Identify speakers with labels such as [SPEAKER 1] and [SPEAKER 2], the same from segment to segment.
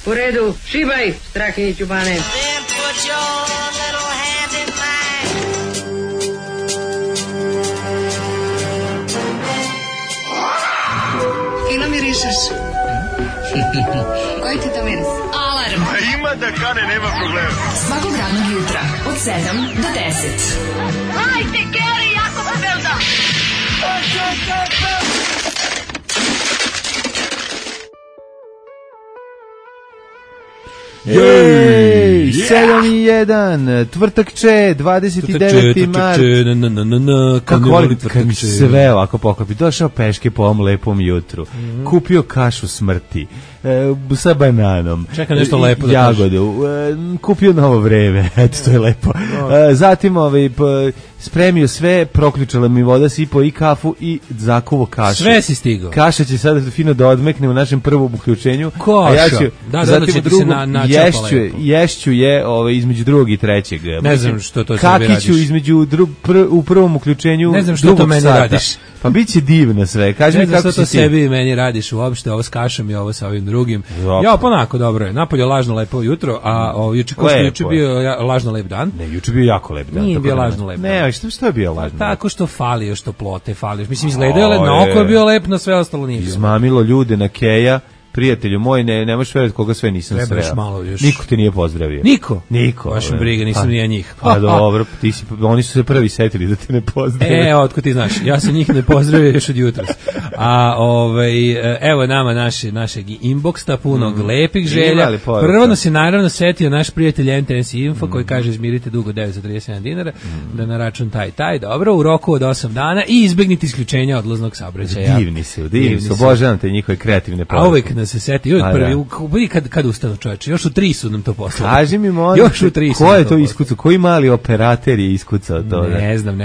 [SPEAKER 1] U redu, šibaj, Strahinji Ćubane.
[SPEAKER 2] Fino mirišeš. Koji ti to miris? Alarm.
[SPEAKER 3] Ima da kane, nema problema.
[SPEAKER 2] Svakog radnog jutra, od 7 do 10.
[SPEAKER 4] Hajde, Geri, jako se velda.
[SPEAKER 5] Jej, 7:01, tvrtakče, 29. mart. Kako volim kad mi sve ovako poklopi. Došao peške po ovom lepom jutru. Kupio kašu smrti. Sa bananom.
[SPEAKER 6] Čekam nešto lepo da
[SPEAKER 5] jagodu. Kupio novo vreme. Eto, to je lepo. Zatim spremio sve, proključala mi voda, sipao i kafu i zakuvo kašu.
[SPEAKER 6] Sve si stigao.
[SPEAKER 5] Kaša će sada fino da odmekne u našem prvom uključenju.
[SPEAKER 6] Koša.
[SPEAKER 5] A ja ću,
[SPEAKER 6] zatim u drugom
[SPEAKER 5] ješću je između drugog i trećeg.
[SPEAKER 6] Ne znam što to sebi radiš.
[SPEAKER 5] Kakiću između u prvom uključenju.
[SPEAKER 6] Ne znam što to meni radiš.
[SPEAKER 5] Pa bit će divno sve. Kaži mi kako
[SPEAKER 6] to sebi meni radiš uopšte, ovo s kašom i ovo sa ovim drugim. Ja, ponako, dobro je. Napolje lažno lepo jutro, a juče bio lažno lep dan.
[SPEAKER 5] Ne, juče bio jako lep dan.
[SPEAKER 6] Nije bio lažno lep dan.
[SPEAKER 5] Ne, što je bio lažno?
[SPEAKER 6] Tako što falio, što plote falio. Mislim, izgledao na oko je bio lep, na sve ostalo nije bio.
[SPEAKER 5] Izmamilo ljude na Keja. Prijatelju moj, ne možeš verovati koga sve nisam sreo. Niko te nije pozdravio. Niko.
[SPEAKER 6] Baš briga, nisam ni ja njih.
[SPEAKER 5] Pa dobro, oni su se prvi setili da te ne pozdrave.
[SPEAKER 6] Otko ti znaš, ja sam njih ne pozdravio još od jutros. A evo nama našeg inboxa punog lepih želja. Prvo nas je naravno setio naš prijatelj NTS Info koji kaže izmirite dugo 937 dinara da na račun taj, dobro, u roku od 8 dana i izbegnite isključenja odlaznog saobraćaja.
[SPEAKER 5] Divni se, obožavam te njihove kreativne poruke.
[SPEAKER 6] Se seti uvijek prvi kad ustanu čoveče, još u 3 su nam to poslali.
[SPEAKER 5] Kaži mi molim, još u 3 ko je to iskucao, koji mali operater je iskucao to?
[SPEAKER 6] Ne znam,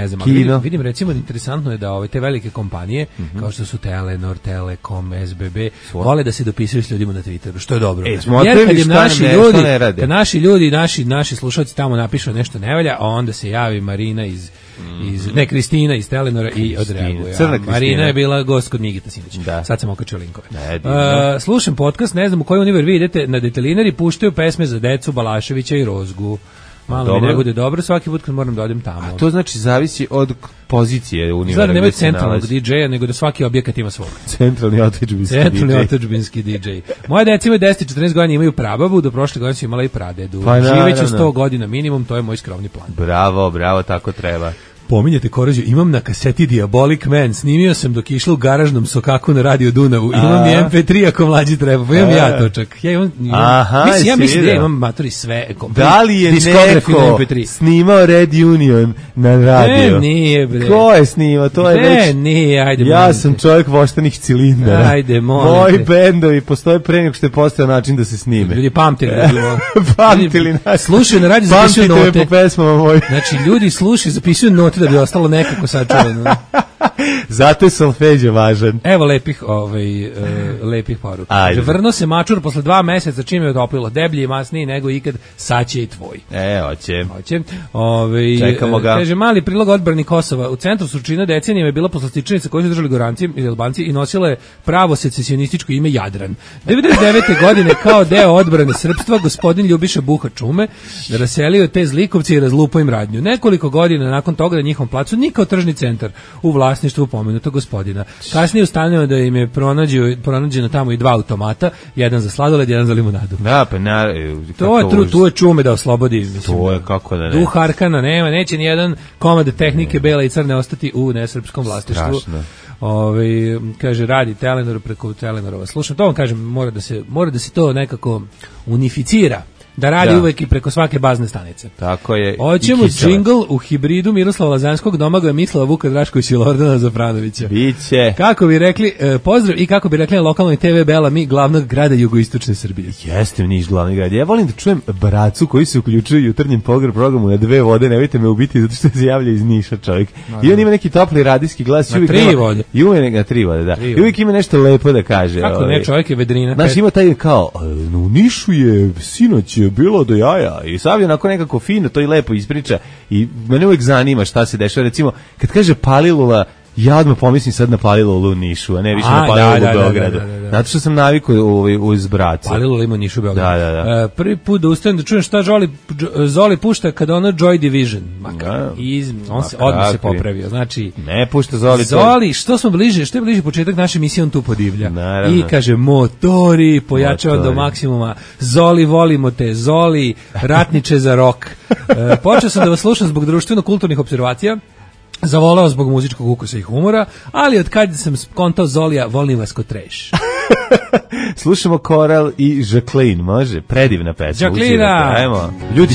[SPEAKER 6] vidim recimo interesantno je da te velike kompanije kao što su Telenor, Telekom, SBB vole da se dopisuju s ljudima na Twitteru, što je dobro. Jer kad naši ljudi, naši slušalci tamo napišu nešto ne valja, a onda se javi Marina Kristina iz Telenora i odreaguje. Marina je bila gost kod Migita sinoć. Sad sam okačio linkove. Slušam podcast, ne znam u koji univer vi idete, na Detelinari puštaju pesme za decu Balaševića i Rozgu. Malo mi ne bude dobro, svaki put kad moram da odem tamo.
[SPEAKER 5] A to znači zavisi od pozicije univera.
[SPEAKER 6] Znači nemaju centralnog DJ-a, nego da svaki objekat ima svog.
[SPEAKER 5] Centralni
[SPEAKER 6] otadžbinski DJ. Moje deca imaju 10 14 godina, imaju prababu, do prošle godine su imala i pradedu. Živeći 100 godina minimum, to je moj skromni plan.
[SPEAKER 5] Bravo, tako treba.
[SPEAKER 6] Pominjete Koroziju, imam na kaseti Diabolic Man, snimio sam dok išla u garažnom sokaku na Radio Dunavu, imam i MP3 ako mlađi treba, pa imam ja to čak. Ja mislim da imam matori sve.
[SPEAKER 5] Da li je neko snimao Red Union na radio?
[SPEAKER 6] Ne, nije bre.
[SPEAKER 5] Ko je snimao? To je već...
[SPEAKER 6] nije, ajde.
[SPEAKER 5] Ja sam čovjek voštanih cilindara.
[SPEAKER 6] Ajde, molim.
[SPEAKER 5] Moji bendovi postoje pre nego što je postao način da se snime.
[SPEAKER 6] Ljudi pamtili.
[SPEAKER 5] Pamtili nas.
[SPEAKER 6] Slušaju na radio, zapisuju note.
[SPEAKER 5] Pamtite me po pesmama mojim.
[SPEAKER 6] Znači, ljudi slušaju, zapisuju note da bi ostalo nekako sačuvano.
[SPEAKER 5] Zato je solfeđe važan.
[SPEAKER 6] Evo lepih poruka. Vrno se mačur posle 2 meseca čim je otoplilo, deblji i masniji nego ikad, sad će i tvoj.
[SPEAKER 5] Hoće.
[SPEAKER 6] Čekamo ga. Kaže, mali prilog odbrani Kosova. U centru Surčina decenijama je bila poslastičanica koju su držali Goranci i Albanci i nosila je pravo secesionističko ime Jadran. 99. godine kao deo odbrane srpstva gospodin Ljubiša Buha Čume raselio te zlikovci i razlupao im radnju. Nekoliko godina nakon toga na njihovom placu nikao tržni centar u vlasništvu pomenutog gospodina. Kasnije ustanovljeno da im je pronađeno tamo i 2 automata, jedan za sladoled, jedan za limunadu.
[SPEAKER 5] Da, pa
[SPEAKER 6] tu je Čume da oslobodi.
[SPEAKER 5] To je kako da ne.
[SPEAKER 6] Duh Arkana nema, neće ni jedan komad tehnike bela i crne ostati u nesrpskom vlasništvu. Kaže, radi Telenor preko Telenorova. Slušam, to vam kažem, mora da se to nekako unificira. Da radi uvek i preko svake bazne stanice.
[SPEAKER 5] Tako je.
[SPEAKER 6] Hoćemo džingl u hibridu Miroslava Lazanskog, Domagoja Mislava, Vuka Draškovića i Lordana Zafranovića.
[SPEAKER 5] Biće.
[SPEAKER 6] Kako bi rekli, pozdrav i kako bi rekli na lokalnoj TV Bela mi glavnog grada jugoistočne Srbije.
[SPEAKER 5] Jeste Niš glavni grad. Ja volim da čujem bracu koji se uključuju u jutarnjem programu na 2 vode, nemojte me ubiti zato što se javlja iz Niša čovjek. I on ima neki topli radijski glas.
[SPEAKER 6] Na 3 vode.
[SPEAKER 5] I uvijek na 3 vode, da. I uvijek ima nešto lepo da kaže.
[SPEAKER 6] Kako ne, čovjek je vedrina.
[SPEAKER 5] Znaš, ima taj kao, u Nišu je sinoć bilo do jaja i sad je onako nekako fino to i lepo ispriča i mene uvijek zanima šta se dešava, recimo kad kaže Palilula ja odmah pomislim sad na Palilulu u Nišu, a ne više na Palilulu u Beogradu. Zato što sam navikao uz bracu.
[SPEAKER 6] Palilulu ima Nišu u Beogradu.
[SPEAKER 5] Da.
[SPEAKER 6] Prvi put da ustanem da čujem šta Zoli pušta kada ono Joy Division. On se odmah se popravio. Znači,
[SPEAKER 5] ne pušta Zoli.
[SPEAKER 6] Zoli, što je bliže početak naše emisije, on tu podivlja.
[SPEAKER 5] Naravno.
[SPEAKER 6] I kaže, motori, pojačava do maksimuma. Zoli, volimo te. Zoli, ratniče za rok. Počeo sam da vas slušam zbog društveno-kulturnih observacija. Zavolao zbog muzičkog ukusa i humora, ali od kad sam skontao Zolija, volim vas ko treš.
[SPEAKER 5] Slušamo Koral i Jacqueline, može? Predivna pesma.
[SPEAKER 6] Jacqueline!
[SPEAKER 5] Ajmo. Ljudi,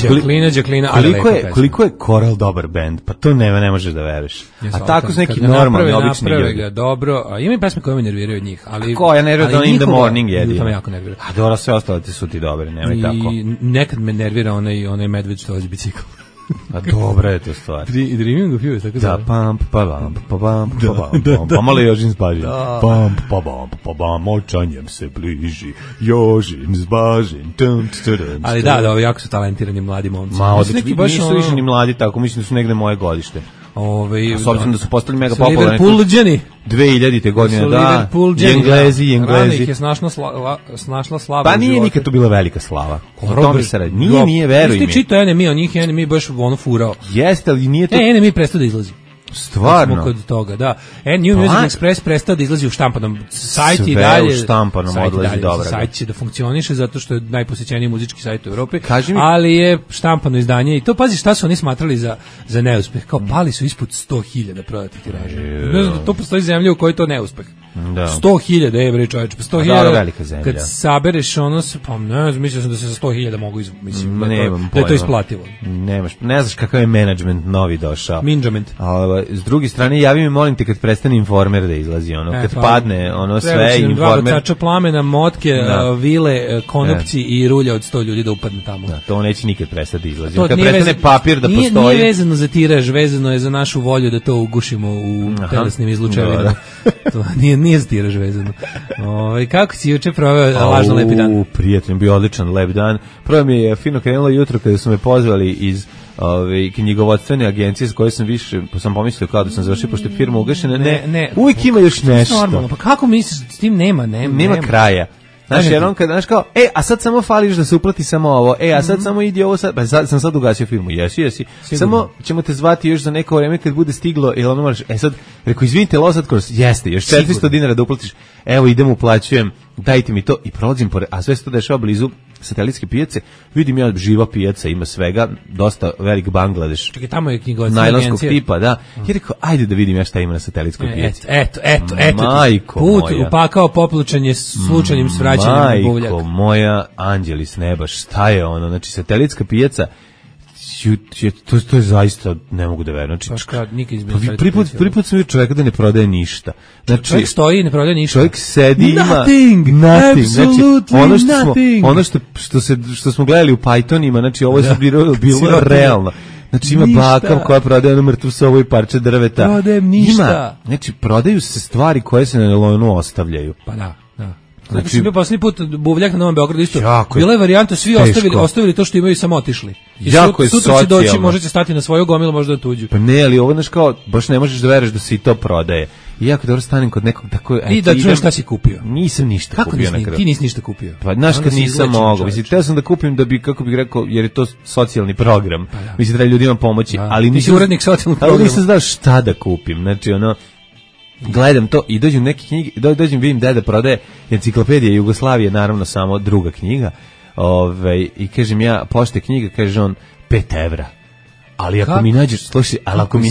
[SPEAKER 5] koliko je Koral dobar bend? Pa to ne možeš da veruješ. A tako su neki normalni, obični ljudi.
[SPEAKER 6] Ga dobro, a ima i pesme koje me nerviraju od njih. Ali,
[SPEAKER 5] ko, ja nerviraju da on In the Morning jedi.
[SPEAKER 6] To me jako nervira.
[SPEAKER 5] A dobro, sve ostalo ti su ti dobri, nemoj tako.
[SPEAKER 6] I nekad me nervira onaj medved što vozi bicikl.
[SPEAKER 5] A dobra je to stvar.
[SPEAKER 6] Dreaming of you, tako
[SPEAKER 5] da. Pa malo Jožin zbaži. Močanjem se bliži, Jožin zbaži.
[SPEAKER 6] Ali da, jako su talentirani mladi momci.
[SPEAKER 5] Ma, nisu više ni mladi tako, mislim da su negde moje godište. S obzirom da su postali mega popularni.
[SPEAKER 6] Liverpoolđani.
[SPEAKER 5] 2000. godine, da. Englezi.
[SPEAKER 6] Rano ih je snašla slava.
[SPEAKER 5] Pa nije nikad to bila velika slava. O tome se radi. Nije, veruj mi.
[SPEAKER 6] Ti čitao Enemy, o njih Enemy baš ono furao.
[SPEAKER 5] Jeste, ali nije to...
[SPEAKER 6] Enemy prestao da izlazi.
[SPEAKER 5] Stvarno?
[SPEAKER 6] Kod toga, da. New Music Express prestao da izlazi u štampanom. Sajt i
[SPEAKER 5] dalje. Sve u štampanom odlazi dobro.
[SPEAKER 6] Sajt će da funkcioniše zato što je najposećeniji muzički sajt u Evropi, ali je štampano izdanje i to, pazi šta su oni smatrali za neuspeh. Kao pali su ispod 100.000 prodatih tiraža. Ne znam, to postoji zemlja u kojoj to neuspeh. 100.000 evra, čovječe. 100.000 kad sabereš ono, pa ne znam, mislim da se za 100.000 mogu mislim, da je to isplativo.
[SPEAKER 5] Ne znaš kakav je menadžment novi došao.
[SPEAKER 6] Minđament.
[SPEAKER 5] S druge strane, javi mi, molim te, kad prestane Informer da izlazi, kad padne ono sve, Informer...
[SPEAKER 6] Dva vocača plamena, motke, vile, konopci i rulja od 100 ljudi da upadne tamo.
[SPEAKER 5] Da, to neće nikad prestati da izlazi. Kad prestane papir da postoji...
[SPEAKER 6] Nije vezano za tiraž, vezano je za našu volju da to ugušimo u telesnim izlučevinama. To nije za tiraž vezano. Kako si juče proveo lažno lepi dan?
[SPEAKER 5] Prijatelj, bio odličan lep dan. Prvo mi je fino krenulo jutro kada su me pozvali iz knjigovodstvene agencije s koje sam više, pa sam pomislio kao da sam završio, pošto je firma ugašena. Ne, uvijek ima još nešto.
[SPEAKER 6] Normalno, pa kako misliš, s tim nema
[SPEAKER 5] kraja. Znaš, jer on znaš kao, a sad samo fališ da se uplati samo ovo, a sad samo idi ovo, pa sam sad ugasio firmu, jesi. Samo ćemo te zvati još za neko vreme kad bude stiglo, jel ono moraš, sad, rekao, izvinite, Losad Kors, jeste, još 400 dinara da uplatiš, evo idem, uplaćujem, dajte mi to i prolazim pored, a sve se to dešava blizu satelitske pijace, vidim ja živa pijaca, ima svega, dosta velik Bangladeš.
[SPEAKER 6] Čekaj, tamo je knjigovodstvena
[SPEAKER 5] najlonskog tipa, da. I rekao, ajde da vidim ja šta ima na satelitskoj pijaci.
[SPEAKER 6] Eto.
[SPEAKER 5] Majko
[SPEAKER 6] put
[SPEAKER 5] moja.
[SPEAKER 6] Upakao poplučanje slučajnim svraćanjem u buvljak.
[SPEAKER 5] Majko moja, anđeli s neba, šta je ono? Znači, satelitska pijaca, to je zaista, ne mogu da verujem. Znači, prvi put sam vidio čovjeka da ne prodaje ništa. Znači,
[SPEAKER 6] čovjek stoji i ne prodaje ništa.
[SPEAKER 5] Čovjek sedi,
[SPEAKER 6] nothing.
[SPEAKER 5] Znači, ono što smo gledali u Pythonima, znači ovo je bilo realno. Znači ima baka koja prodaje ono mrtvu sovu i parče drveta.
[SPEAKER 6] Prodajem ništa.
[SPEAKER 5] Znači, prodaju se stvari koje se na nelonu ostavljaju.
[SPEAKER 6] Pa da. Znači, sam bio posljednji put buvljak na Novom Beogradu isto. Bila je varijanta, svi ostavili to što imaju i samo otišli. I sutra će doći, možete stati na svoju gomilu, možda na tuđu.
[SPEAKER 5] Pa ne, ali ovo znaš kao, baš ne možeš da veruješ da se i to prodaje. I jako dobro stanem kod nekog tako...
[SPEAKER 6] I da čuješ šta si kupio.
[SPEAKER 5] Nisam ništa kupio na kraju.
[SPEAKER 6] Ti nisi ništa kupio.
[SPEAKER 5] Pa znaš kad nisam mogao. Mislim, teo sam da kupim da bi, kako bih rekao, jer je to socijalni program. Mislim, treba ljudima pomoći. Ali
[SPEAKER 6] nisam urednik socijalnog programa.
[SPEAKER 5] Ali nisam znao šta da kupim. Znači, ono... Gledam to i dođem neke knjige, vidim deda prodaje Enciklopedija Jugoslavije, naravno samo druga knjiga, i kažem ja, pošte knjiga, kaže on, 5 evra. Ali ako mi nađeš, slušaj, ako mi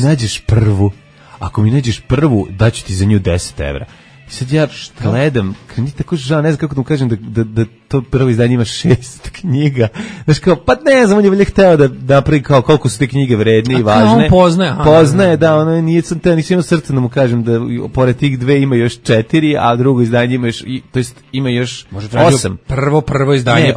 [SPEAKER 5] nađeš prvu, daću ti za nju 10 evra. I sad ja gledam, tako žao, ne znam kako da mu kažem da to prvo izdanje ima 6 knjiga. Znaš kao, pa ne znam, on je velje hteo da napravi kao koliko su te knjige vredne i važne.
[SPEAKER 6] On
[SPEAKER 5] poznaje, da, ono nisam imao srce da mu kažem da pored tih 2 ima još 4, a drugo izdanje ima još, to jest ima još 8.
[SPEAKER 6] Prvo izdanje,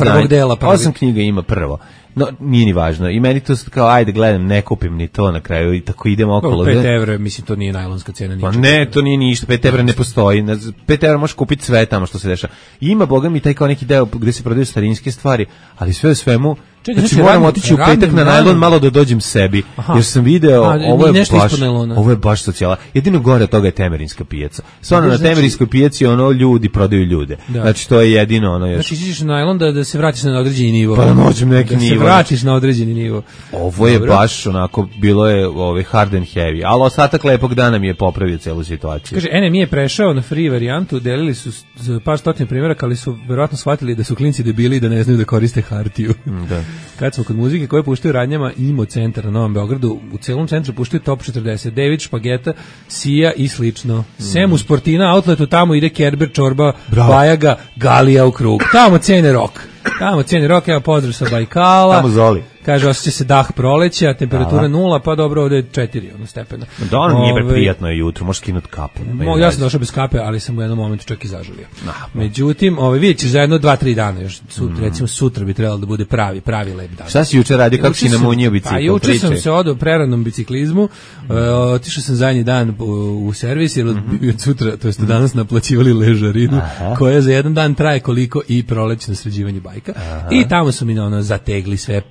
[SPEAKER 6] prvog dela.
[SPEAKER 5] 8 knjiga ima prvo. No, nije ni važno. I meni to kao, ajde, gledam, ne kupim ni to na kraju i tako idem okolo.
[SPEAKER 6] 5 evra, mislim, to nije najlonska cena.
[SPEAKER 5] Pa ne, to nije ništa. 5 evra ne postoji. 5 evra možeš kupiti sve tamo što se dešava. Ima, boga mi, taj kao neki deo gde se prodaju starinske stvari, ali sve u svemu, Znači moram otići u petak na najlon malo da dođem sebi. Jer sam video, ovo je baš socijala. Jedino gore od toga je Temerinska pijaca. Stvarno na Temerinskoj pijaci ljudi prodaju ljude. Znači to je jedino ono još.
[SPEAKER 6] Znači ideš na najlon da se vratiš na određeni nivo.
[SPEAKER 5] Pa noćem neki nivo.
[SPEAKER 6] Da se vratiš na određeni nivo.
[SPEAKER 5] Ovo je baš onako, bilo je hard and heavy, ali ostatak lepog dana mi je popravio celu situaciju.
[SPEAKER 6] Kaže, NM je prešao na free varijantu, delili su par stotina primjeraka, ali su verovatno shvatili da su klinci debili i da ne znaju da koriste hartiju. Da. Kad smo kod muzike koje puštaju radnjama, Imo centar na Novom Beogradu, u celom centru puštaju Top 40, David, Špageta, Sija i slično. Sem u Sportina outletu, tamo ide Kerber, Čorba, Bajaga, Galija u krug. Tamo cene rock, evo pozdrav sa Bajkala.
[SPEAKER 5] Tamo Zoli.
[SPEAKER 6] Kaže, osjeća se dah proleća, temperatura 0, pa dobro, ovde je 4 stepena.
[SPEAKER 5] Da, ono nije prijatno je jutro, možeš skinuti kapu.
[SPEAKER 6] Ja sam došao bez kape, ali sam u jednom momentu čak i zažalio. Međutim, vidjet ćeš za jedno 2-3 dana, još recimo sutra bi trebalo da bude pravi lep dan.
[SPEAKER 5] Šta si juče radio, kako si namunio bicikl?
[SPEAKER 6] Pa juče sam se odao preranom biciklizmu, otišao sam zadnji dan u servis, jer od sutra, to jest danas naplaćivali ležarinu, koja za jedan dan traje koliko i prolećno sređivanje bajka. I tamo su mi zategli sve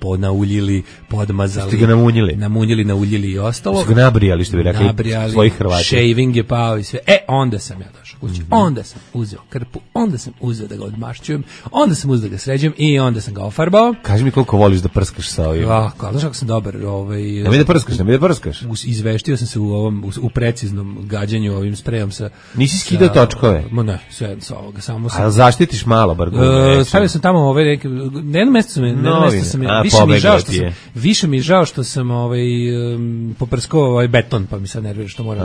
[SPEAKER 6] uljili, podmazali.
[SPEAKER 5] Ste ga namunjili?
[SPEAKER 6] Nauljili i ostalo.
[SPEAKER 5] Ste ga nabrijali, što bi rekli svojih Hrvata.
[SPEAKER 6] Shaving je pao i sve. Onda sam ja došao kući. Onda sam uzeo krpu, onda sam uzeo da ga odmašćujem, onda sam uzeo da ga sređujem i onda sam ga ofarbao.
[SPEAKER 5] Kaži mi koliko voliš da prskaš sa ovim.
[SPEAKER 6] Znaš kako sam dobar.
[SPEAKER 5] Ne mi da prskaš.
[SPEAKER 6] Izveštio sam se u preciznom gađanju ovim sprejom sa...
[SPEAKER 5] Nisi skidao točkove?
[SPEAKER 6] Ne, sve sa ovoga. Samo sam...
[SPEAKER 5] A zaštitiš malo, bar gume?
[SPEAKER 6] Stavio sam tamo na jedno mesto sam više mi je žao što sam poprskao beton, pa mi sad nervira što moram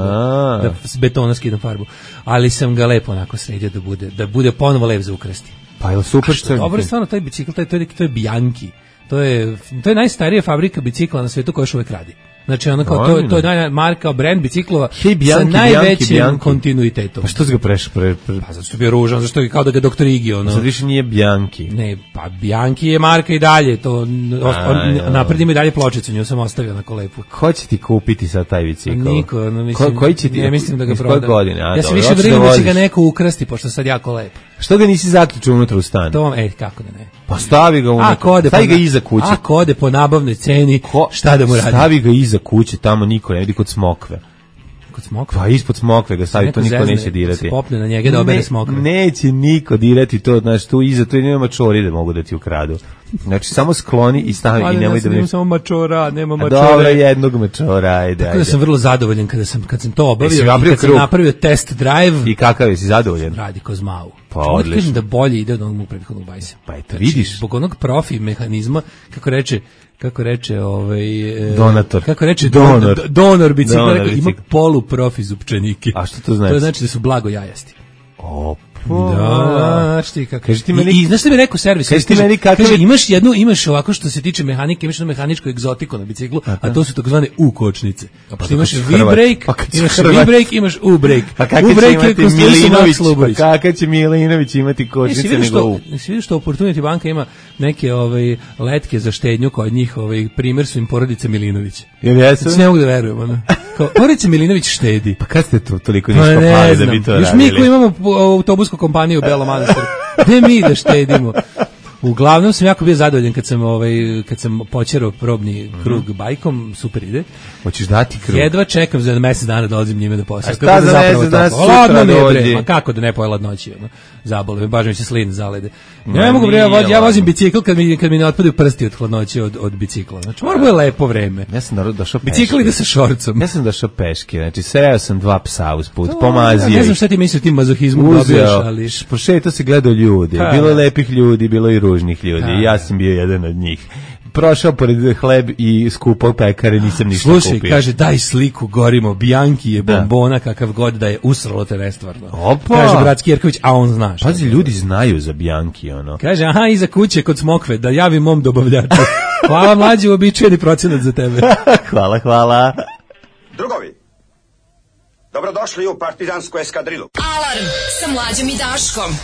[SPEAKER 6] da s betona skidam farbu, ali sam ga lepo onako sredio da bude ponovo lep za ukrasti.
[SPEAKER 5] Pa je super što je.
[SPEAKER 6] Dobro je stvarno taj bicikl, to je Bianchi. To je najstarija fabrika bicikla na svetu koja još uvek radi. Znači ono kao to je marka, brand biciklova sa najvećim kontinuitetom.
[SPEAKER 5] Pa što si ga prešao?
[SPEAKER 6] Pa zato što je bio ružan, zašto je kao da ga doktor Igi ono.
[SPEAKER 5] Sad više nije Bianchi.
[SPEAKER 6] Ne, pa Bianchi je marka i dalje, to napred ima i dalje pločicu, nju sam ostavio na kolepu.
[SPEAKER 5] Ko će ti kupiti sad taj bicikl?
[SPEAKER 6] Niko, mislim.
[SPEAKER 5] Koji će ti?
[SPEAKER 6] Ne mislim da ga prodam.
[SPEAKER 5] Koje godine?
[SPEAKER 6] Ja se više brinem da će ga neko ukrasti, pošto sad jako lepo.
[SPEAKER 5] Što ga nisi zaključio unutra u stan?
[SPEAKER 6] To kako da ne.
[SPEAKER 5] Pa stavi ga unutra. Stavi ga iza kuće.
[SPEAKER 6] Ako ode po nabavnoj ceni, šta da mu radi?
[SPEAKER 5] Stavi ga iza kuće, tamo niko ne vidi, kod smokve.
[SPEAKER 6] Kod smokve?
[SPEAKER 5] Pa ispod smokve ga stavi, to niko neće dirati.
[SPEAKER 6] Se popne na njega da obere smokve.
[SPEAKER 5] Neće niko dirati to, znači tu iza, tu nema mačori da mogu da ti ukradu. Znači samo skloni i stavi i nemoj da...
[SPEAKER 6] Nema samo mačora, nema mačora.
[SPEAKER 5] Dobro, jednog mačora, ajde.
[SPEAKER 6] Tako da sam vrlo zadovoljan kad sam to obavio i kad sam napravio test drive.
[SPEAKER 5] I kakav je, si zadovoljan?
[SPEAKER 6] Radi ko zmau.
[SPEAKER 5] Pa odlično.
[SPEAKER 6] Kažem da bolje ide od onog prethodnog bajsa.
[SPEAKER 5] Pa eto, vidiš.
[SPEAKER 6] Zbog onog profi mehanizma, kako reče
[SPEAKER 5] donator.
[SPEAKER 6] Kako reče donor bicikla, ima poluprofi zupčanike.
[SPEAKER 5] A što to znači?
[SPEAKER 6] To znači da su blago jajasti.
[SPEAKER 5] Da,
[SPEAKER 6] šti kako. I znaš što mi rekao servis? Kaže, imaš ovako što se tiče mehanike, imaš mehaničku egzotiku na biciklu, a to su takozvane U-kočnice. Što imaš V-brake, imaš U-brake.
[SPEAKER 5] Pa kakav će imati Milinović, kakav će Milinović imati kočnice nego U?
[SPEAKER 6] Si vidio što Opportunity banka ima neke letke za štednju kod njih, primjer su im porodice Milinović.
[SPEAKER 5] Jel jesu?
[SPEAKER 6] Ne mogu da verujem, ono. Porodice Milinović štedi.
[SPEAKER 5] Pa kad ste to toliko ništa pali da bi to radili?
[SPEAKER 6] Još mi koji imamo autobusku kompaniju u Belom Manastiru. Gde mi da štedimo? Uglavnom sam jako bio zadovoljan kad sam počerao probni krug bajkom, super ide.
[SPEAKER 5] Hoćeš dati krug?
[SPEAKER 6] Jedva čekam za mesec dana dolazim njime da posjetim.
[SPEAKER 5] A šta za mesec dana sutra dođi?
[SPEAKER 6] Ma kako da ne poje ladnoći, zabole me, baš mi se slin zalede. Ja ne mogu ja vozim bicikl kad mi ne otpadaju prsti od hladnoće od bicikla. Znači mora bude lepo vreme.
[SPEAKER 5] Ja sam došao peške.
[SPEAKER 6] Bicikl ide sa šorcom.
[SPEAKER 5] Ja sam došao peške, znači sreo sam 2 psa usput, pomazio.
[SPEAKER 6] Ne znam šta ti misliš tim mazohizmom dobiješ, ali
[SPEAKER 5] pošetao se gledao ljude, bilo je lepih ljudi, bilo i ružnih ljudi. Ja sam bio jedan od njih. Prošao pored hleb i skupo pekare, nisam ništa kupio.
[SPEAKER 6] Slušaj, kaže, daj sliku, gorimo, Bianchi je bombona, kakav god da je, usralo te nestvarno.
[SPEAKER 5] Opa!
[SPEAKER 6] Kaže Bratski Jerković, a on zna šta.
[SPEAKER 5] Pazi, ljudi znaju za Bianchi, ono.
[SPEAKER 6] Kaže, aha, iza kuće kod smokve, da javim mom dobavljaču. Hvala mlađi, uobičajeni procenat za tebe.
[SPEAKER 5] Hvala.
[SPEAKER 7] Drugovi, dobrodošli u partizansku eskadrilu.
[SPEAKER 2] Alarm sa Mlađom i Daškom.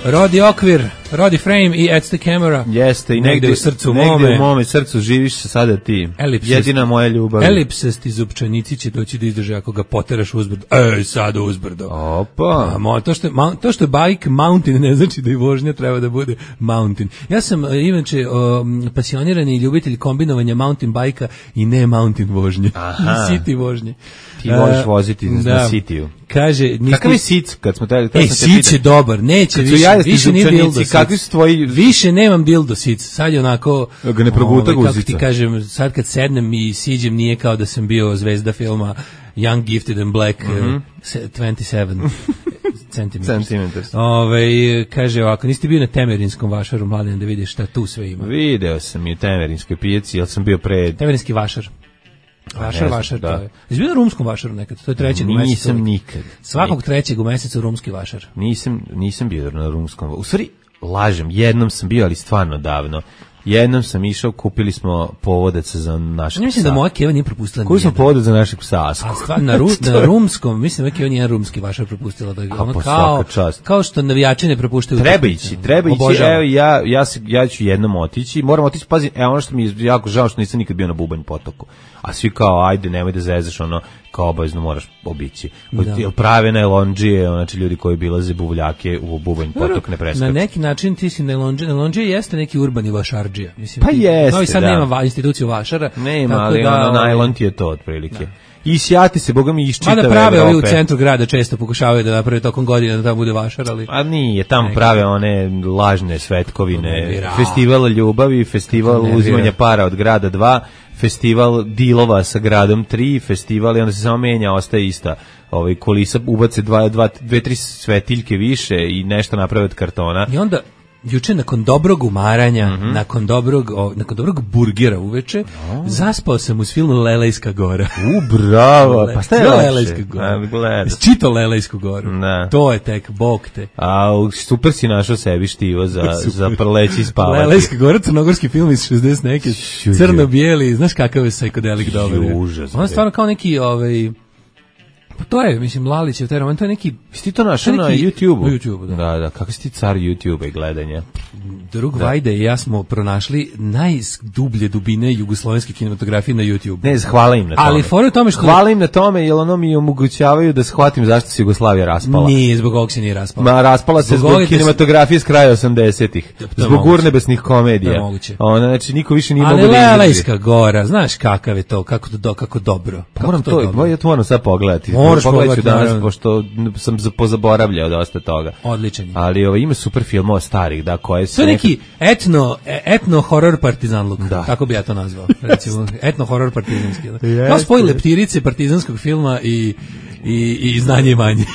[SPEAKER 6] Rodi okvir, Roddy Frame i At the Camera.
[SPEAKER 5] Jeste, i negde u srcu negde u mome srcu živiš sada ti. Jedina moja ljubav.
[SPEAKER 6] Elipsasti zupčanici će doći da izdrže ako ga poteraš uzbrdo. Sad uzbrdo.
[SPEAKER 5] Opa.
[SPEAKER 6] To što je bike mountain ne znači da i vožnja treba da bude mountain. Ja sam inače pasionirani ljubitelj kombinovanja mountain bajka i ne mountain vožnje. I city vožnje.
[SPEAKER 5] Ti voliš voziti na Cityu.
[SPEAKER 6] Kaže,
[SPEAKER 5] kakav je Sic kad smo tali?
[SPEAKER 6] Sic je dobar, neće više nije dildo.
[SPEAKER 5] Kakvi su tvoji?
[SPEAKER 6] Više nemam dildo Sic. Sad je onako
[SPEAKER 5] ga ne proguta guzica.
[SPEAKER 6] Kako ti kažem, sad kad sednem i siđem nije kao da sam bio zvezda filma Young, Gifted and Black 27 centimeters. Kaže ovako, niste bio na Temerinskom vašaru, Mladen, da vidiš šta tu sve ima.
[SPEAKER 5] Video sam i u Temerinskoj pijaci, ali sam bio pred...
[SPEAKER 6] Temerinski vašar. Vašar, da. Jesi bio na rumskom vašaru nekad? To je trećeg u mesecu.
[SPEAKER 5] Nisam nikad.
[SPEAKER 6] Svakog trećeg u mesecu rumski vašar.
[SPEAKER 5] Nisam bio na rumskom. U stvari, lažem, jednom sam bio, ali stvarno davno. Jednom sam išao, kupili smo povodac za našeg psa.
[SPEAKER 6] Mislim da moja Keva nije propustila nijedan.
[SPEAKER 5] Kupili smo povodac za našeg psa Asku.
[SPEAKER 6] A stvarno, na rumskom, mislim da Keva nije rumski vašar propustila. Da je ono kao što navijači ne propuštaju.
[SPEAKER 5] Treba ići. Evo, ja ću jednom otići. Moram otići, pazi, ono što mi je jako žao što nisam nikad bio na Bubanj potoku. A svi kao, ajde, nemoj da zezaš, ono, kao obavezno moraš obići. Prave najlondžije, znači ljudi koji bilaze buvljake u Bubanj potok ne preskaču.
[SPEAKER 6] Na neki način ti si najlondžije jeste neki urbani vašardžija. Mislim,
[SPEAKER 5] pa jeste,
[SPEAKER 6] Novi Sad nema instituciju vašara.
[SPEAKER 5] Nema, ali najlon ti je to otprilike. I sjati se, boga mi iščitave Evrope.
[SPEAKER 6] Mada prave ovi u centru grada često pokušavaju da naprave tokom godine da tamo bude vašar, ali...
[SPEAKER 5] A nije, tamo prave one lažne svetkovine, festival ljubavi, festival uzimanja para od grada 2, festival dilova sa gradom 3, festival i onda se samo menja, ostaje ista. Kulisa ubace 2-3 svetiljke više i nešto naprave od kartona.
[SPEAKER 6] I onda... Juče nakon dobrog umaranja, nakon dobrog burgera uveče, zaspao sam uz film Lelejska gora.
[SPEAKER 5] Bravo. Pa šta je
[SPEAKER 6] Lelejska gora? Čito Lelejsku goru.
[SPEAKER 5] Da.
[SPEAKER 6] To je tek, bog te.
[SPEAKER 5] A super si našao sebi štivo za prleći i spavati.
[SPEAKER 6] Lelejska gora, crnogorski film iz 60 neke, crno-bijeli, znaš kakav je psychedelic dobar.
[SPEAKER 5] Užas.
[SPEAKER 6] On je stvarno kao neki... Pa to je, mislim, Lalićev taj roman, to je neki...
[SPEAKER 5] Ti to našao na YouTube-u?
[SPEAKER 6] Na YouTube-u, da.
[SPEAKER 5] Da, kako si ti car YouTube-a i gledanja?
[SPEAKER 6] Drug Vajda i ja smo pronašli najdublje dubine jugoslovenske kinematografije na YouTube.
[SPEAKER 5] Ne, hvala im na tome.
[SPEAKER 6] Ali fora u tome što...
[SPEAKER 5] Hvala im na tome, jer ono mi omogućavaju da shvatim zašto se Jugoslavija raspala.
[SPEAKER 6] Nije, zbog ovog se nije raspala.
[SPEAKER 5] Ma, raspala se zbog kinematografije s kraja 80-ih. Zbog urnebesnih komedija.
[SPEAKER 6] To je moguće.
[SPEAKER 5] Znači, niko više nije mogu da
[SPEAKER 6] izdrži. Ali Lelejska gora, znaš kakav je to, kako dobro.
[SPEAKER 5] Moram to, ja to moram sad pogledati. Pogledat ću danas, pošto sam pozaboravljao dosta toga.
[SPEAKER 6] Odličan.
[SPEAKER 5] Ali ima super filmova starih, da, koje se...
[SPEAKER 6] To je neki etno-horror partizanluk, tako bi ja to nazvao. Recimo, etno-horror partizanski. Kao spoj leptirice partizanskog filma i znanje i manje.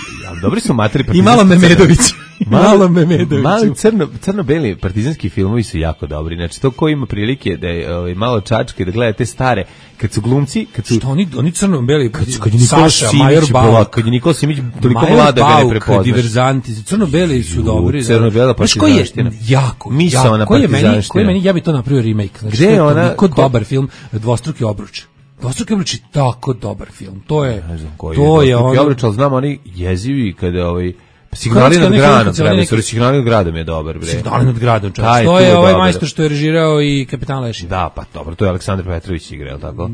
[SPEAKER 5] Dobri su materi
[SPEAKER 6] partizanski. I malo Memedović.
[SPEAKER 5] Mali crno-beli partizanski filmovi su jako dobri. Znači, to ko ima prilike da je malo čačke, da gleda te stare, kad su glumci,
[SPEAKER 6] što oni crno-beli,
[SPEAKER 5] kad je Saša, Major Bauk, kad je Nikola Simić toliko mlada da ga ne prepoznaš.
[SPEAKER 6] Diverzanti, crno-beli su dobri.
[SPEAKER 5] Crno-bela partizanština.
[SPEAKER 6] Misaona partizanština. Ja bi to napravio remake.
[SPEAKER 5] Gde je ona?
[SPEAKER 6] Toliko dobar film, Dvostruki obruč. Dvostruki obruč je tako dobar film. To je
[SPEAKER 5] Dvostruki obruč, ali znam oni jezivi kada Signali nad gradom, Signali nad gradom je dobar, bre.
[SPEAKER 6] Signali nad gradom, čovječ. To je ovaj majstor što je režirao i Kapitan Lešin.
[SPEAKER 5] Da, pa dobro, to je Aleksandar Petrović igrao, tako?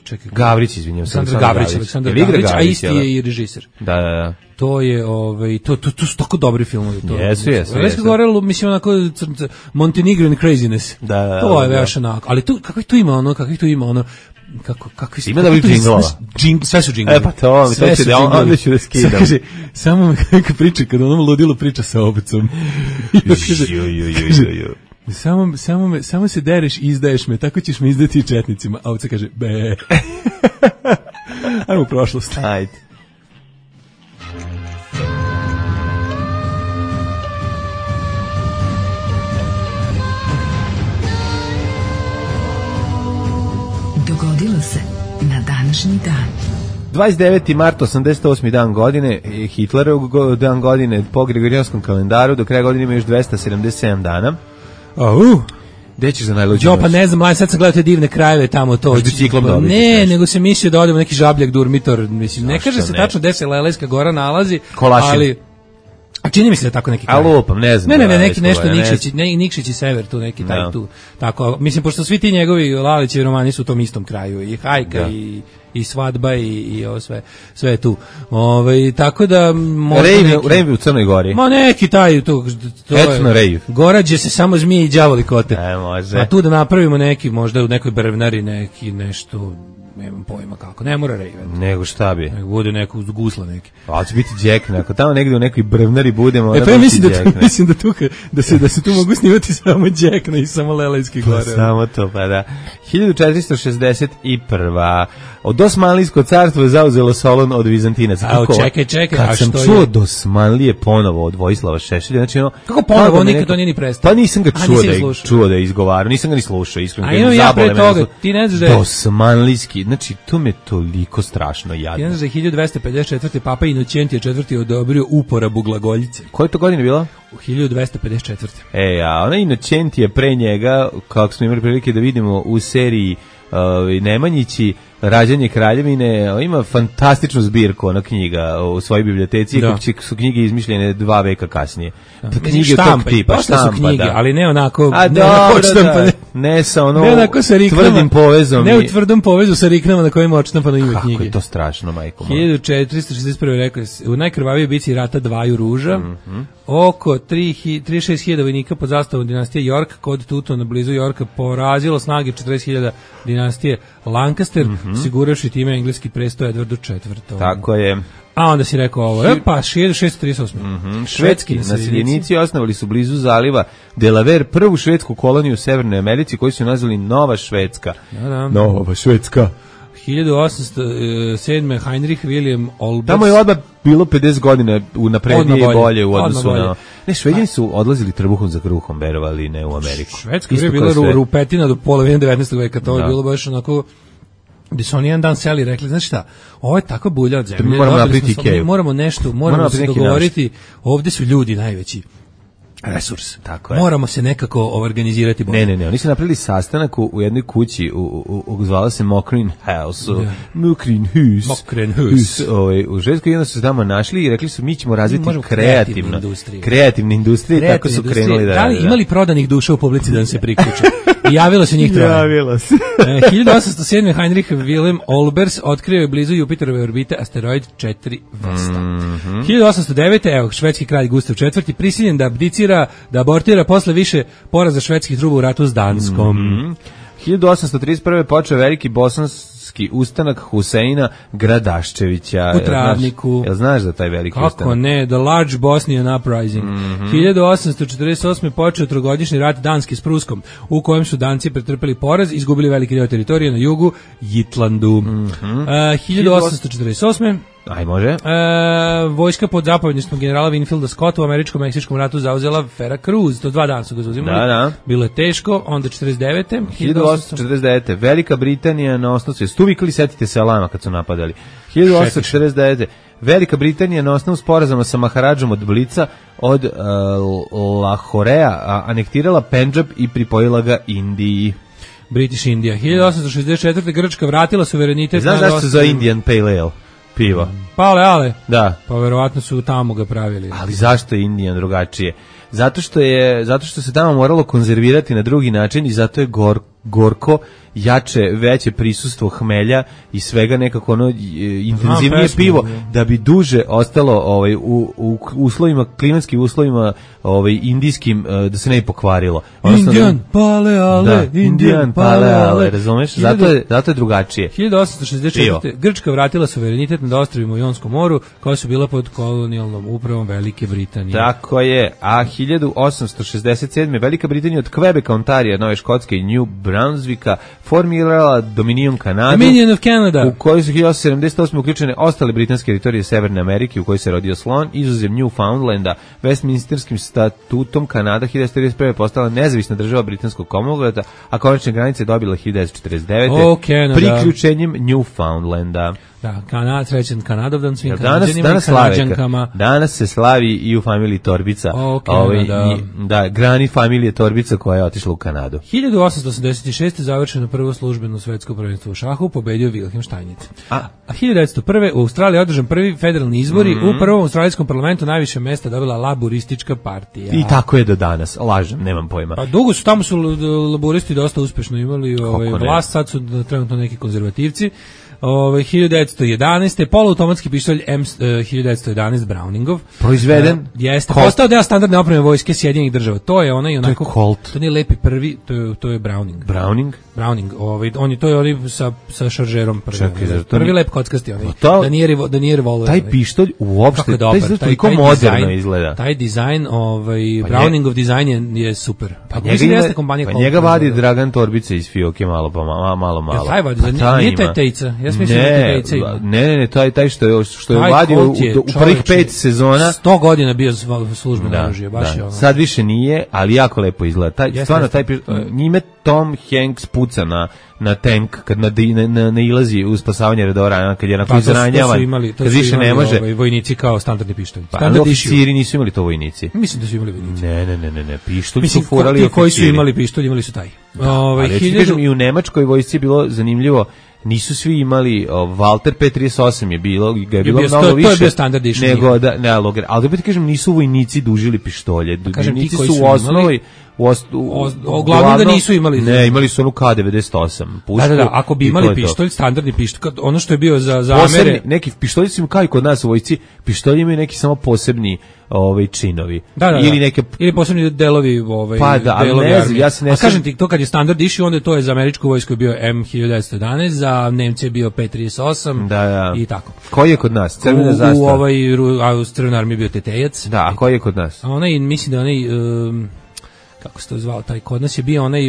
[SPEAKER 6] Čekaj.
[SPEAKER 5] Gavrić, izvinjam se.
[SPEAKER 6] Aleksandar Gavrić, a isti je i režiser.
[SPEAKER 5] Da.
[SPEAKER 6] To je, to su tako dobri filmovi.
[SPEAKER 5] Jesu.
[SPEAKER 6] Lelejska gora, mislim, onako, Montenegrin craziness.
[SPEAKER 5] Da.
[SPEAKER 6] To je već onako. Ali kakvih tu ima ono, kakvi su...
[SPEAKER 5] Ima da bi džinglova.
[SPEAKER 6] Sve su džinglovi.
[SPEAKER 5] Pa to, onda ću da skidam.
[SPEAKER 6] Samo me kako priča, kada onom ludilo priča sa obcom. Samo se dereš i izdaješ me, tako ćeš me izdati i četnicima. A ovca kaže, be. Ajmo u prošlost.
[SPEAKER 5] Ajde.
[SPEAKER 2] Dogodilo se na današnji dan.
[SPEAKER 5] 29. mart, 88. dan godine, Hitlerov dan godine po Gregorijanskom kalendaru, do kraja godine ima još 277 dana. Gde ćeš za najluđu noć?
[SPEAKER 6] Pa ne znam, sad sam gledao te divne krajeve tamo to. Ne, nego se mislio da odemo neki žabljak durmitor. Mislim, ne kaže se tačno gde se Lelejska gora nalazi, A čini mi se da tako neki kraj.
[SPEAKER 5] A lupam, ne znam.
[SPEAKER 6] Ne, neki nešto Nikšić i sever tu neki taj tu. Tako, mislim, pošto svi ti njegovi Lalićevi romani su u tom istom kraju, i Hajka i Svadba i ovo sve je tu. Tako da
[SPEAKER 5] Rejv u Crnoj Gori.
[SPEAKER 6] Ma neki taj to
[SPEAKER 5] Etno Rejv.
[SPEAKER 6] Gorađe se samo zmije i đavoli kote.
[SPEAKER 5] Može.
[SPEAKER 6] A tu da napravimo neki, možda u nekoj brvnari neki nešto, nemam pojma kako, ne mora Raven.
[SPEAKER 5] Nego šta bi?
[SPEAKER 6] Nego bude neko gusla neki.
[SPEAKER 5] A će biti Jack, ako tamo negdje u nekoj brvnari budemo...
[SPEAKER 6] Pa ja mislim da se tu mogu snimati samo Jack i samo Lelejski gore.
[SPEAKER 5] Samo to, pa da. 1461. Od Osmanlijsko carstvo je zauzelo Solun od Vizantinaca.
[SPEAKER 6] Čekaj.
[SPEAKER 5] Kad sam čuo od Osmanlije ponovo od Vojislava Šešelja, znači ono...
[SPEAKER 6] Kako ponovo, on nikad to nije ni prestao?
[SPEAKER 5] Pa nisam ga čuo da je izgovarao, nisam ga ni slušao, iskreno.
[SPEAKER 6] A imam ja pre toga, ti ne znaš da je...
[SPEAKER 5] Osmanlijski, znači to me toliko strašno jadno.
[SPEAKER 6] Ti ne znaš da je 1254. Papa Inocentije IV. Odobrio uporabu glagoljice.
[SPEAKER 5] Koje to godine bilo?
[SPEAKER 6] U 1254.
[SPEAKER 5] A ona Inocentije pre njega, kako smo imali prilike da vidimo u seriji Nemanjići, Rađanje kraljevine, ima fantastičnu zbirku ona knjiga u svojoj biblioteci, kako su knjige izmišljene 2 veka kasnije. Knjige tog tipa,
[SPEAKER 6] štampa, su knjige, ali ne onako,
[SPEAKER 5] ne sa ono
[SPEAKER 6] tvrdim
[SPEAKER 5] povezom.
[SPEAKER 6] Ne u tvrdom povezu sa riknama na kojima odštampano ime knjige.
[SPEAKER 5] Kako je to strašno, majko.
[SPEAKER 6] 1461. rekao je, u najkrvavijoj bici rata Dvaju ruža, oko 36.000 vojnika pod zastavom dinastije York kod Tutona blizu Yorka porazilo snage 40.000 dinastije Lancaster, siguravši time engleski prestoj Edwardu IV.
[SPEAKER 5] Tako je.
[SPEAKER 6] A onda si rekao ovo, pa 1638.
[SPEAKER 5] Švedski naseljenici osnovali su blizu zaliva Delaware prvu švedsku koloniju u Severnoj Americi koju su nazvali Nova Švedska. Nova Švedska.
[SPEAKER 6] 1807. Heinrich William Olbers.
[SPEAKER 5] Tamo je odmah bilo 50 godina naprednije i bolje u odnosu na... Ne, Šveđani su odlazili trbuhom za kruhom, verovali, ne u Ameriku.
[SPEAKER 6] Švedska je bila rupetina do polovine 19. veka, to je bilo baš onako... gdje su oni jedan dan seli i rekli, znači šta, ovo je tako bulja od zemlje, moramo se dogovoriti, ovdje su ljudi najveći resurs.
[SPEAKER 5] Tako je.
[SPEAKER 6] Moramo se nekako organizirati bolje.
[SPEAKER 5] Ne, oni su napravili sastanak u jednoj kući, zvala se Mokrin House. Mokrin House. U Švedskoj jedno su se tamo našli i rekli su, mi ćemo razviti kreativne industrije, tako su krenuli da rade.
[SPEAKER 6] Imali prodanih duša u publici da nam se priključe? I javilo se njih troje.
[SPEAKER 5] Javilo se.
[SPEAKER 6] 1807. Heinrich Wilhelm Olbers otkrio je blizu Jupiterove orbite asteroid 4 Vesta. 1809. Evo, švedski kralj Gustav IV. Prisiljen da abdicira, da abortira posle više poraza švedskih truba u ratu s Danskom.
[SPEAKER 5] 1831. počeo veliki bosanski ustanak Huseina Gradaščevića.
[SPEAKER 6] U Travniku.
[SPEAKER 5] Jel znaš za taj veliki ustanak?
[SPEAKER 6] Kako ne, The Large Bosnian Uprising. 1848. počeo trogodišnji rat Danske s Pruskom, u kojem su Danci pretrpeli poraz, izgubili veliki deo teritorije na jugu, Jitlandu. 1848.
[SPEAKER 5] Aj, može.
[SPEAKER 6] Vojska pod zapovjedništvom generala Winfielda Scotta u američko-meksičkom ratu zauzela Veracruz. To 2 dana su ga zauzimali.
[SPEAKER 5] Da.
[SPEAKER 6] Bilo je teško. Onda 49.
[SPEAKER 5] 1849. Velika Britanija na osnovu se stuvikali, setite se Alama kad su napadali. 1849. Velika Britanija na osnovu sporazuma sa Maharadžom od Blica od Lahorea anektirala Pendžab i pripojila ga Indiji.
[SPEAKER 6] British India. 1864. Grčka vratila suverenitet.
[SPEAKER 5] Znaš zašto se zove Indian Pale Ale? Pivo.
[SPEAKER 6] Ale.
[SPEAKER 5] Da.
[SPEAKER 6] Pa verovatno su tamo ga pravili.
[SPEAKER 5] Ali zašto je Indijan drugačije? Zato što se tamo moralo konzervirati na drugi način i zato je gorko, jače, veće prisustvo hmelja i svega nekako ono intenzivnije pivo da bi duže ostalo u uslovima, klimatskim uslovima indijskim, da se ne bi pokvarilo. Indian Pale Ale, razumeš? Zato je drugačije.
[SPEAKER 6] 1864. Grčka vratila suverenitet nad ostrvima u Jonskom moru koja su bila pod kolonijalnom upravom Velike Britanije.
[SPEAKER 5] Tako je. A 1867. Velika Britanija od Quebeca, Ontarija, Nove Škotske i New Brunswicka formirala Dominion Kanadu,
[SPEAKER 6] Dominion of Canada,
[SPEAKER 5] u kojoj su 1878. uključene ostale britanske teritorije Severne Amerike u kojoj se rodio slon, izuzev Newfoundlanda. Westminsterskim statutom Kanada 1941. postala nezavisna država britanskog Commonwealtha, a konačne granice dobila 1949. priključenjem Newfoundlanda.
[SPEAKER 6] Da, srećan Kanadovdan svim Kanađanima i Kanađankama.
[SPEAKER 5] Danas se slavi i u familiji Torbica. Da, Grani familije Torbica koja je otišla u Kanadu.
[SPEAKER 6] 1886. završeno prvo službeno svetsko prvenstvo u šahu, pobedio Wilhelm Steinitz. A 1901. u Australiji održan prvi federalni izbori, u prvom australijskom parlamentu najviše mesta dobila laburistička partija.
[SPEAKER 5] I tako je do danas, lažem, nemam pojma.
[SPEAKER 6] Pa dugo su, tamo su laburisti dosta uspešno imali vlast, sad su trenutno neki konzervativci. 1911. poluautomatski pištolj M1911 Browningov.
[SPEAKER 5] Proizveden?
[SPEAKER 6] Jeste. Postao deo standardne opreme vojske Sjedinjenih država. To je onaj onako...
[SPEAKER 5] To je Colt.
[SPEAKER 6] To nije lepi prvi, to je Browning.
[SPEAKER 5] Browning?
[SPEAKER 6] To je onaj sa šaržerom prvi.
[SPEAKER 5] Čekaj,
[SPEAKER 6] prvi lep kockasti onaj. Da nije revolver.
[SPEAKER 5] Taj pištolj uopšte, taj toliko moderno izgleda.
[SPEAKER 6] Taj dizajn, Browningov dizajn je super.
[SPEAKER 5] Pa njega vadi Dragan Torbica iz Fioke malo.
[SPEAKER 6] Ja, taj vadi, nije taj Tejca.
[SPEAKER 5] Ne, taj što je vadio u prvih 5 sezona.
[SPEAKER 6] 100 godina bio službeno oružje, baš je ono.
[SPEAKER 5] Sad više nije, ali jako lepo izgleda. Stvarno, njime Tom Hanks puca na tank kad nailazi u spasavanje Redora, kad je onako izranjavan, kad više ne može.
[SPEAKER 6] Vojnici kao standardni pištolj.
[SPEAKER 5] Ali oficiri nisu imali to vojnici.
[SPEAKER 6] Mislim da su imali vojnici.
[SPEAKER 5] Ne, pištolj su furali oficiri.
[SPEAKER 6] Ti koji su imali pištolj, imali su taj.
[SPEAKER 5] I u nemačkoj vojsci je bilo zanimljivo, nisu svi imali, Walter P38 je bilo mnogo više.
[SPEAKER 6] To je bio standard
[SPEAKER 5] nego ali da ti kažem, nisu vojnici dužili pištolje. Vojnici su u osnovi
[SPEAKER 6] uglavnom da nisu imali.
[SPEAKER 5] Ne, imali su onu K98 pušku.
[SPEAKER 6] Da, ako bi imali pištolj, standardni pištolj, ono što je bio za Amere.
[SPEAKER 5] Neki pištolji su kao i kod nas u vojsci, pištolji imaju neki samo posebni činovi.
[SPEAKER 6] Ili posebni delovi.
[SPEAKER 5] Pa da, ali ne znam, ja se ne...
[SPEAKER 6] A kažem ti, to kad je standard išao, onda to je za američku vojsku bio M1911, za Nemce je bio P38 i tako.
[SPEAKER 5] Koji je kod nas? Crvena zastava?
[SPEAKER 6] U Crvenoj armiji bio Tetejac.
[SPEAKER 5] Da, a koji je kod nas?
[SPEAKER 6] Mislim da kako se to zvao, taj kod nas je bio onaj,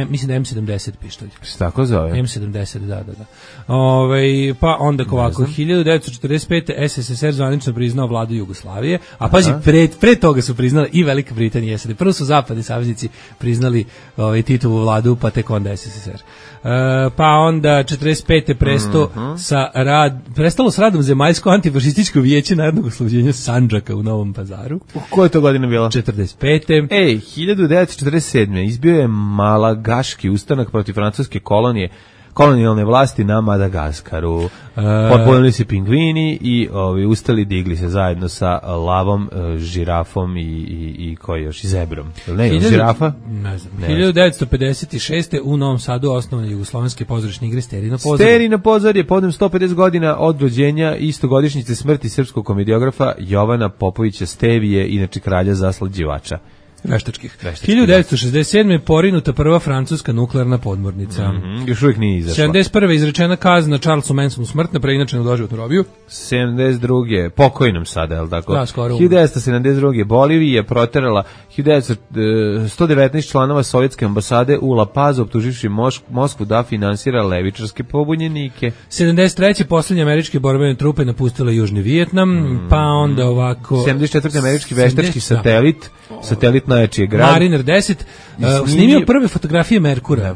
[SPEAKER 6] mislim da M70 pištolj.
[SPEAKER 5] Se tako zove?
[SPEAKER 6] M70, da. Pa onda ovako, 1945. SSSR zvanično priznao vladu Jugoslavije, a pazi, pre toga su priznali i Velika Britanija i SAD. Prvo su zapadni saveznici priznali Titovu vladu, pa tek onda SSSR. Pa onda 45. prestalo s radom Zemaljsko antifašističko vijeće narodnog oslobođenja Sandžaka u Novom Pazaru.
[SPEAKER 5] Koja je to godina bila?
[SPEAKER 6] 45.
[SPEAKER 5] 1947. izbio je Malagaški ustanak protiv francuske kolonijalne vlasti na Madagaskaru. Pojavili se pingvini i ustali, digli se zajedno sa lavom, žirafom i koji još, i zebrom. Ne, žirafa?
[SPEAKER 6] Ne znam. 1956. u Novom Sadu osnovane jugoslovenske pozorišne igre Sterina Pozor.
[SPEAKER 5] Sterina Pozor je povodom 150 godina od rođenja i istogodišnjice smrti srpskog komediografa Jovana Popovića Stevije, inače kralja zaslađivača.
[SPEAKER 6] Veštačkih. 1967. je porinuta prva francuska nuklearna podmornica.
[SPEAKER 5] Još uvijek nije izašla.
[SPEAKER 6] 71. izrečena kazna Charlesu Mansonu smrtna, preinačena u doživotnu robiju.
[SPEAKER 5] 72. pokojnom sada, je li tako?
[SPEAKER 6] Da, skoro.
[SPEAKER 5] 1972. Bolivija je proterala 119 članova sovjetske ambasade u La Pazu, optuživši Moskvu da finansira levičarske pobunjenike.
[SPEAKER 6] 73. posljednje američke borbene trupe napustile Južni Vijetnam, pa onda ovako...
[SPEAKER 5] 74. američki veštački satelit najjači je grad.
[SPEAKER 6] Mariner 10 snimio prve fotografije Merkura.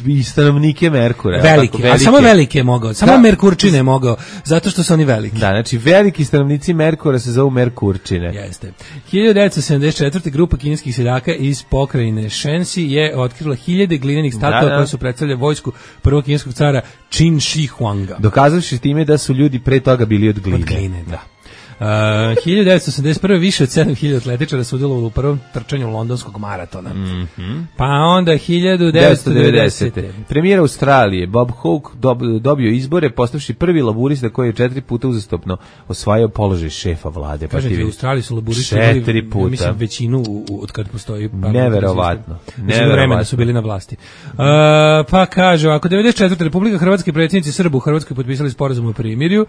[SPEAKER 5] I stanovnike Merkura.
[SPEAKER 6] Velike, a samo velike je mogao. Samo Merkurčine je mogao, zato što su oni veliki.
[SPEAKER 5] Da, znači veliki stanovnici Merkura se zovu Merkurčine.
[SPEAKER 6] Jeste. 1974. grupa kineskih seljaka iz pokrajine Shensi je otkrila 1000 glinenih statua koje su predstavljale vojsku prvog kineskog cara Qin Shi Huanga.
[SPEAKER 5] Dokazavši time da su ljudi pre toga bili od gline.
[SPEAKER 6] Od gline, da. 1981. više od 7000 atletičara sudjelovalo u prvom trčanju londonskog maratona. Pa onda 1990.
[SPEAKER 5] Premijer Australije Bob Hawke dobio izbore postavši prvi laburista koji je 4 puta uzastopno osvajao položaj šefa vlade.
[SPEAKER 6] Kažete, u Australiji su laburisti
[SPEAKER 5] 4 puta.
[SPEAKER 6] Mislim većinu od kad postoji.
[SPEAKER 5] Neverovatno.
[SPEAKER 6] Vremena su bili na vlasti. Pa kaže, ako 94. Republika Hrvatske predsjednici Srba u Hrvatskoj potpisali sporazum o primirju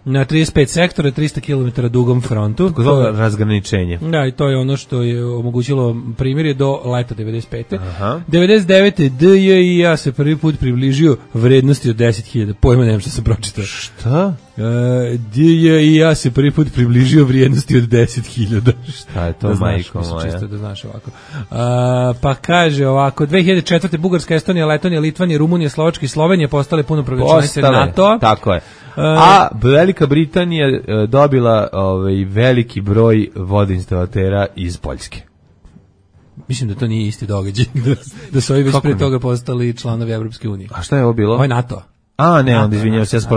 [SPEAKER 6] na 35 sektora, 300 km dugom frontu.
[SPEAKER 5] To je razgraničenje.
[SPEAKER 6] Da, i to je ono što je omogućilo primirje do leta 95. 99. DJI se prvi put približio vrednosti od 10.000. Pojma nemam što sam pročitao.
[SPEAKER 5] Šta?
[SPEAKER 6] DJI se prvi put približio vrijednosti od 10.000.
[SPEAKER 5] Šta je to, majko moja?
[SPEAKER 6] Čisto da znaš ovako. Pa kaže ovako, 2004. Bugarska, Estonija, Letonija, Litvanija, Rumunija, Slovačka i Slovenija postale punopravne članice NATO-a.
[SPEAKER 5] Tako je. A Velika Britanija dobila veliki broj vodoinstalatera iz Poljske.
[SPEAKER 6] Mislim da to nije isti događaj, da su ovi već pre toga postali članovi Evropske unije.
[SPEAKER 5] A šta je ovo bilo?
[SPEAKER 6] Ovo je NATO.
[SPEAKER 5] A, ne, onda izvinjavam se, ja sam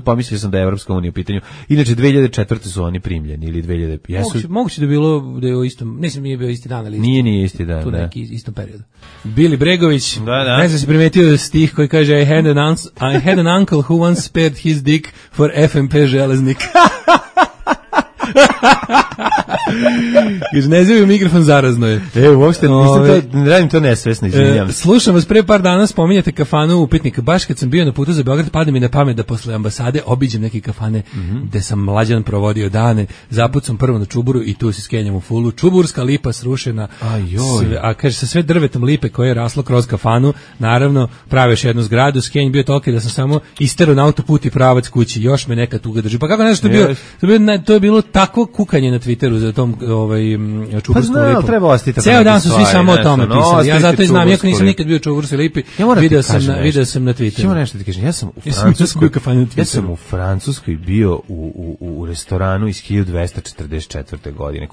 [SPEAKER 5] pomislio sam da je Evropska unija u pitanju. Inače, 2004. su oni primljeni, ili 2000...
[SPEAKER 6] Moguće da je bilo da je u istom, mislim nije bio isti dan, ali
[SPEAKER 5] nije isti dan,
[SPEAKER 6] tu neki istom periodu. Bili Bregović, ne znam se primetio stih koji kaže I had an uncle who once spared his dick for FMP železnik. Kaže, ne zove mikrofon, zarazno je.
[SPEAKER 5] Uopšte ne radim to nesvesno, izvinjam se.
[SPEAKER 6] Slušam vas, pre par dana spominjate kafanu Upitnik. Baš kad sam bio na putu za Beograd, pada mi na pamet da posle ambasade obiđem neke kafane gde sam mlađan provodio dane. Zapucam prvo na Čuburu i tu se skenjam u fulu. Čuburska lipa srušena. A kaže, sa sve drvetom lipe koje je raslo kroz kafanu, naravno, prave još jednu zgradu. Skenj bio toliki da sam samo isterao na autoput i pravac kući. Još me neka tuga drži. Pa kako ne znam što je bio, to je bilo takvo kukanje na Twitteru za tom Čuburskom lipom.
[SPEAKER 5] Treba ostati tako.
[SPEAKER 6] Ceo dan su svi samo o tome pisali. Ja zato i znam, iako nisam nikad bio u Čuburskoj lipi, video sam na Twitteru.
[SPEAKER 5] Ćemo nešto ti kažem, ja sam u Francuskoj bio u restoranu iz 1244. godine,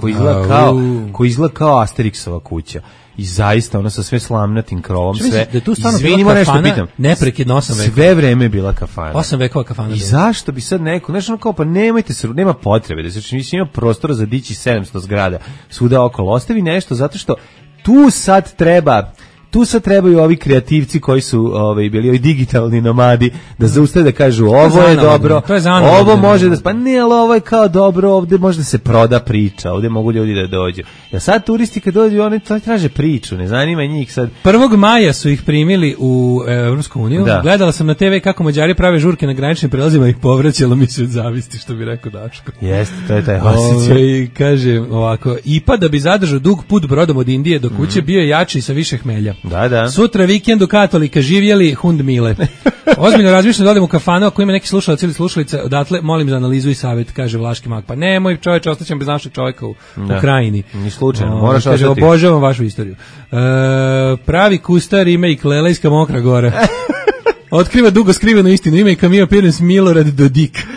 [SPEAKER 5] koji izgleda kao Asterixova kuća. I zaista ona sa sve slamnatim krovom, sve.
[SPEAKER 6] Da tu stvarno bila kafana, neprekidno 8 vekova.
[SPEAKER 5] Sve vreme je bila kafana.
[SPEAKER 6] 8 vekova kafana.
[SPEAKER 5] I zašto bi sad neko, znači ono kao, pa nemojte se, nema potrebe da se ima prostora za dići 700 zgrada svuda okolo. Ostavi nešto zato što tu sad trebaju ovi kreativci koji su bili ovi digitalni nomadi da zaustave da kažu ovo je dobro, ovo može da pa ne, ali ovo je kao dobro, ovde može da se proda priča, ovde mogu ljudi da dođu. Ja sad turisti kad dođu, oni traže priču, ne zanima njih sad.
[SPEAKER 6] 1. maja su ih primili u Evropsku uniju. Gledala sam na TV kako Mađari prave žurke na graničnim prelazima, ih povraćalo mi se od zavisti, što bi rekao Daško.
[SPEAKER 5] Jeste, to je taj osjećaj.
[SPEAKER 6] Kaže ovako, IPA da bi zadržao dug put brodom od Indije do kuće bio jači sa više hmelja.
[SPEAKER 5] Da.
[SPEAKER 6] Sutra vikend u Katolika, živjeli hund mile. Ozbiljno razmišljam da odem u kafanu ako ima neki slušalac ili slušalica, odatle molim za analizu i savjet, kaže Vlaški mag. Pa nemoj čoveče, ostaćem bez našeg čovjeka u Krajini.
[SPEAKER 5] Ni slučajno, moraš
[SPEAKER 6] ostati. Kaže, obožavam vašu istoriju. Pravi kustar remake Lelejska Mokra Gora. Otkriva dugo skrivenu istinu, ime i Camille Appearance Milorad Dodik.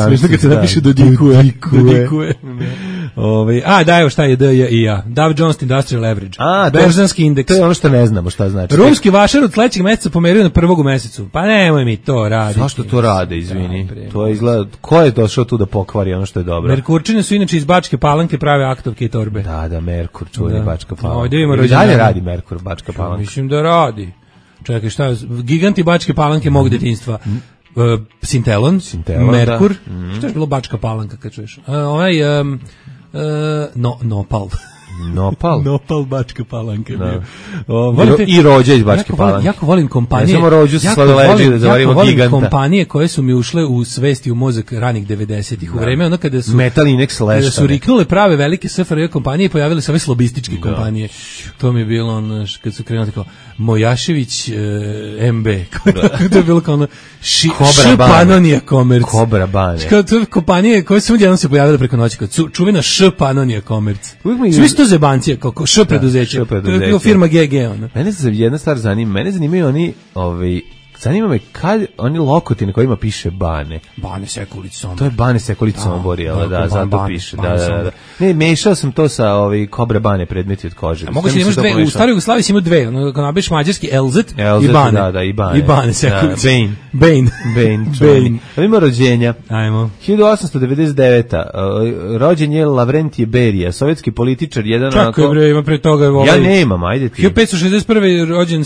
[SPEAKER 6] Smiješno kad se napiše Dodikuje. Da, evo šta je D, J i ja. Dow Jones Industrial Average. Berzanski indeks.
[SPEAKER 5] To je ono što ne znamo šta znači.
[SPEAKER 6] Rumski vašar od sledećeg meseca pomerio na 1. u mesecu. Pa nemoj mi to raditi.
[SPEAKER 5] Zašto to rade, izvini? To je izgleda, ko je došao tu da pokvari ono što je dobro?
[SPEAKER 6] Merkurčine su inače iz Bačke Palanke, prave aktovke i torbe.
[SPEAKER 5] Da, Merkur, čuveni Bačka Palanka.
[SPEAKER 6] I dalje
[SPEAKER 5] radi Merkur, Bačka Palanka.
[SPEAKER 6] Mislim da radi. Čekaj, šta je? Giganti Bačke Palanke mog detinjstva. Sintelon, Merkur. Šta je bilo Bačka Palanka kad čuješ? Nopal. Nopal Bačka Palanka.
[SPEAKER 5] I Rođa iz Bačke Palanke.
[SPEAKER 6] Jako volim kompanije.
[SPEAKER 5] Ne samo Rođu sa sladoljeđe da zavarimo giganta.
[SPEAKER 6] Kompanije koje su mi ušle u svesti u mozak ranih 90-ih. U vreme ono kada su
[SPEAKER 5] Metal Inex Lash.
[SPEAKER 6] Kada su riknule prave velike SFRJ kompanije, pojavile se ove slobističke kompanije. To mi je bilo ono kad su krenuli kao Mojašević MB. To je bilo kao ono Panonija Komerc.
[SPEAKER 5] Kobra Bane.
[SPEAKER 6] Kompanije koje su jednom se pojavile preko noći kao čuvena Panonija Komerc. Svi su to zebancije, kao Š preduzeće. To je bilo firma GG.
[SPEAKER 5] Mene se jedna stvar zanima. Mene zanimaju oni zanima me kad oni lokoti na kojima piše Bane.
[SPEAKER 6] Bane Sekulić Sombor.
[SPEAKER 5] To je Bane Sekulić Sombor, zato piše. Da. Ne, mešao sam to sa Kobra Bane predmeti od kože.
[SPEAKER 6] A mogu se imaš dve, u staroj Jugoslaviji si imao dve, kad napišeš mađarski Elzet i Bane.
[SPEAKER 5] Da, i Bane.
[SPEAKER 6] I Bane Sekulić.
[SPEAKER 5] Bane. Ima rođenja.
[SPEAKER 6] Ajmo.
[SPEAKER 5] 1899. Rođen je Lavrentije Berija, sovjetski političar, jedan onako...
[SPEAKER 6] Čakaj bre, ima pre toga...
[SPEAKER 5] Ja nemam, ajde ti.
[SPEAKER 6] 1561. rođen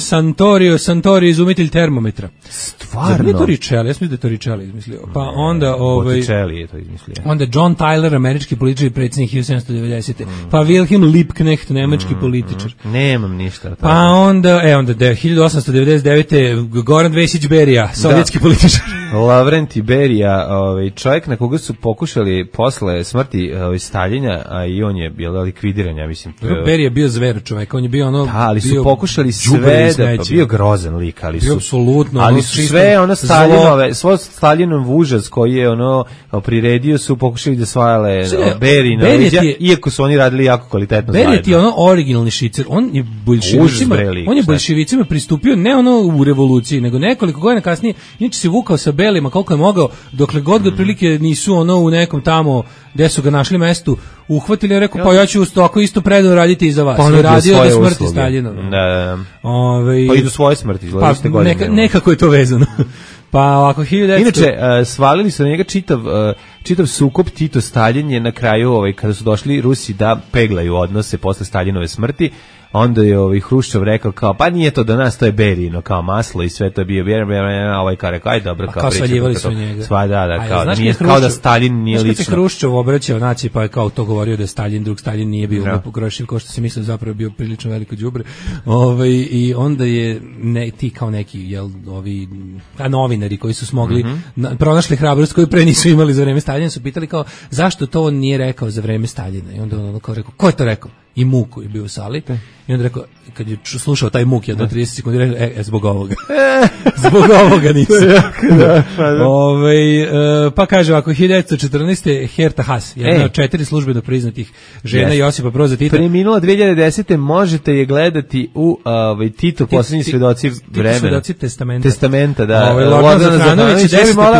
[SPEAKER 6] Santori, izumitelj termometra.
[SPEAKER 5] Stvarno?
[SPEAKER 6] Nije to Richelli, ja sam da je to Richelli izmislio. Pa onda...
[SPEAKER 5] Botticelli je to izmislio.
[SPEAKER 6] Onda John Tyler, američki političar i predsjednik 1790. Pa Wilhelm Liebknecht, nemački političar.
[SPEAKER 5] Nemam ništa.
[SPEAKER 6] Pa onda 1899. Goran Vesić Berija, sovjetski političar.
[SPEAKER 5] Lavrentij Berija, čovjek na koga su pokušali posle smrti Staljina, a i on je bio likvidiran, ja mislim.
[SPEAKER 6] Berija je bio zver čovjek, on je bio ono...
[SPEAKER 5] Da, ali su pokušali sve da... Bio grozan lik, ali su...
[SPEAKER 6] Apsolutno.
[SPEAKER 5] Ali su sve ono Staljinove, svoj Staljinov užas koji je ono priredio su pokušali da svajale Berija na leđa, iako su oni radili jako kvalitetno zajedno.
[SPEAKER 6] Berija je ono originalni šicer, on je boljševicima pristupio ne ono u revoluciji, nego nekoliko godina kasnije, inače se vukao sa belima koliko je mogao, dokle god otprilike nisu ono u nekom tamo gde su ga našli mestu uhvatili i rekao, pa ja ću tako isto predano raditi i za vas. I radio do smrti Staljina.
[SPEAKER 5] Pa i do svoje smrti.
[SPEAKER 6] Nekako je to vezano. Pa ovako, 1900...
[SPEAKER 5] Inače, svalili su na njega čitav sukob Tito-Stalin je na kraju, kada su došli Rusi da peglaju odnose posle Staljinove smrti, onda je Hruščov rekao kao, pa nije to do nas, to je Berino, kao maslo i sve to je bio, kao rekao, aj dobro, kao
[SPEAKER 6] svaljivali su njega.
[SPEAKER 5] Kao da Stalin nije lično.
[SPEAKER 6] Znaš kad je Hruščov obraćao naciji, pa je kao to govorio da je Stalin, drug Stalin nije bio pogrešiv, kao što se mislio zapravo bio prilično veliko đubre. I onda je ti kao neki, novinari koji su smogli, pronašli hrabrost koju pre nisu imali za vreme Staljina, su pitali kao, zašto to on nije rekao za vreme Staljina? I onda on kao rekao, ko je to rekao? I Muk koji je bio u sali. I onda rekao, kad je slušao taj Muk do 30 sekundi, rekao, zbog ovoga. Zbog ovoga nisam. Pa kaže ovako, 1914. Herta Haas, jedna od 4 službeno priznatih žena Josipa Broza Tita.
[SPEAKER 5] Preminula 2010. možete je gledati u Tito, posljednji svedoci vremena.
[SPEAKER 6] Svedoci testamenta.
[SPEAKER 5] Da.
[SPEAKER 6] Lordana Zafranović,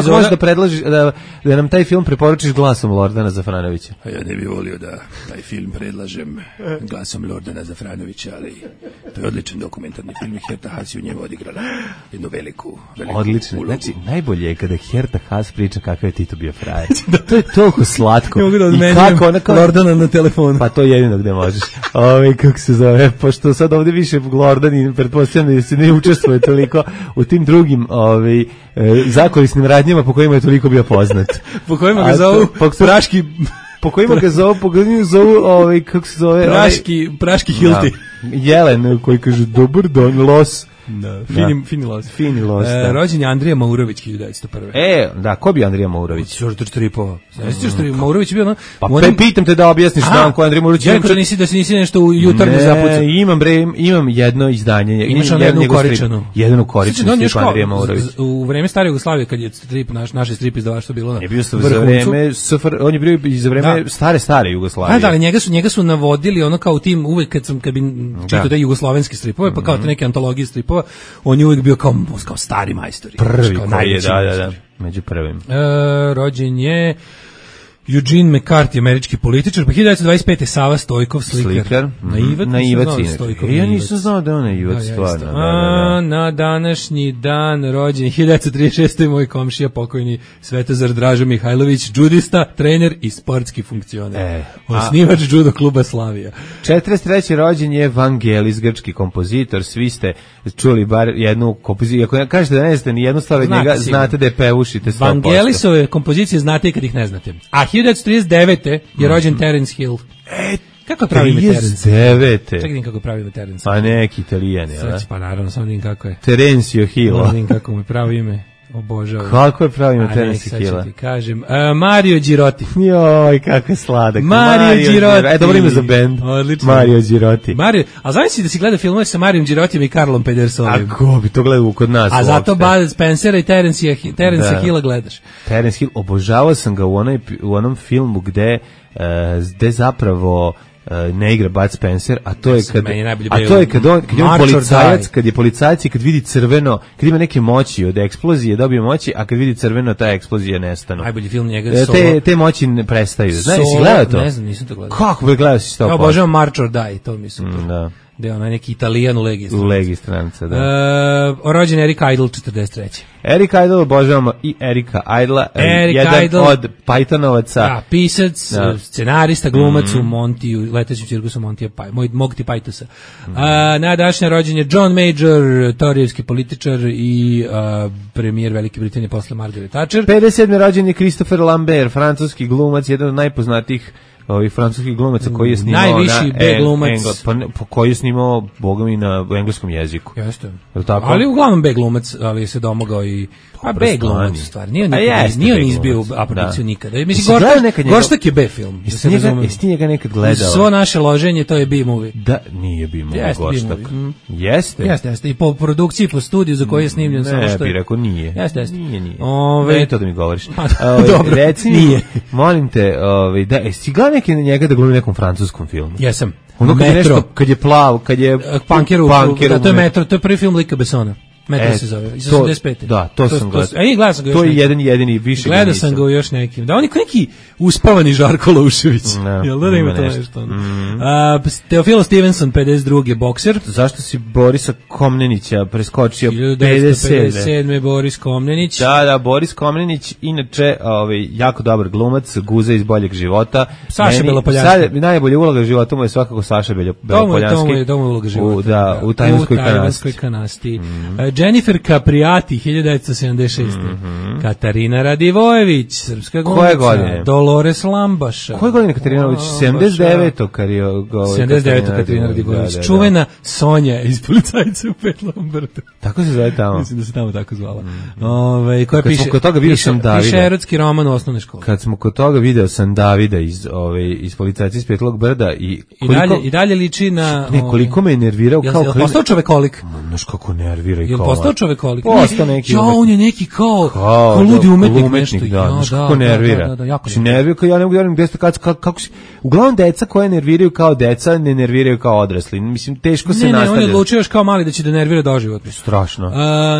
[SPEAKER 5] možeš da predložiš, da nam taj film preporučiš glasom Lordana Zafranovića.
[SPEAKER 6] A ja ne bih volio da taj film predlažem glasom Lordana Zafranovića, ali to je odličan dokumentarni film i Herta Haas je u njemu odigrala jednu veliku
[SPEAKER 5] odlično ulogu. Znači, najbolje je kada Herta Haas priča kakav je Tito bio frajer. To je toliko slatko.
[SPEAKER 6] Ne mogu da odmenjujem Lordana na telefonu.
[SPEAKER 5] Pa to je jedino gde možeš. Kako se zove, pošto sad ovde više Lordan i pretpostavljam da se ne učestvuje toliko u tim drugim zakorisnim radnjama po kojima je toliko bio poznat.
[SPEAKER 6] Po kojima ga zovu praški...
[SPEAKER 5] Po kojima ga zovu, kako se zove?
[SPEAKER 6] Praški Hilti.
[SPEAKER 5] Jelen koji kaže, dobar dan, los.
[SPEAKER 6] Fini los. Rođen je Andrija Maurović 1901.
[SPEAKER 5] Ko bi Andrija Maurović?
[SPEAKER 6] Još Tripova. Maurović je bio
[SPEAKER 5] Pa pitam te da objasniš dan ko je Andrija Maurović.
[SPEAKER 6] Ja rekao da si nisi nešto u jutarnju zapucao.
[SPEAKER 5] Imam jedno izdanje.
[SPEAKER 6] Imaš jednu ukoričanu.
[SPEAKER 5] Jednu ukoričanu strip Andrija Maurović.
[SPEAKER 6] U vreme stare Jugoslavije, kad je strip, naše strip izdavaštvo bilo na
[SPEAKER 5] vrhuncu. On je bio i za vreme stare Jugoslavije.
[SPEAKER 6] Da, ali njega su navodili ono kao tim uvek kad bi čitao da jugoslovenski stripove, pa kao te neke antologije stripova, on je uvijek bio kao stari majstori.
[SPEAKER 5] Prvi koji je, da, među prvim.
[SPEAKER 6] Rođen je Eugene McCarthy, američki političar, pa 1925. Sava Stojkov, slikar.
[SPEAKER 5] Naivac. Ja nisam znao da je on naivac, stvarno.
[SPEAKER 6] Na današnji dan rođen 1936. moj komšija, pokojni Svetozar Dražo Mihajlović, džudista, trener i sportski funkcioner. Osnivač judo kluba Slavija.
[SPEAKER 5] 43. rođen je Vangelis, grčki kompozitor. Svi ste čuli bar jednu kompoziciju. Ako kažete da ne znate ni jednu stvar od njega, znate da je pevušite 100%.
[SPEAKER 6] Vangelisove kompozicije znate i kad ih ne znate. A 1939. je rođen Terence Hill. Kako pravi ime Terence?
[SPEAKER 5] 39.
[SPEAKER 6] Čekaj kako pravi ime Terence.
[SPEAKER 5] Pa neki Italijan, je.
[SPEAKER 6] Pa naravno, samo vidim kako je.
[SPEAKER 5] Terencio Hill.
[SPEAKER 6] Vidim kako mu je pravi ime. Obožavam.
[SPEAKER 5] Kako je pravi ime Terence Hilla?
[SPEAKER 6] Ti kažem. Mario Girotti.
[SPEAKER 5] Joj, kako je sladak.
[SPEAKER 6] Mario Girotti.
[SPEAKER 5] Dobro ime za bend.
[SPEAKER 6] Odlično.
[SPEAKER 5] Mario Girotti.
[SPEAKER 6] A znaš si da si gleda filmove sa Marijom Girottijem i Karlom Pedersonim?
[SPEAKER 5] A ko bi to gledao kod nas?
[SPEAKER 6] A zato Bud Spencera i Terence Hilla gledaš.
[SPEAKER 5] Terence Hill, obožavao sam ga u onom filmu gde zapravo ne igra Bud Spencer, a to je kad je policajac i kad vidi crveno, kad ima neke moći od eksplozije, dobije moći, a kad vidi crveno, ta eksplozija nestanu.
[SPEAKER 6] Najbolji film njega Solo.
[SPEAKER 5] Te moći ne prestaju. Znaš, si gledao to?
[SPEAKER 6] Ne znam, nisam to gledao.
[SPEAKER 5] Kako bi gledao si 100%?
[SPEAKER 6] Ja obožavam March or Die, to mi su.
[SPEAKER 5] Da.
[SPEAKER 6] Da je onaj neki Italijan u Legiji
[SPEAKER 5] stranca, da.
[SPEAKER 6] Rođen Eric Idle, 43.
[SPEAKER 5] Eric Idle, obožavamo i Erika Idla, jedan od Pythonovaca.
[SPEAKER 6] Da, pisac, scenarista, glumac u Montiju, letećem cirkusu Montija, mog ti Pythosa. Na današnje rođen je John Major, torijevski političar i premijer Velike Britanije posle Margaret Thatcher.
[SPEAKER 5] 57. rođen je Christopher Lambert, francuski glumac, jedan od najpoznatijih francuskih glumaca koji je snimao
[SPEAKER 6] najviši B glumac
[SPEAKER 5] koji je snimao bogami na engleskom jeziku.
[SPEAKER 6] Jeste. Ali uglavnom B glumac, ali se domogao i B glumac u stvari. Nije on izbio aprodukciju nikada. Mislim, Goštak je B film.
[SPEAKER 5] Jesi ti njega nekad gledao?
[SPEAKER 6] Svo naše loženje, to je B movie.
[SPEAKER 5] Da, nije B movie Goštak. Jeste?
[SPEAKER 6] Jeste. I po produkciji, po studiju za koji je snimljen.
[SPEAKER 5] Ne, bi rekao nije.
[SPEAKER 6] Jeste.
[SPEAKER 5] Nije. Ne to da mi govoriš.
[SPEAKER 6] Dobro,
[SPEAKER 5] nije. Molim te, si gledao neki njega da glumi nekom francuskom filmu?
[SPEAKER 6] Jesam.
[SPEAKER 5] Ono kad je nešto, kad je plav, kad je
[SPEAKER 6] Punkeru, to je Metro, to je prvi film Lika Bessona. Metro se zove, iz 85.
[SPEAKER 5] Da, to sam gledao.
[SPEAKER 6] Gledao sam ga još
[SPEAKER 5] to je jedini više.
[SPEAKER 6] Gledao sam ga u još nekim. Da, on je neki uspavani Žarko Loušević. Jel da ima to nešto? Teofilo Stevenson, 52. bokser.
[SPEAKER 5] Zašto si Borisa Komnenića preskočio?
[SPEAKER 6] 1957. Boris Komnenić.
[SPEAKER 5] Da, Boris Komnenić, inače jako dobar glumac, guza iz Boljeg života.
[SPEAKER 6] Saša Belopoljanski.
[SPEAKER 5] Najbolja uloga života mu je svakako Saša Belopoljanski.
[SPEAKER 6] To mu je uloga života.
[SPEAKER 5] U Tajvanskoj
[SPEAKER 6] kanasti. Jennifer Capriati, 1976. Katarina Radivojević, srpska glumica.
[SPEAKER 5] Koje godine?
[SPEAKER 6] Dolores Lambaša.
[SPEAKER 5] Koje godine Katarina Radivojević?
[SPEAKER 6] 79. Katarina Radivojević. Čuvena Sonja iz Policajca u Pet Lombardu.
[SPEAKER 5] Tako se zove tamo.
[SPEAKER 6] Mislim da se tamo tako zvala. Koja piše erotski roman u osnovnoj školi.
[SPEAKER 5] Kad smo kod toga video sam Davida iz Policajca iz Petlog Brda i
[SPEAKER 6] dalje liči na
[SPEAKER 5] koliko me je nervirao kao
[SPEAKER 6] postao čovekolik.
[SPEAKER 5] Znaš kako nervira i kao.
[SPEAKER 6] Je postao čovekolik.
[SPEAKER 5] Postao neki.
[SPEAKER 6] On je neki kao ludi umetnik nešto.
[SPEAKER 5] Znaš kako nervira. Znači nervira kao ja ne mogu da verujem kako se uglavnom deca koje nerviraju kao deca ne nerviraju kao odrasli. Mislim teško se nastavlja.
[SPEAKER 6] On je odlučio još kao mali da će da nervira doživotno.
[SPEAKER 5] Strašno.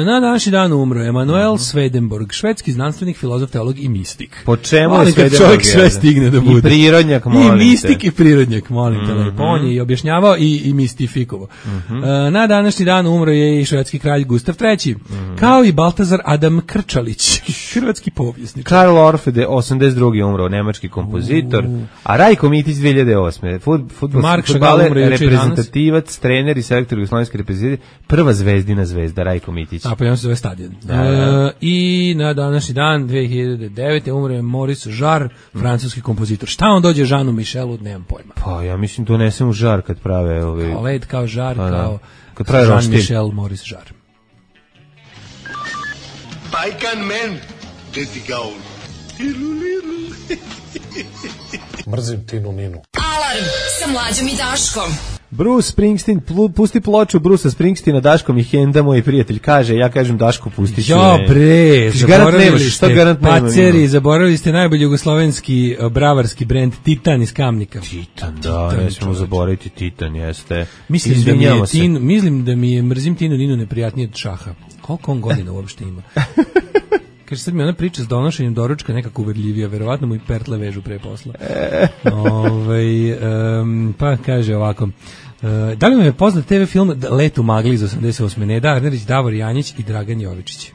[SPEAKER 6] Na današnji dan umro Emanuel Swedenborg, švedski znanstvenik, filozof, teolog i mistik.
[SPEAKER 5] Po čemu je
[SPEAKER 6] Swedenborg? Čovjek sve stigne da bude.
[SPEAKER 5] I prirodnjak, molim te.
[SPEAKER 6] I mistik i prirodnjak, molim te. Lepo. On je i objašnjavao i mistifikovao. Na današnji dan umro je i švedski kralj Gustav III. Kao i Baltazar Adam Krčalić, hrvatski povjesničar.
[SPEAKER 5] Karl Orff, 82. umro, nemački kompozitor. A Rajko Mitić 2008. Fudbaler, reprezentativac, trener i selektor jugoslovenske reprezentacije, prva zvezdina zvezda Rajko Mitić.
[SPEAKER 6] A pa on se zove Stadion. I na današnji dan 2009. umro je Maurice Jarre, francuski kompozitor. Šta on dođe Jeanu Michelu, nemam pojma.
[SPEAKER 5] Pa ja mislim donesem u žar kad prave
[SPEAKER 6] kao led, kao žar, kao
[SPEAKER 5] Jean
[SPEAKER 6] Michel, Maurice Jarre.
[SPEAKER 3] Bajkan men, deti gaun.
[SPEAKER 8] Mrzim Tinu Ninu.
[SPEAKER 2] Alarm sa Mlađom i Daškom.
[SPEAKER 5] Bruce Springsteen, pusti ploču Brucea Springsteena, Daško mi henda, moj prijatelj, kaže, ja kažem Daško, pusti ću.
[SPEAKER 6] Jo, bre,
[SPEAKER 5] zaboravili
[SPEAKER 6] ste najbolji jugoslovenski bravarski brend Titan iz Kamnika.
[SPEAKER 5] Titan, ne smemo zaboraviti Titan, jeste.
[SPEAKER 6] Mislim da mi je mrzim Tinu Ninu neprijatnije od Šaha. Koliko on godina uopšte ima? Kaže, sad mi ona priča s donošenjem doručka nekako uverljivija, verovatno mu i pertle vežu pre posla. Pa kaže ovako, da li vam je poznat TV film Let u magli iz 88. Neda Arnerić, Davor Janjić i Dragan Jovičić.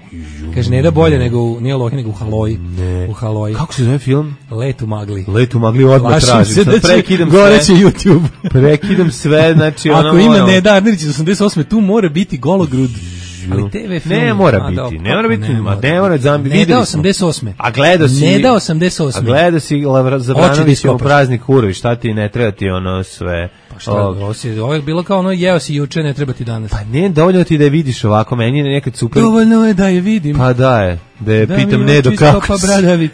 [SPEAKER 6] Kaže, Neda bolje nego nije Lohi, nego u Haloji. U Haloji.
[SPEAKER 5] Kako se zove film?
[SPEAKER 6] Let u magli.
[SPEAKER 5] Let u magli odmah tražim.
[SPEAKER 6] Prekidam sve. Goreće YouTube.
[SPEAKER 5] Prekidam sve, znači ono.
[SPEAKER 6] Ako ima Neda Arnerić iz 88. tu mora biti gologrud. Ali TV film
[SPEAKER 5] ne mora biti.
[SPEAKER 6] Neda 88.
[SPEAKER 5] A gledao si
[SPEAKER 6] Neda 88.
[SPEAKER 5] A gledao si Zabranović u praznik Urovi, šta ti ne treba ti ono sve.
[SPEAKER 6] Pa šta, ovo je bilo kao ono jeo si juče, ne treba ti danas.
[SPEAKER 5] Pa ne, dovoljno ti da je vidiš ovako, meni je nekad super.
[SPEAKER 6] Dovoljno je da je vidim.
[SPEAKER 5] Pa da je pitam Nedo kako si.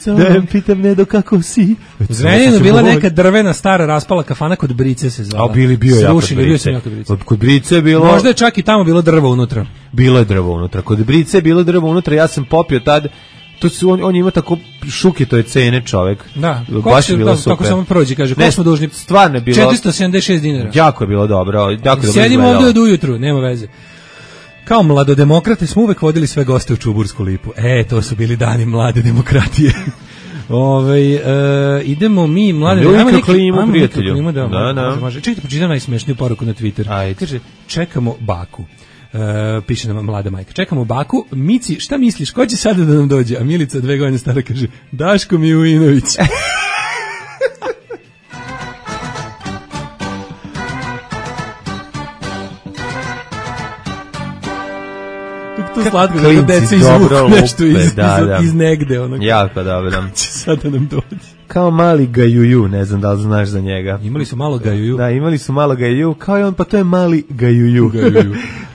[SPEAKER 5] Da je pitam Nedo kako si.
[SPEAKER 6] U Zrenjaninu bila neka drvena stara raspala kafana kod Brice se zvala.
[SPEAKER 5] A bio jako Brice. Kod Brice je bilo.
[SPEAKER 6] Možda je čak i tamo bilo drvo unutra.
[SPEAKER 5] Bilo je drvo unutra. Kod Brice je bilo drvo unutra, ja sam popio tad. To su on ima tako šuke, to je cene čovjek.
[SPEAKER 6] Da,
[SPEAKER 5] baš je bilo super.
[SPEAKER 6] Tako samo prođe, kaže, koliko smo dužni?
[SPEAKER 5] Stvarno je bilo
[SPEAKER 6] 476 dinara.
[SPEAKER 5] Jako je bilo dobro, jako dobro.
[SPEAKER 6] Sjedimo ovdje od ujutru, nema veze. Kao mladodemokrate smo uvek vodili sve goste u Čubursku lipu. To su bili dani mlade demokratije. Idemo mi mlade
[SPEAKER 5] klimu,
[SPEAKER 6] da. Čekajte, pročitam najsmešniju poruku na Twitter. Kaže, čekamo baku. Piše nam mlada majka. Čekamo baku. Mici, šta misliš, ko će sada da nam dođe? A Milica 2 godine stara kaže, Daško Milinović. To slatko da deca izvuku nešto iz negde.
[SPEAKER 5] Jako dobro.
[SPEAKER 6] Ko će sada nam dođe?
[SPEAKER 5] Kao mali Gajuju, ne znam da li znaš za njega.
[SPEAKER 6] Imali su malo Gajuju.
[SPEAKER 5] Da, imali su malo Gajuju, kao i on, pa to je mali Gajuju.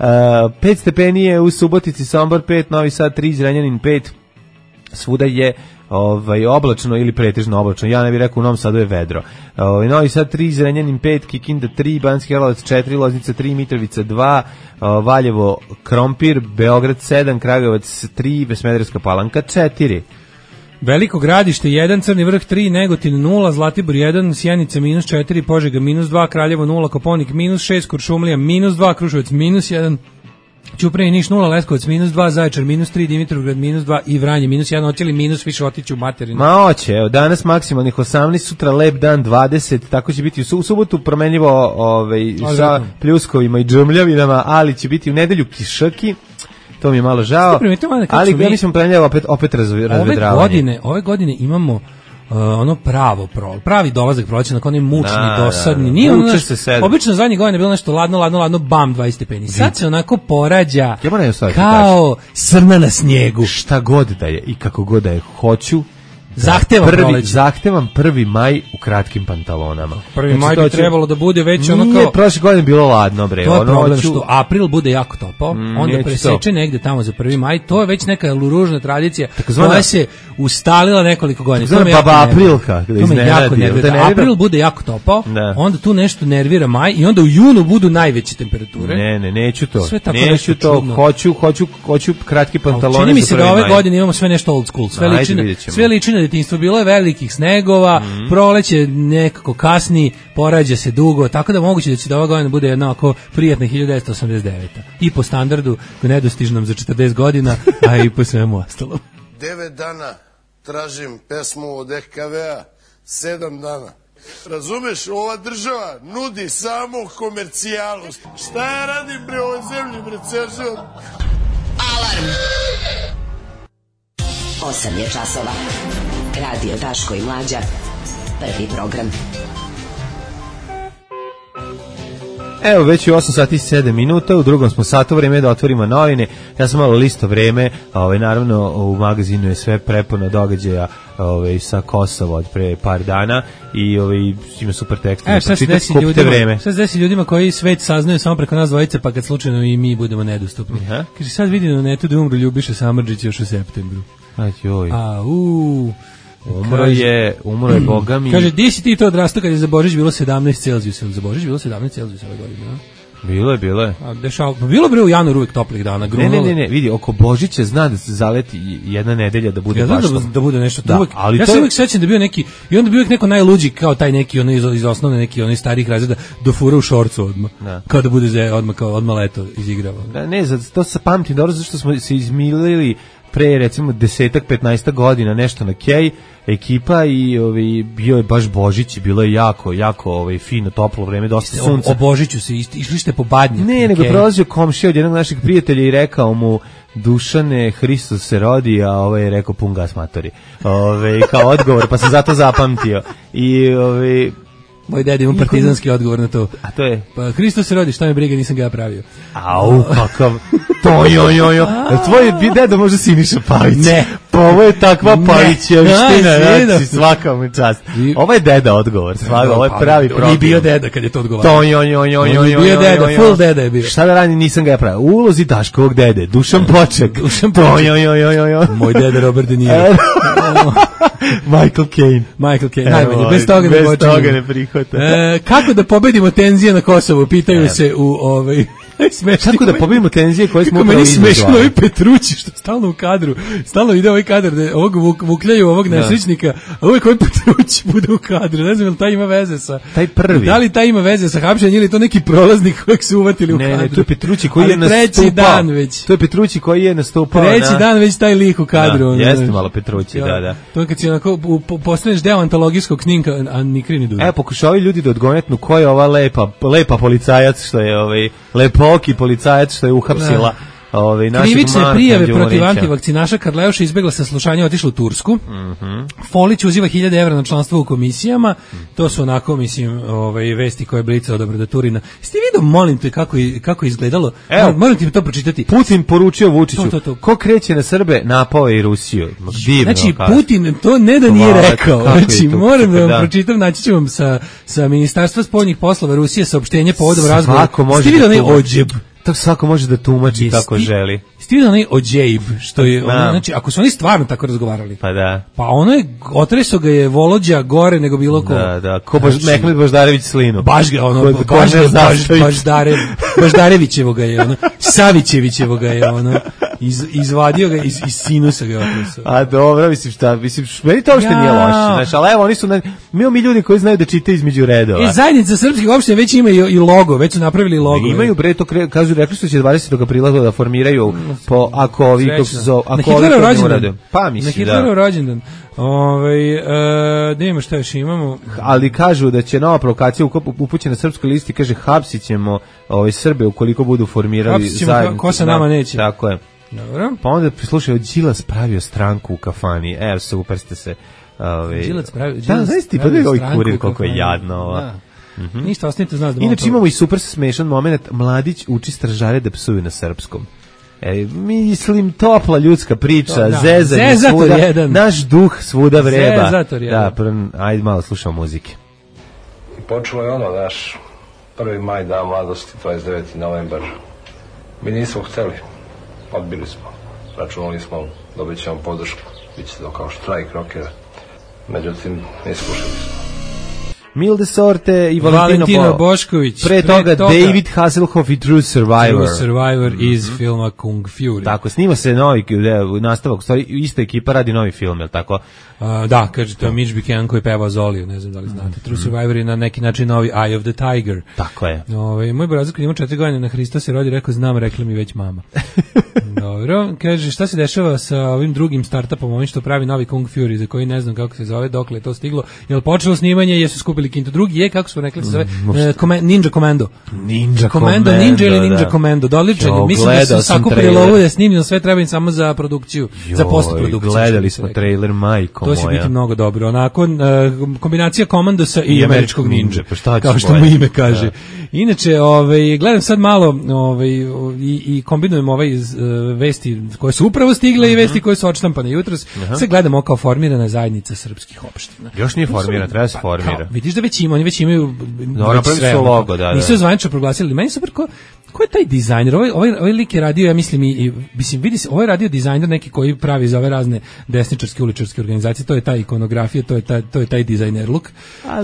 [SPEAKER 5] 5 stepenije u Subotici, Sombor 5, Novi Sad 3, Zrenjanin 5, svuda je oblačno ili pretežno oblačno. Ja ne bih rekao, u Novom Sadu je vedro. Novi Sad 3, Zrenjanin 5, Kikinda 3, Banski Karlovac 4, Loznica 3, Mitrovica 2, Valjevo Krompir, Beograd 7, Kragujevac 3, Smederevska Palanka 4.
[SPEAKER 6] Veliko Gradište 1, Crni Vrh 3, Negotin 0, Zlatibor 1, Sjenica -4, Požega -2, Kraljevo 0, Koponik -6, Kuršumlija -2, Kruševac -1, Ćuprije, Niš 0, Leskovac -2, Zaječar -3, Dimitrovgrad -2 i Vranje -1, hoće li minus više otići u materinu?
[SPEAKER 5] Ma hoće, evo, danas maksimalnih 18, sutra lep dan 20, tako će biti u subotu promenljivo sa pljuskovima i džumljavinama, ali će biti u nedelju kišaki, to mi je malo žao, ali ja mislim promenljivo opet razvedravanje.
[SPEAKER 6] Ove godine imamo pravi dolazak proleća, nakon onaj mučni, dosadni. Nije ono obično zadnjih godina bilo nešto ladno, bam, 20 stepeni. Sad se onako porađa kao srna na snijegu.
[SPEAKER 5] Šta god da je i kako god da je, hoću zahtevam 1. maj u kratkim pantalonama.
[SPEAKER 6] 1. maj bi trebalo da bude već ono kao...
[SPEAKER 5] Nije, prošle godine bilo ladno, bre.
[SPEAKER 6] To je problem što april bude jako topao, onda preseče negde tamo za 1. maj, to je već neka ružna tradicija koja se ustalila nekoliko godina.
[SPEAKER 5] To me baba aprilka.
[SPEAKER 6] To me jako nervira. April bude jako topao, onda tu nešto nervira maj i onda u junu budu najveće temperature.
[SPEAKER 5] Ne, neću to. Neću to, hoću kratki pantalone.
[SPEAKER 6] Čini mi se da ove godine imamo sve nešto old school, sve liči na detinjstvo, bilo je velikih snegova, proleće nekako kasni, porađa se dugo, tako da moguće da će da ova godina bude jedna ovako prijatna 1989. I po standardu nedostižnom za 40 godina, a i po svemu ostalom.
[SPEAKER 3] 9 dana tražim pesmu od EKV-a, 7 dana. Razumeš, ova država nudi samo komercijalu. Šta ja radim bre ovoj zemlji, bre, ceo život?
[SPEAKER 2] Alarm! 8 je časova. Radio Daško i Mlađa. Prvi program.
[SPEAKER 5] Evo, već je 8 sati i 7 minuta, u drugom smo satu, vreme da otvorimo novine. Ja sam malo listo vreme, naravno u magazinu je sve prepuno događaja sa Kosova od pre par dana i ima super tekst.
[SPEAKER 6] Šta se desi ljudima koji svet saznaju samo preko nas dvojice, pa kad slučajno i mi budemo nedostupni? Kaže, sad vidim na netu da umru Ljubiša Samardžić još u septembru.
[SPEAKER 5] Umro je Boga mi.
[SPEAKER 6] Kaže, di si ti to odrastao kad je za Božić bilo 17 Celzijusa? Za Božić bilo 17 Celzijusa ove godine, a?
[SPEAKER 5] Bilo je.
[SPEAKER 6] Bilo bre u januaru uvijek toplih dana.
[SPEAKER 5] Ne, vidi, oko Božića zna da se zaleti jedna nedelja da bude baš to.
[SPEAKER 6] Da bude nešto. Ja se uvijek sećam da bio neki, i onda bio uvijek neko najluđi kao taj neki, iz osnovne neki, onih starih razreda, do fura u šorcu odmah. Kao da bude odmah leto izigrava.
[SPEAKER 5] To se pamti dobro, zašto smo se izmilili pre recimo 10-15 godina nešto na Kej ekipa i bio je baš Božić, bilo je jako fino, toplo vreme, dosta sunca.
[SPEAKER 6] O Božiću se išli ste po Badnjak.
[SPEAKER 5] Ne, nego prolazio komšija od jednog našeg prijatelja i rekao mu: Dušane, Hristos se rodi, a je rekao pun gas matori. Kao odgovor, pa sam zato zapamtio. I
[SPEAKER 6] moj deda ima partizanski odgovor na to.
[SPEAKER 5] A to je?
[SPEAKER 6] Pa Hristos se rodi, šta me briga, nisam ga ja pravio.
[SPEAKER 5] Au, kakav. Tvoj deda može Siniša Pavić.
[SPEAKER 6] Ne.
[SPEAKER 5] Pa ovo je takva Pavićevština, znači svaka mu čast. Ovo je deda odgovor, ovo je pravi problem.
[SPEAKER 6] I bio deda kad je to odgovarao.
[SPEAKER 5] Bio
[SPEAKER 6] deda, full deda je bio.
[SPEAKER 5] Šta da radim, nisam ga ja pravio. U ulozi Daškovog dede, Dušan Poček.
[SPEAKER 6] Moj deda Robert De Niro.
[SPEAKER 5] Michael Caine,
[SPEAKER 6] najbolje, bez toga ne
[SPEAKER 5] prihvata.
[SPEAKER 6] Kako da pobedimo tenzije na Kosovu, pitaju se u
[SPEAKER 5] Kako da pobedimo tenzije koje smo upravo izazvali.
[SPEAKER 6] Meni smešno ovi Petrući što stalno u kadru, stalno ide ovaj kadar da ovog vukljaju ovog nesrećnika, a uvijek ovaj Petrući bude u kadru, ne znam, taj ima veze sa...
[SPEAKER 5] Taj prvi.
[SPEAKER 6] Da li taj ima veze sa hapšenjem ili to neki prolaznik kojeg su uvatili u kadru?
[SPEAKER 5] Ne, to je Petrući koji je nastupao.
[SPEAKER 6] Treći dan već.
[SPEAKER 5] To je Petrući koji je nastupao.
[SPEAKER 6] Treći dan već taj lik u kadru.
[SPEAKER 5] Jeste malo Petrući, da.
[SPEAKER 6] To je kad si onako postaneš deo antologijskog snimka, a ni krini duže.
[SPEAKER 5] Pokušavaju ljudi da odgonetnu ko je ova lepa policajac što je lepoki policajac što je uhapsila
[SPEAKER 6] krivične prijave protiv antivakcinaša Karleuša izbegla saslušanje, otišla u Tursku. Folić uziva 1000 evra na članstvo u komisijama. To su onako, mislim, vesti koje je Blica dobro da Turina. Jeste vidio, molim te, kako je izgledalo? Moram ti to pročitati.
[SPEAKER 5] Putin poručio Vučiću, ko kreće na Srbe, napao je i Rusiju.
[SPEAKER 6] Znači, Putin to ne da nije rekao. Znači, moram da vam pročitam, naći ću vam sa Ministarstva spoljnih poslova Rusije saopštenje povodom razgovora. Jeste vidio onaj ođeb?
[SPEAKER 5] Tako svako može da tumači kako želi.
[SPEAKER 6] Jeste vidio onaj ođejb, što je, znači, ako su oni stvarno tako razgovarali.
[SPEAKER 5] Pa da.
[SPEAKER 6] Pa ono je, otreso ga je Volođa gore nego bilo ko.
[SPEAKER 5] Da, ko Mehmed Baždarević slinu.
[SPEAKER 6] Baš ga, Baždarevićevo ga je, Savićevićevo ga je, izvadio ga iz sinusa ga otrusao.
[SPEAKER 5] A dobro, mislim, meni to uopšte nije loše, znaš, ali evo, oni su, mi ljudi koji znaju da čitaju između redova.
[SPEAKER 6] Zajednica srpskih opština već ima i logo, već su napravili logo.
[SPEAKER 5] Imaju, bre, to kažu, rekli su će 20. aprila da formiraju, ako ovi,
[SPEAKER 6] na Hitlerov rođendan.
[SPEAKER 5] Pa mislim,
[SPEAKER 6] na Hitlerov rođendan. Da imamo šta još imamo.
[SPEAKER 5] Ali kažu da će nova provokacija upućena na srpskoj listi, kaže hapsit ćemo Srbe ukoliko budu formirali zajednicu.
[SPEAKER 6] Ko sa nama neće.
[SPEAKER 5] Tako je.
[SPEAKER 6] Dobro.
[SPEAKER 5] Pa onda prislušaju, Đilas pravio stranku u kafani. Evo, super ste se...
[SPEAKER 6] Đilas pravio
[SPEAKER 5] znaš ti, pa da je ovaj kurir koliko je jadno.
[SPEAKER 6] Ništa, ostanite znaš da...
[SPEAKER 5] Inače imamo i super smešan moment, mladić uči stražare da psuju na srpskom. Mislim, topla ljudska priča, zezanje svuda, naš duh svuda vreba.
[SPEAKER 6] Zezator jedan.
[SPEAKER 5] Da, ajde malo slušamo muzike.
[SPEAKER 8] I počelo je naš 1. maj, dan mladosti, 29. novembar. Mi nismo hteli, odbili smo, računali smo, dobit ćemo podršku, bit će to kao štrajk rokera, međutim, ne iskušali smo.
[SPEAKER 5] Milde Sorte i
[SPEAKER 6] Valentino Bošković.
[SPEAKER 5] Pre toga David Hasselhoff i True Survivor.
[SPEAKER 6] True Survivor iz filma Kung Fury.
[SPEAKER 5] Tako, snima se novi nastavak, stvari, ista ekipa radi novi film, je li tako?
[SPEAKER 6] Da, kaže, to je Mitch Buchanan koji peva Zoliju, ne znam da li znate. True Survivor je na neki način novi Eye of the Tiger.
[SPEAKER 5] Tako je.
[SPEAKER 6] Moj brazak kad ima 4 godine na Hrista se rodi, rekao, znam, rekla mi već mama. Dobro, kaže, šta se dešava sa ovim drugim startupom, ovim što pravi novi Kung Fury, za koji ne znam kako se zove, dokle je to stiglo, je li počelo snimanje, jesu skupili kintu. Drugi je, kako smo rekli, se zove Ninja Commando.
[SPEAKER 5] Ninja
[SPEAKER 6] ili Ninja Commando, doličan. Mislim da su sakupili lovu da snimljeno, sve treba im samo za produkciju, za postprodukciju.
[SPEAKER 5] Gledali smo trailer, majko moja.
[SPEAKER 6] To će biti mnogo dobro. Onako, kombinacija Komandosa i američkog ninja, kao što mu ime kaže. Inače, gledam sad malo i kombinujem vesti koje su upravo stigle i vesti koje su odštampane jutros. Sad gledamo kao formirana zajednica srpskih opština.
[SPEAKER 5] Još nije formirana, treba se formira.
[SPEAKER 6] Vidiš da već ima, oni već imaju
[SPEAKER 5] sve logo, da.
[SPEAKER 6] Nisu zvanično proglasili. Meni super ko je taj dizajner? Ovaj lik je radio, ja mislim, mislim, vidi se, ovo je radio dizajner neki koji pravi za ove razne desničarske, uličarske organizacije, to je ta ikonografija, to je taj dizajner look,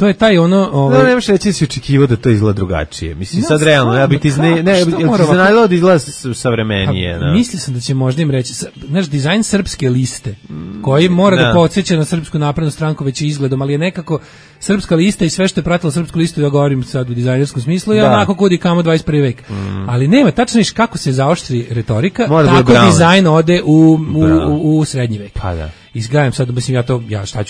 [SPEAKER 6] to je taj ono...
[SPEAKER 5] Ne možeš reći da si očekivao da to izgleda drugačije. Mislim, sad realno, ja bi ti iznenadilo da izgleda savremenije.
[SPEAKER 6] Mislio sam da će možda im reći, znaš, dizajn srpske liste, koji mora da podsjeća na Srpsku naprednu stranku već izgledom, ali je nekako srpska lista i sve što je pratilo srpsku listu, ja govorim sad u dizajnerskom smislu, je onako kudi kamo 21. vek. Ali nema, tačno viš kako se zaoštri retorika, tako dizajn ode u srednji vek.
[SPEAKER 5] Pa da.
[SPEAKER 6] Izgledam sad, mislim,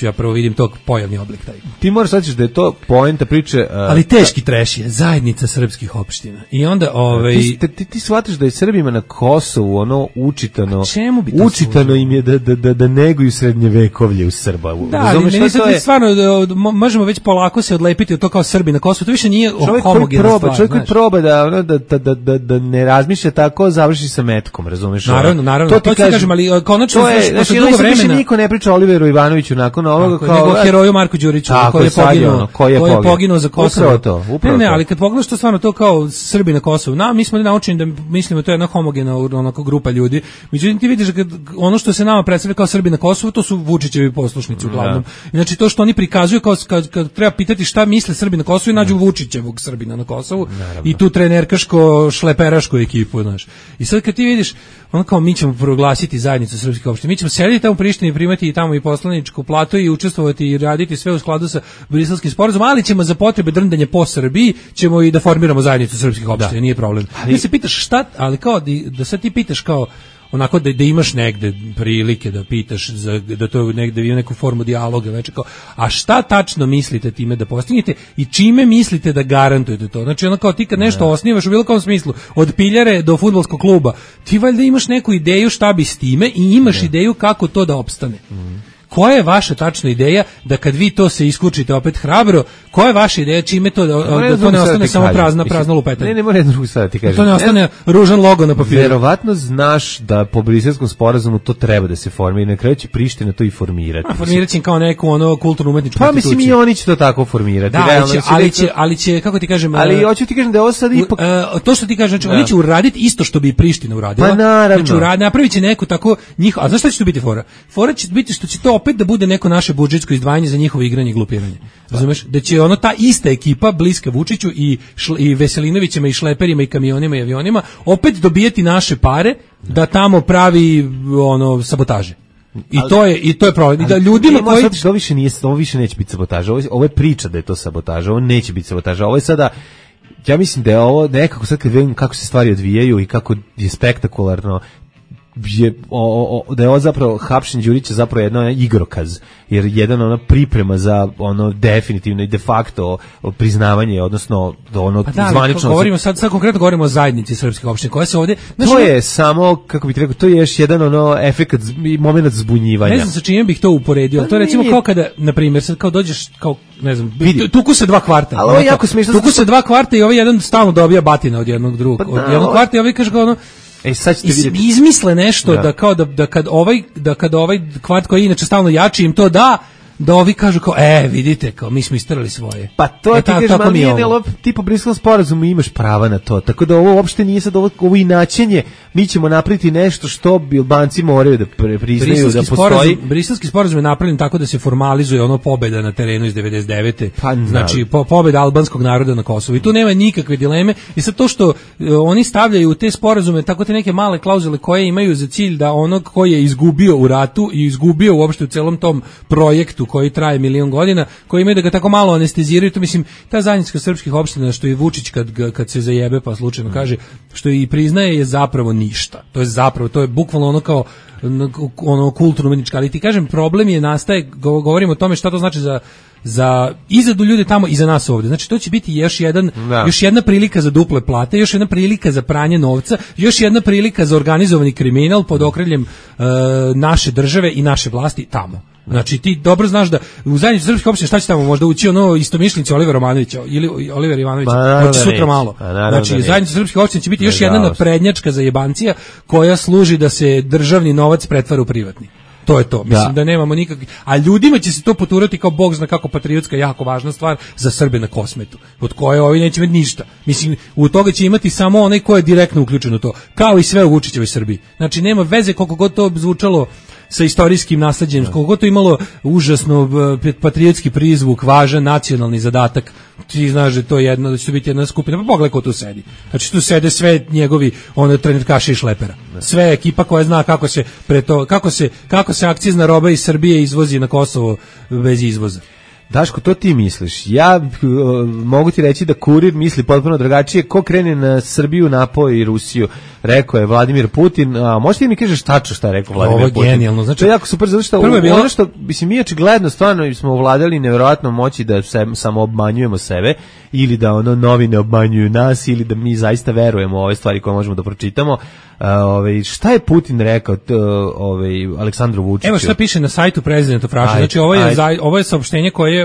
[SPEAKER 6] ja prvo vidim tog pojavni oblik taj.
[SPEAKER 5] Ti moraš shvatiti da je to poenta priče...
[SPEAKER 6] ali teški treš je, zajednica srpskih opština. I onda,
[SPEAKER 5] Ti shvatiš da je Srbima na Kosovu, ono, učitano...
[SPEAKER 6] Čemu bi to
[SPEAKER 5] učitano im je da neguju srednjevekovlje u Srba.
[SPEAKER 6] Da, ali meni sad stvarno, možemo već polako se odlepiti od to kao Srbi na Kosovu, to više nije homogena stvar.
[SPEAKER 5] Čovjek koji proba da ne razmišlja tako, završi sa metkom, razumeš?
[SPEAKER 6] Naravno, to ti kažem, ali konačno, posle dugo vremena...
[SPEAKER 5] Ne priča Oliveru Ivanoviću nakon ovoga
[SPEAKER 6] kao heroju Marku Đuriću koji je poginuo za Kosovo.
[SPEAKER 5] Upravo
[SPEAKER 6] ne, ali kad pogledaš to stvarno to kao Srbi na Kosovu, mi smo naučeni da mislimo to je jedna homogena onako grupa ljudi. Međutim ti vidiš kad ono što se nama predstavlja kao Srbi na Kosovu, to su Vučićevi poslušnici uglavnom. Znači to što oni prikazuju kao kad treba pitati šta misle Srbi na Kosovu, nađu Vučićevog Srbina na Kosovu i tu trenerkaško šleperašku ekipu, znaš. I sad kad ti vidiš ono kao mi ćemo proglasiti zajednicu srpskih opština, mi ćemo sediti tamo u Prištini, primati i tamo i poslaničku platu i učestvovati i raditi sve u skladu sa Briselskim sporazumom, ali ćemo za potrebe drndanja po Srbiji ćemo i da formiramo zajednicu srpskih opština, nije problem. Ti se pitaš šta, ali kao da sad ti pitaš kao onako da imaš negde prilike da pitaš da to negde ima neku formu dijaloga već kao, a šta tačno mislite time da postignete i čime mislite da garantujete to? Znači ono kao ti kad nešto osnivaš u bilo kom smislu, od piljare do fudbalskog kluba, ti valjda imaš neku ideju šta bi s time i imaš ideju kako to da opstane. Koja je vaša tačna ideja da kad vi to se iskučite opet hrabro, koja je vaša ideja čime to da to ne ostane samo prazna lupetanja?
[SPEAKER 5] Ne mora jednu drugu stvar ti kažem.
[SPEAKER 6] To ne ostane ružan logo na papiru.
[SPEAKER 5] Verovatno znaš da po Briselskom sporazumu to treba da se formira i na kraju će Priština to i formirati.
[SPEAKER 6] A formirat će kao neku kulturno umetničku instituciju.
[SPEAKER 5] Pa mislim i oni će to tako formirati.
[SPEAKER 6] Da, ali će, kako ti kažem...
[SPEAKER 5] Ali hoću ti kažem da je ovo sad ipak...
[SPEAKER 6] To što ti kažem, znači oni će uraditi isto što bi i Priština uradila.
[SPEAKER 5] Pa naravno.
[SPEAKER 6] Znači napravit će neku tako njih... A znaš šta će to biti fora? Fora će biti što će to opet da bude neko naše budžetsko izdvajanje za njihovo igranje i glupiranje. Razumeš? Da će ono ta ista ekipa bliska Vučiću i Veselinovićima i šleperima i kamionima i avionima opet dobijeti naše pare da tamo pravi ono sabotaže. I to je problem. I da ljudima koji
[SPEAKER 5] ovo više neće biti sabotaža. Ovo je priča da je to sabotaža. Ovo neće biti sabotaža. Ovo je sada, ja mislim da je ovo nekako sad kad vidim kako se stvari odvijaju i kako je spektakularno, da je ovo zapravo hapšenje Đurića zapravo jedna igrokaz, jer jedan ona priprema za ono definitivno i de facto priznavanje, odnosno ono zvanično.
[SPEAKER 6] Govorimo sad konkretno govorimo o zajednici srpskih opština koja se ovdje.
[SPEAKER 5] To je samo, kako bih rekao, to je još jedan ono efekat i momenat zbunjivanja.
[SPEAKER 6] Ne znam sa čime bih to uporedio. To je recimo kao kada, na primjer, sad kao dođeš kao ne znam, tuku se 2 kvarta.
[SPEAKER 5] Ali ovo je jako smiješno.
[SPEAKER 6] Tuku se 2 kvarta i ovaj jedan stalno dobija batina od jednog drugog. Od jednog kvarta i ovaj kaže kao ono
[SPEAKER 5] sad ćete vidjeti.
[SPEAKER 6] Izmisle nešto da kao da kad ovaj kvart koji inače stalno jači im to da ovi kažu kao, vidite, kao mi smo istrali svoje.
[SPEAKER 5] Pa to ti kažeš, ti po Briselskom sporazumu imaš prava na to, tako da ovo uopšte nije sad ovo inačenje, mi ćemo napraviti nešto što bi Albanci moraju da priznaju da postoji.
[SPEAKER 6] Briselski sporazum je napravljen tako da se formalizuje ono pobeda na terenu iz 99. Znači, pobeda albanskog naroda na Kosovu. I tu nema nikakve dileme. I sad to što oni stavljaju u te sporazume, tako te neke male klauzule koje imaju za cilj da onog koji je izgubio u ratu i izgubio uopšte u celom tom projektu koji traje 1.000.000 godina, koji imaju da ga tako malo anesteziraju, to mislim, ta zajednica srpskih opština što i Vučić kad se zajebe pa slučajno kaže, što i priznaje je zapravo ništa. To je bukvalno ono kao ono kulturno-umjetnička, ali ti kažem, problem je nastaje, govorimo o tome šta to znači za izadu ljudi tamo i za nas ovdje. Znači to će biti još jedna prilika za duple plate, još jedna prilika za pranje novca, još jedna prilika za organizovani kriminal pod okriljem naše države i naše vlasti tamo. Znači ti dobro znaš da u zajednici srpskih opština šta će tamo možda ući ono istomišljenici Oliver Romanovića ili Oliver Ivanović, hoće sutra malo. Znači zajednica srpskih opština će biti još jedna naprednjačka zajebancija koja služi da se državni novac pretvara u privatni. To je to. Mislim da nemamo nikakvi, a ljudima će se to poturati kao bog zna kako patriotska jako važna stvar za Srbe na Kosmetu, od koje ovi neće imati ništa. Mislim, u toga će imati samo onaj ko je direktno uključen u to, kao i sve u Vučićevoj Srbiji. Znači nema veze koliko god to zvučalo sa istorijskim nasleđem, koliko god to imalo užasno patriotski prizvuk, važan nacionalni zadatak. Ti znaš da će to biti jedna skupina, pa pogledaj ko tu sedi. Znači tu sede sve njegovi trenerkaši i šlepera. Sve ekipa koja zna kako se akcizna roba iz Srbije izvozi na Kosovo bez izvoza.
[SPEAKER 5] Daško, to ti misliš. Ja mogu ti reći da Kurir misli potpuno drugačije. Ko krene na Srbiju, napoj i Rusiju, rekao je Vladimir Putin. A možeš ti mi kažeš tačno šta je rekao Vladimir Putin?
[SPEAKER 6] Ovo je genijalno. Znači,
[SPEAKER 5] to je jako super, zato što ono što, mislim, mi očigledno stvarno smo ovladali nevjerojatno moći da samo obmanjujemo sebe, ili da ono novine obmanjuju nas, ili da mi zaista verujemo u ove stvari koje možemo da pročitamo. Šta je Putin rekao Aleksandru Vučiću?
[SPEAKER 6] Evo šta piše na sajtu President of Russia. Znači ovo je saopštenje koje je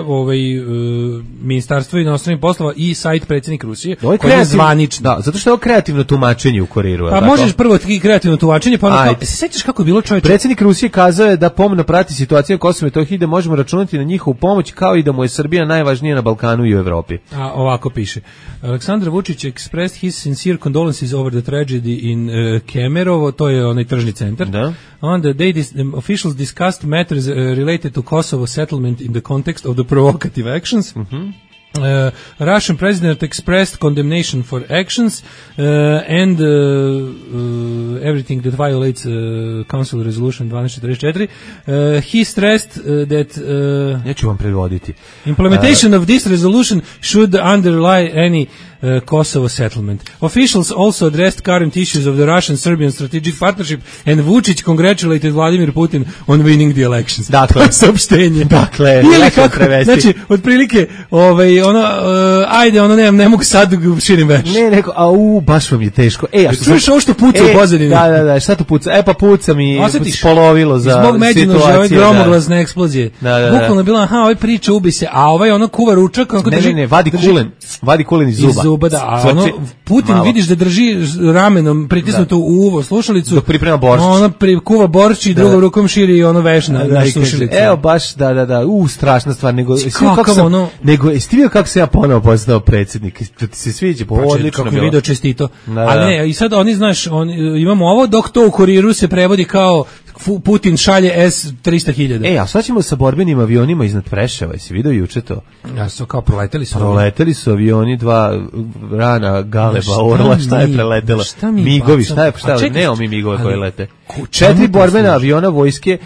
[SPEAKER 6] Ministarstvo inostranih poslova i sajt predsjednik Rusije, koji je zvanično.
[SPEAKER 5] Da, zato što je ovo kreativno tumačenje u Kuriru.
[SPEAKER 6] Pa možeš prvo kreativno tumačenje, pa onda se sećaš kako je bilo, čovječe?
[SPEAKER 5] Predsjednik Rusije kazao je da pomno prati situaciju na Kosovu i Metohiji, da možemo računati na njihovu pomoć, kao i da mu je Srbija najvažnija na Balkanu i u Evropi.
[SPEAKER 6] A ovako piše. Aleksandar Vučić expressed his sincere condolences over the tragedy in Kemerovo, to je onaj tržni centar.
[SPEAKER 5] Da.
[SPEAKER 6] On the day officials discussed matters related to Kosovo settlement in the context of the provocative actions. Russian president expressed condemnation for actions and everything that violates Council Resolution 1244. He stressed that
[SPEAKER 5] ja ću vam prevoditi.
[SPEAKER 6] Implementation of this resolution should underlie any Kosovo settlement. Officials also addressed current issues of the Russian-Serbian strategic partnership, and Vučić congratulated Vladimir Putin on winning the elections.
[SPEAKER 5] Dakle,
[SPEAKER 6] saopštenje.
[SPEAKER 5] Dakle,
[SPEAKER 6] ili kako prevesti. Znači, otprilike, ne mogu sad širim veš.
[SPEAKER 5] Ne, neko, baš vam je teško. A
[SPEAKER 6] što čuješ ovo što puca u pozadini?
[SPEAKER 5] Da, šta tu puca? Pa puca mi spolovilo za
[SPEAKER 6] situaciju. Zbog međunože, gromoglasne eksplozije. Bukvalno je bila, ovaj priča, ubi se, a ovaj kuva ručak.
[SPEAKER 5] Ne, vadi kulen iz zuba.
[SPEAKER 6] Da, a Putin vidiš da drži ramenom pritisnuto u uvo slušalicu.
[SPEAKER 5] Dok priprema boršč.
[SPEAKER 6] Kuva boršč i drugom rukom širi veš na slušalicu.
[SPEAKER 5] Evo baš, da. Strašna stvar. Nego, jesi ti vidio kako se ja ponovo postao predsjednik? Da ti se sviđa, odlično
[SPEAKER 6] kako je video čestito. Ali ne, i sad oni, znaš, imamo ovo, dok to u Kuriru se prevodi kao Putin šalje S-300.000.
[SPEAKER 5] A sad ćemo sa borbenim avionima iznad Preševa, jesi vidio juče to?
[SPEAKER 6] Ja su kao proleteli su.
[SPEAKER 5] Proleteli su avioni, 2 rana Galeba, Orla, šta je preletelo? Migovi, šta je, nemamo mi migove koje lete. 4 borbena aviona vojske,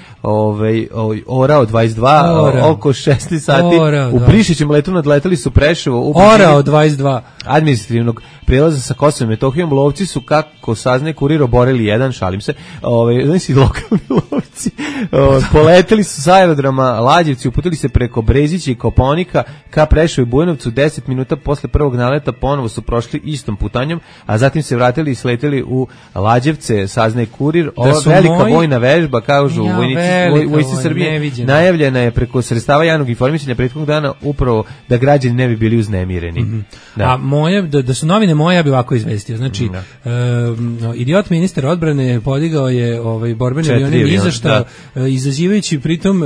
[SPEAKER 5] Orao 22, oko 16 sati, u Prišićem letu nadleteli su Preševo.
[SPEAKER 6] Orao 22.
[SPEAKER 5] Administrativnog prijelaza sa Kosovom i Metohijom, lovci su, kako saznaje Kurir, oborili jedan, šalim se, znači lokalni lovci, poleteli su sa aerodroma Lađevci, uputili se preko Brezića i Kopaonika ka Preševu i Bujanovcu, 10 minuta posle prvog naleta ponovo su prošli istom putanjom, a zatim se vratili i sleteli u Lađevce, saznaje Kurir. Velika vojna vežba, kažu vojsci Srbije, najavljena je preko sredstava javnog informisanja prethodnog dana, upravo da građani ne bi bili uznemireni.
[SPEAKER 6] A moje, da su novine moje, ja bi ovako izvestio. Znači, idiot ministar odbrane podigao je borbeni avioni nizašta, izazivajući pritom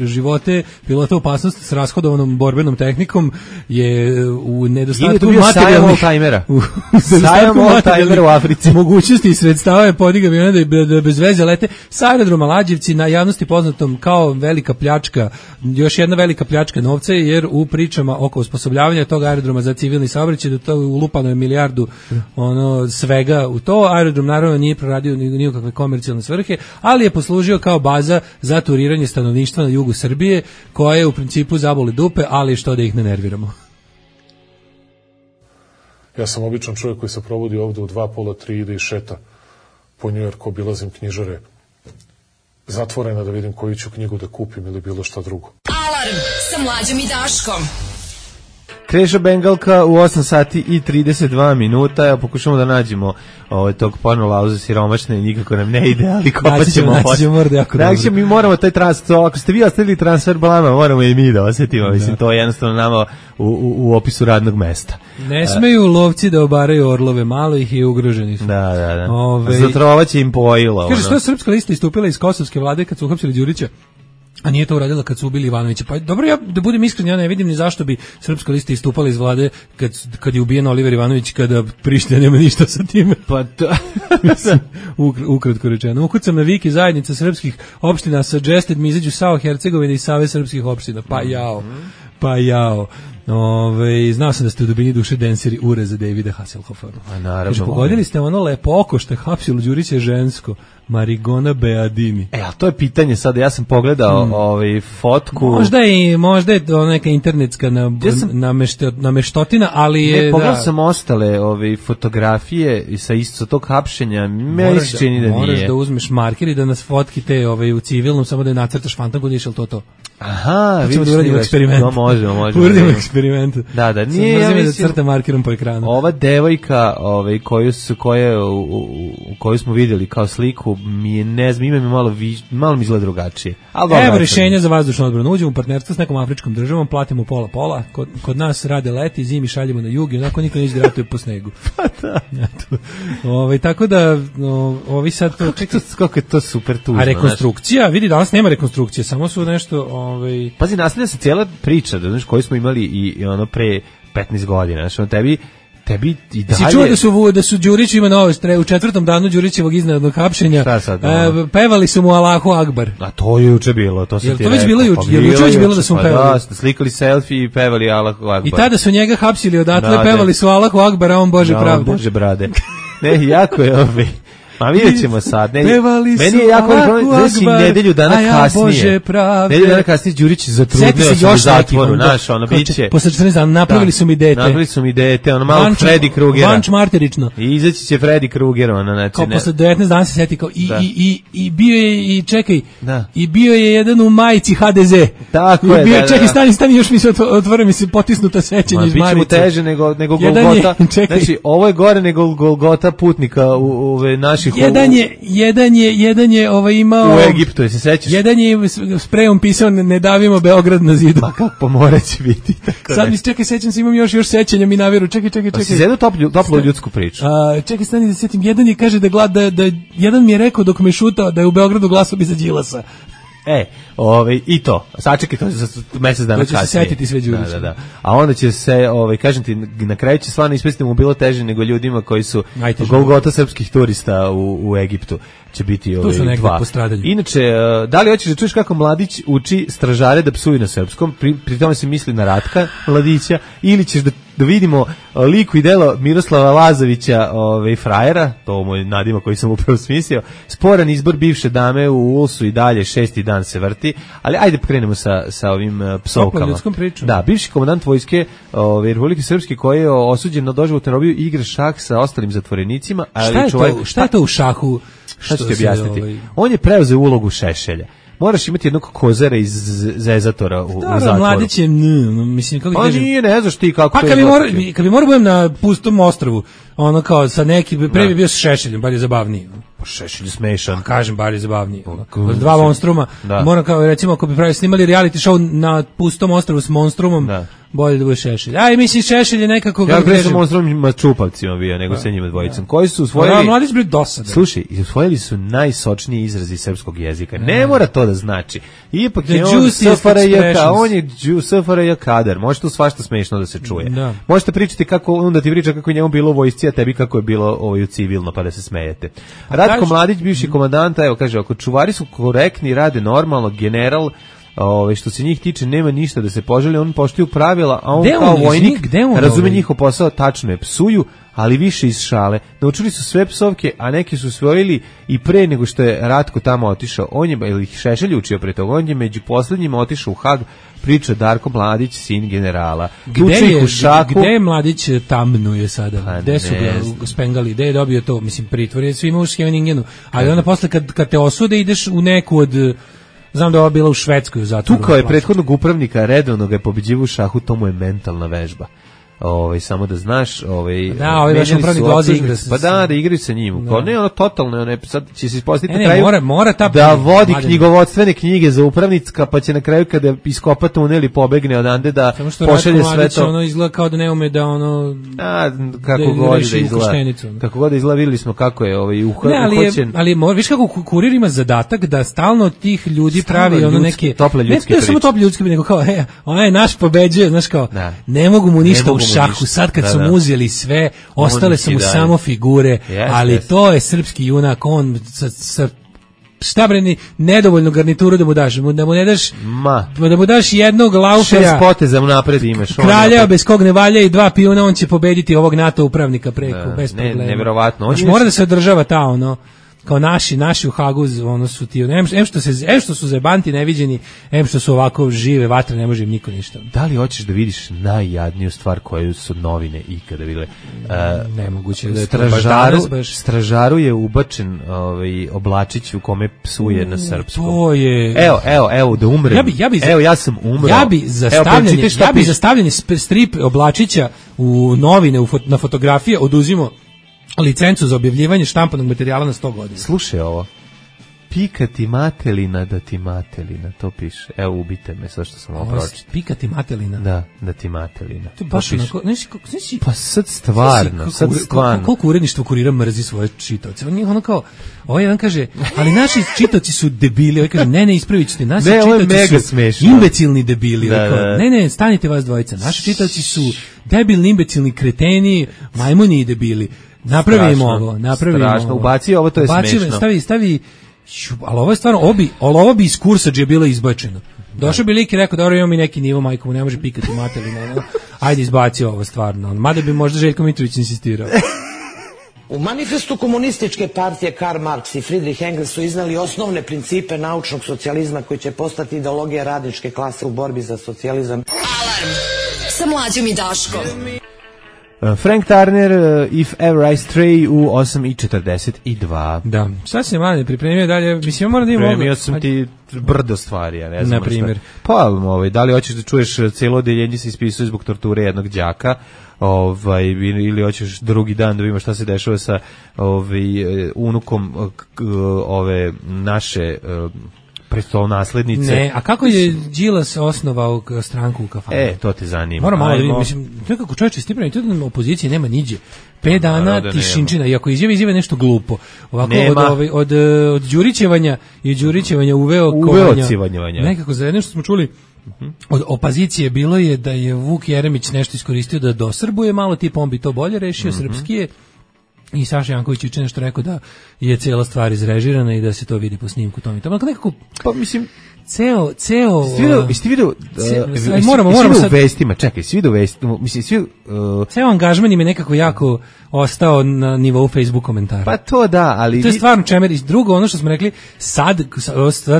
[SPEAKER 6] živote pilota opasnost s rashodovanom borbenom tehnikom, je u nedostatku materijalnih
[SPEAKER 5] sajam all-timera u Africi
[SPEAKER 6] mogućnosti i sredstava je podigao avione da bez veze lete sa aerodroma Lađevci, na javnosti poznatom kao velika pljačka, još jedna velika pljačka novca, jer u pričama oko osposobljavanja tog aerodroma za civilni saobraćaj, da to ulupano je milijardu svega u to. Aerodrom naravno nije proradio ni u kakve komercijalne svrhe, ali je poslužio kao baza za turiranje stanovništva na jugu Srbije, koje u principu zaboli dupe, ali što da ih ne nerviramo.
[SPEAKER 9] Ja sam običan čovjek koji se provodi ovde u 2:30, ide i šeta po Njujorku, obilazim knjižare zatvorena da vidim koju ću knjigu da kupim ili bilo šta drugo.
[SPEAKER 2] Alarm sa Mlađom i Daškom.
[SPEAKER 5] Kreša Bengalka u 8 sati i 32 minuta. Evo, pokušamo da nađemo tog pornolauza siromašne i nikako nam ne ide, ali kopat ćemo. Naći mi moramo taj transfer, ako ste vi ostavili transfer blama, moramo i mi da osjetimo. Mislim, to je jednostavno nama u opisu radnog mesta.
[SPEAKER 6] Ne smeju lovci da obaraju orlove, malo ih je ugroženi.
[SPEAKER 5] Da. Zatrovaće im pojilo.
[SPEAKER 6] Kaže, što je Srpska lista istupila iz kosovske vlade kad su uhapsili Đurića? A nije to uradila kad su ubili Ivanovića. Pa dobro, ja da budem iskren, ja ne vidim ni zašto bi Srpska lista istupala iz vlade kad je ubijen Oliver Ivanović, kada Priština nema ništa sa time.
[SPEAKER 5] Pa to...
[SPEAKER 6] ukratko rečeno. Ukucam na Viki zajednica srpskih opština suggested mi izađu Sao Hercegovine i Savez srpskih opština. Pa jao. Znao sam da ste u dubini duše denseri ure za Davida Hasselhoffera.
[SPEAKER 5] Naravno.
[SPEAKER 6] Pogodili ste ono lepo oko što je hapsilo Đurića žensko. Marigona Beadini.
[SPEAKER 5] A to je pitanje sada, ja sam pogledao fotku.
[SPEAKER 6] Možda je to neka internetska nameštotina, ali je...
[SPEAKER 5] Pogledao sam ostale fotografije sa isto tog hapšenja, meni se čini da nije.
[SPEAKER 6] Moraš da uzmeš marker i da nas fotki te u civilnom, samo da je nacrtaš fantangu, niš li to?
[SPEAKER 5] Aha,
[SPEAKER 6] vidiš da uradimo eksperiment.
[SPEAKER 5] No, možemo.
[SPEAKER 6] Uradimo eksperiment.
[SPEAKER 5] Da, nije, ja
[SPEAKER 6] mislim, da crta markerom po ekranu.
[SPEAKER 5] Ova devojka, koju smo vidjeli kao sliku, mi je, ne znam, ime mi malo mi izgleda drugačije.
[SPEAKER 6] Evo rješenja za vazdušnu odbranu. Uđemo u partnerstvo s nekom afričkom državom, platimo pola. Kod nas rade leti, zimi šaljemo na jug i onako niko neće da ratuje po snegu.
[SPEAKER 5] Pa da.
[SPEAKER 6] Tako da, ovi sad...
[SPEAKER 5] Kako je to super tužno.
[SPEAKER 6] A rekonstrukcija, vidi, danas nema rekonstrukcije, samo su nešto...
[SPEAKER 5] Pazi, nastavlja se cijela priča, da znaš, koju smo imali i ono pre 15 godina, znaš, tebi i dalje...
[SPEAKER 6] Si čuo da su Đurić ima novost, u 4. danu Đurićevog iznenadnog hapšenja, pevali su mu Allahu Akbar.
[SPEAKER 5] A to je juče bilo, to sam ti rekao.
[SPEAKER 6] To već bilo juče, je juče već bilo da su mu pevali.
[SPEAKER 5] Da, slikali selfie i pevali Allahu Akbar.
[SPEAKER 6] I tada su njega hapsili odatle, pevali su Allahu Akbar, a on Bože pravde.
[SPEAKER 5] Bože brade. Ne, jako je Ma vidjet ćemo sad. Meni je jako znači nedelju dana kasnije. Nedelju dana kasnije Đurić zatrudneo se u zatvoru. Naš, ono, biće.
[SPEAKER 6] Posle 14 dana napravili su mi dete.
[SPEAKER 5] Ono malo Freddy Krugera.
[SPEAKER 6] Vanč marterično.
[SPEAKER 5] I izaći će Freddy Kruger.
[SPEAKER 6] Kao posle 19 dana se sjeti kao i bio je, i čekaj, i bio je jedan u majici HDZ.
[SPEAKER 5] Tako je.
[SPEAKER 6] Čekaj, stani, još mi se otvore, mi se potisnuta sećanja iz Marice.
[SPEAKER 5] Biće mu teže nego Golgota. Znači, ovo je gore nego Golgota putnika u naših...
[SPEAKER 6] Jedan je imao...
[SPEAKER 5] U Egiptu, se sećaš?
[SPEAKER 6] Jedan je sprejom pisao ne davimo Beograd na zidu.
[SPEAKER 5] Pa kako mora će biti.
[SPEAKER 6] Sad mi čekaj, sećam se, imam još sećanja mi naviru. Čekaj.
[SPEAKER 5] Pa si zedu toplu ljudsku priču.
[SPEAKER 6] Čekaj, stani da setim. Jedan je kaže da jedan mi je rekao dok me šutao da je u Beogradu glasao bi za Đilasa.
[SPEAKER 5] I to. Sačekaj to za mesec dana kasnije.
[SPEAKER 6] To će se setiti sve Đurića.
[SPEAKER 5] Da. A onda će se, kažem ti, na kraju će stvarno ispasti mu bilo teže nego ljudima koji su Golgota srpskih turista u Egiptu. Će biti dva. Inače, da li hoćeš da čuješ kako Mladić uči stražare da psuju na srpskom, pri tome se misli na Ratka Mladića, ili ćeš da vidimo liku i delo Miroslava Lazovića, frajera, to moj nadimak koji sam upravo smislio, sporan izbor bivše dame u Ulsu i dalje 6. dan se vrti, ali ajde krenemo sa ovim psovkama. Da, bivši komandant vojske Republike Srpske koji je osuđen na doživotnu robiju igra šah sa ostalim zatvorenicima.
[SPEAKER 6] Šta je to u šahu?
[SPEAKER 5] Šta ću ti objasniti? On je preuzeo ulogu Šešelja. Moraš imati jednog kozara iz Zezatora u zatvoru.
[SPEAKER 6] Mladić je, mislim, kako
[SPEAKER 5] kažem. Pa ne znaš ti kako to
[SPEAKER 6] je. Kad bi morao budem na pustom ostrvu, ono kao sa neki, pre bi bio s Šešeljem, bar je zabavniji.
[SPEAKER 5] Pa Šešelj je smešan.
[SPEAKER 6] Pa kažem, bar je zabavniji. Dva monstruma. Moram kao, recimo, ako bi pravi snimali reality show na pustom ostrvu s monstrumom, bolje da bude Šešelj. Aj, mislim, Šešelj je nekako...
[SPEAKER 5] Ja gledam sa monstrumima čupavcima bio, nego sa njima dvojicom. Koji su usvojili...
[SPEAKER 6] Mladić bio dosadan.
[SPEAKER 5] Slušaj, usvojili su najsočniji izrazi srpskog jezika. Ne mora to da znači. Ipak je on SFRJ kadar. Može to svašta smešno da se čuje. Možete pričati kako, onda ti priča kako je njemu bilo u vojsci, a tebi kako je bilo u civilno, pa da se smejete. Ratko Mladić, bivši komandanta, evo kaže, ako čuvari su korektni, rade normalno, general, što se njih tiče, nema ništa da se poželi, on poštuju pravila, a on kao vojnik razume njihov posao, tačno je, psuju, ali više iz šale. Naučili su sve psovke, a neki su usvojili i pre nego što je Ratko tamo otišao. On je, ili Šešelj učio pre toga, on je među poslednjima otišao u Hag, priča Darko Mladić, sin generala.
[SPEAKER 6] Gde je Mladić tamnuje sada? Gde su ga spengali? Gde je dobio to? Mislim, pritvor je svima u Scheveningenu, ali onda posle kad te osude ideš u neku od... Znam da je ova bila u Švedskoj u zatvoru.
[SPEAKER 5] Tukao je prethodnog upravnika, redovno ga je pobeđivao u šahu, to mu je mentalna vežba. Samo da znaš,
[SPEAKER 6] naš upravnik dolazi igra se.
[SPEAKER 5] Pa da igraju sa njim. Kao ne, ono totalno, sad će se ispostaviti
[SPEAKER 6] na kraju
[SPEAKER 5] mora da vodi knjigovodstvene knjige za upravnika, pa će na kraju kada iskopa tunel i pobegne odande da pošalje sve to.
[SPEAKER 6] Ono izgleda kao da ne ume da
[SPEAKER 5] kako god da izgleda. Kako god da izgleda, videli smo kako je uhoćen.
[SPEAKER 6] Ali viš kako kurir ima zadatak da stalno od tih ljudi pravi ono neke
[SPEAKER 5] tople ljudske priče.
[SPEAKER 6] Ne samo tople ljudske, nego kao onaj naš pobeđuje, znaš kao ne mogu mu ništa šahu, sad kad su mu uzeli sve, ostale su mu samo figure, ali to je srpski junak, on sa šta bre, nedovoljnu garnituru da mu daš, da mu ne daš, da mu daš jednog laufera,
[SPEAKER 5] 6 poteza mu napred imaš,
[SPEAKER 6] kralja bez kog ne valja i 2 pijuna, on će pobediti ovog NATO upravnika preko, bez problema.
[SPEAKER 5] Neverovatno.
[SPEAKER 6] Mora da se održava ta kao naši u Hagu, su ti, što su zebanti neviđeni, što su ovako žive vatre, ne može im niko ništa.
[SPEAKER 5] Da li hoćeš da vidiš najjadniju stvar koju su novine ikada bile?
[SPEAKER 6] Nemoguće da je
[SPEAKER 5] stražaru je ubačen oblačić u kome psuje na srpskom.
[SPEAKER 6] To je...
[SPEAKER 5] Evo, da umrem. Ja sam umro.
[SPEAKER 6] Ja bi za stavljanje strip oblačića u novine, na fotografije oduzimo licencu za objavljivanje štampanog materijala na 100 godina.
[SPEAKER 5] Slušaj ovo. Pika ti matelina da ti matelina, to piše. Evo, ubite me sad što sam ovo pročitao.
[SPEAKER 6] Pika ti matelina?
[SPEAKER 5] Da ti matelina.
[SPEAKER 6] To baš onako,
[SPEAKER 5] pa sad stvarno.
[SPEAKER 6] Koliko uredništvo Kurira mrzi svoje čitaoce? On kao, ovaj jedan kaže, ali naši čitaoci su debili. Ovaj kaže, ne, ispravit ćete. Naši čitaoci su imbecilni debili. Ne, stanite vas dvojica. Naši čitaoci su debilni, imbecilni, kreteni, majmuni i debili. Napravimo ovo.
[SPEAKER 5] Ubaci ovo, to je smešno.
[SPEAKER 6] Stavi, ali ovo je stvarno, ovo bi iz kursadžije bilo izbačeno. Došao bi lik i rekao, dobro, imamo mi neki nivo, majko mu ne može pikati matelina. Ajde, izbaci ovo stvarno. Mada bi možda Željko Mitrović insistirao.
[SPEAKER 10] U manifestu komunističke partije Karl Marx i Friedrich Engels su iznali osnovne principe naučnog socijalizma koji će postati ideologija radničke klase u borbi za socijalizam.
[SPEAKER 2] Alarm sa Mlađom i Daškom.
[SPEAKER 5] Frank Turner, If Ever I Stray u 8:42.
[SPEAKER 6] Da, sad se mlade pripremio dalje, mislim, moram da imamo...
[SPEAKER 5] Pripremio sam ti brdo stvari, ja ne znam.
[SPEAKER 6] Na primjer.
[SPEAKER 5] Pa, da li hoćeš da čuješ cijelo odeljenje se ispisuje zbog torture jednog đaka, ili hoćeš drugi dan da vidimo šta se dešava sa unukom ove naše prestolonaslednice.
[SPEAKER 6] Ne, a kako je Đilas osnovao stranku u kafani?
[SPEAKER 5] To te zanima.
[SPEAKER 6] Moram malo da vidim, mislim, nekako čovječe, stipravo, to da opozicije nema niđe. 5 dana tišinčina, i ako izjave nešto glupo. Ovako od Đurićevanja i Đurićevanja uveo
[SPEAKER 5] civanjevanja.
[SPEAKER 6] Nekako za jedno što smo čuli od opozicije bilo je da je Vuk Jeremić nešto iskoristio da dosrbuje malo, tipa on bi to bolje rešio, srpskije. I Saša Janković juče nešto rekao da je cijela stvar izrežirana i da se to vidi po snimku tom i tamo. Nekako,
[SPEAKER 5] pa mislim,
[SPEAKER 6] ceo
[SPEAKER 5] jeste vidio moramo u vestima, čekaj, svi do vestima, mislim, svi
[SPEAKER 6] ceo angažman im je nekako jako ostao na nivou Facebook komentara.
[SPEAKER 5] Pa to da, ali
[SPEAKER 6] to je stvarno čemer. Drugo, ono što smo rekli, sad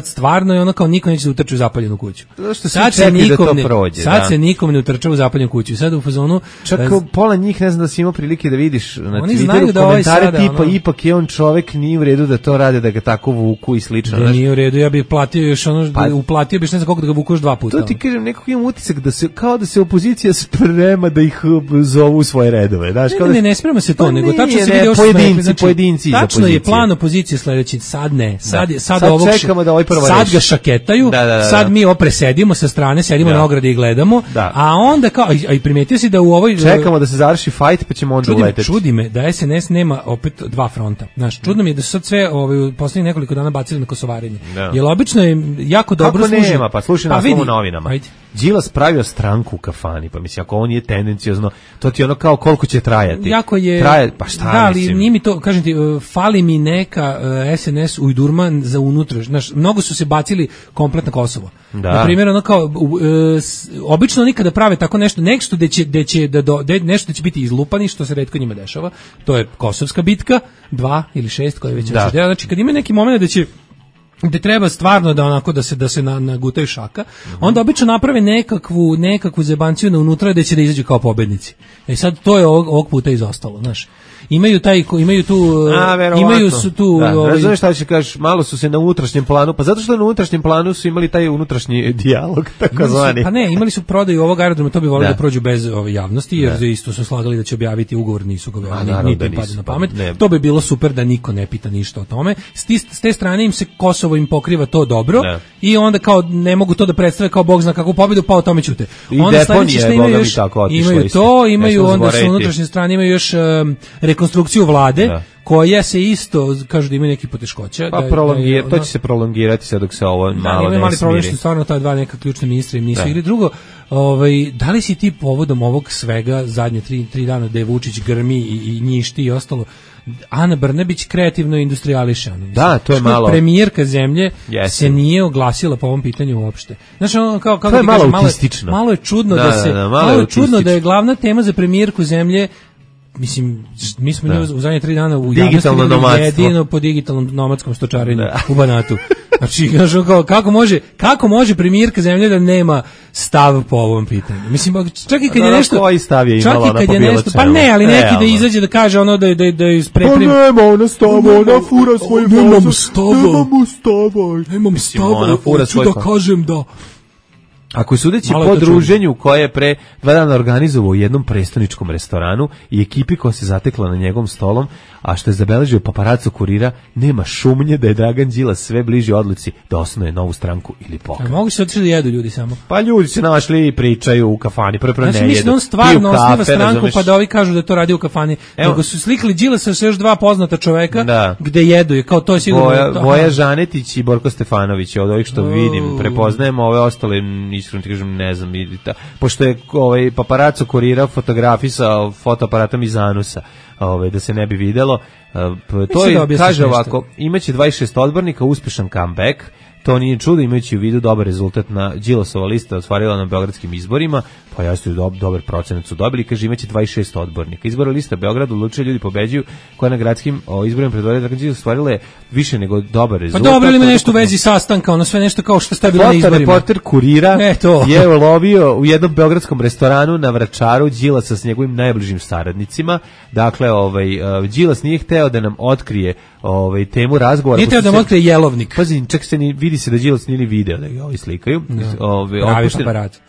[SPEAKER 6] stvarno je ono kao niko neće da utrče u zapaljenu kuću.
[SPEAKER 5] Sad se
[SPEAKER 6] nikom ne utrče u zapaljenu kuću. Sad u fazonu
[SPEAKER 5] čak pola njih ne znam da si imao prilike da vidiš na Twitteru komentare tipa ipak je on čovek, nije u redu da to rade, da ga tako vuku i slično.
[SPEAKER 6] Da nije u redu, ja bih platio još ono, uplatio bih ne znam koliko da ga vukuš 2 puta.
[SPEAKER 5] To ti kažem, nekako imam utisak da se, kao da se opozicija sprema da ih zovu u svoje redove.
[SPEAKER 6] Ne sprema se to, nego tačno se vidi
[SPEAKER 5] pojedinci.
[SPEAKER 6] Tačno je plan opozicije sledeći, sad ne, sad
[SPEAKER 5] čekamo da ovaj prvo
[SPEAKER 6] sad ga šaketaju, sad mi opresedimo sa strane, sedimo na ogradi i gledamo, a onda kao, a i primetio si da u ovoj...
[SPEAKER 5] Čekamo da se završi fight, pa ćemo onda uleteti.
[SPEAKER 6] Čudi me da SNS nema opet 2 fronta. Znaš, čudno mi je da su sad sve u poslednjih nekoliko dana bacili na kosovarenje. Jer obično je jako dobro služi.
[SPEAKER 5] Kako nema, pa slušaj nas u novinama. Đilas pravio stranku u kafani, pa mislim, ako on je tendenciozno, to ti ono kao koliko će trajati.
[SPEAKER 6] Jako je...
[SPEAKER 5] Pa šta,
[SPEAKER 6] da, ali nije mi to, kažem ti, fali mi neka SNS ujdurman za unutra. Znaš, mnogo su se bacili komplet na Kosovo. Na primjer, ono kao, obično oni kada prave tako nešto nešto da će biti izlupani, što se retko njima dešava, to je Kosovska bitka, 2 ili 6, koje već dela. Znači, kad ima neki moment da treba stvarno da onako da se nagutaju šaka, onda obično naprave nekakvu zebanciju na unutra da će da izađu kao pobednici. Sad to je ovog puta izostalo, znaš. Imaju su tu
[SPEAKER 5] razumeš šta će kažeš, malo su se na unutrašnjem planu, pa zato što na unutrašnjem planu su imali taj unutrašnji dijalog, takozvani.
[SPEAKER 6] Pa ne, imali su prodaju ovog aerodroma, to bi volio da prođu bez ove javnosti, jer isto su slagali da će objaviti ugovor, nisu ga objavili, niti im pada na pamet. To bi bilo super da niko ne pita ništa o tome. S te strane im se Kosovo im pokriva to dobro i onda kao ne mogu to da predstave kao bog zna kakvu pobedu, pa o tome ćute.
[SPEAKER 5] Onda sledeće što
[SPEAKER 6] imaju onda sa unutrašnje strane imaju još rekonstrukciju vlade, koja se isto, kažu da ima neki poteškoća.
[SPEAKER 5] Pa to će se prolongirati sad dok se ovo malo ne smiri.
[SPEAKER 6] Problem što stvarno ta 2 neka ključna ministra im nisu igri. Drugo, da li si ti povodom ovog svega zadnje 3 dana da je Vučić grmi i njišti i ostalo, Ana Brnabić kreativno industrijališe.
[SPEAKER 5] Da, to je malo.
[SPEAKER 6] Premijerka zemlje se nije oglasila po ovom pitanju uopšte. Znači,
[SPEAKER 5] to je malo autistično.
[SPEAKER 6] Malo je čudno da je glavna tema za premijerku zemlje. Mislim, mi smo u zadnje 3 dana u javnosti jedino po digitalnom nomadskom stočarenju u Banatu. Znači, kako može premijerka zemlje da nema stav po ovom pitanju? Mislim, čak i kad je nešto...
[SPEAKER 5] Koji stav je imala ona po bilo čemu?
[SPEAKER 6] Pa ne, ali neki da izađe da kaže ono da je isprepremi...
[SPEAKER 5] Pa nema ona stava, ona fura svoj vozač.
[SPEAKER 6] Nemam stava, hoću da kažem da...
[SPEAKER 5] Ako je sudeći po druženju koje je pre 2 dana organizovao u jednom prestoničkom restoranu i ekipi koja se zatekla na njegovom stolom, a što je zabeležio paparaco Kurira, nema šumnje da je Dragan Đilas sve bliži odluci da osnuje novu stranku ili pokret.
[SPEAKER 6] A mogu se otići da jedu ljudi samo?
[SPEAKER 5] Pa ljudi se našli i pričaju u kafani, prvo ne jedu.
[SPEAKER 6] Znači mislim da on stvarno osniva stranku pa da ovi kažu da to radi u kafani. Nego su slikali Đilasa sa još 2 poznata čoveka gde jedu je, kao to je sigurno...
[SPEAKER 5] Voja Žanetić i Borko Stefanović, od ovih što vidim, prepoznajemo ove ostale, iskreno ti kažem, ne znam, pošto je paparaco Kurira fotografisao fotoaparatom iz anusa, da se ne bi videlo. To je, kaže ovako, imaće 26 odbornika, uspešan comeback. To nije čudo, imajući u vidu dobar rezultat na Đilasova lista ostvarila na beogradskim izborima, pa jasno je dobar procenat su dobili, kaže imaće 26 odbornika. Izbora lista Beograd odlučuje ljudi pobeđuju, koja na gradskim izborima predvođa Dragan Đilas ostvarila je više nego dobar rezultat.
[SPEAKER 6] Pa dobro, ili ima nešto u vezi sastanka, ono sve nešto kao što ste bilo na izborima.
[SPEAKER 5] Fotoreporter Kurira je ulovio u jednom beogradskom restoranu na Vračaru Đilasa s njegovim najbližim saradnicima. Dakle, Đilas nije hteo da nam otkrije temu razgovora.
[SPEAKER 6] Nije hteo da nam otkrije jelovnik.
[SPEAKER 5] Pazi, čak se vidi se da Đilas nije video da ga slikaju.
[SPEAKER 6] Pravi paparat.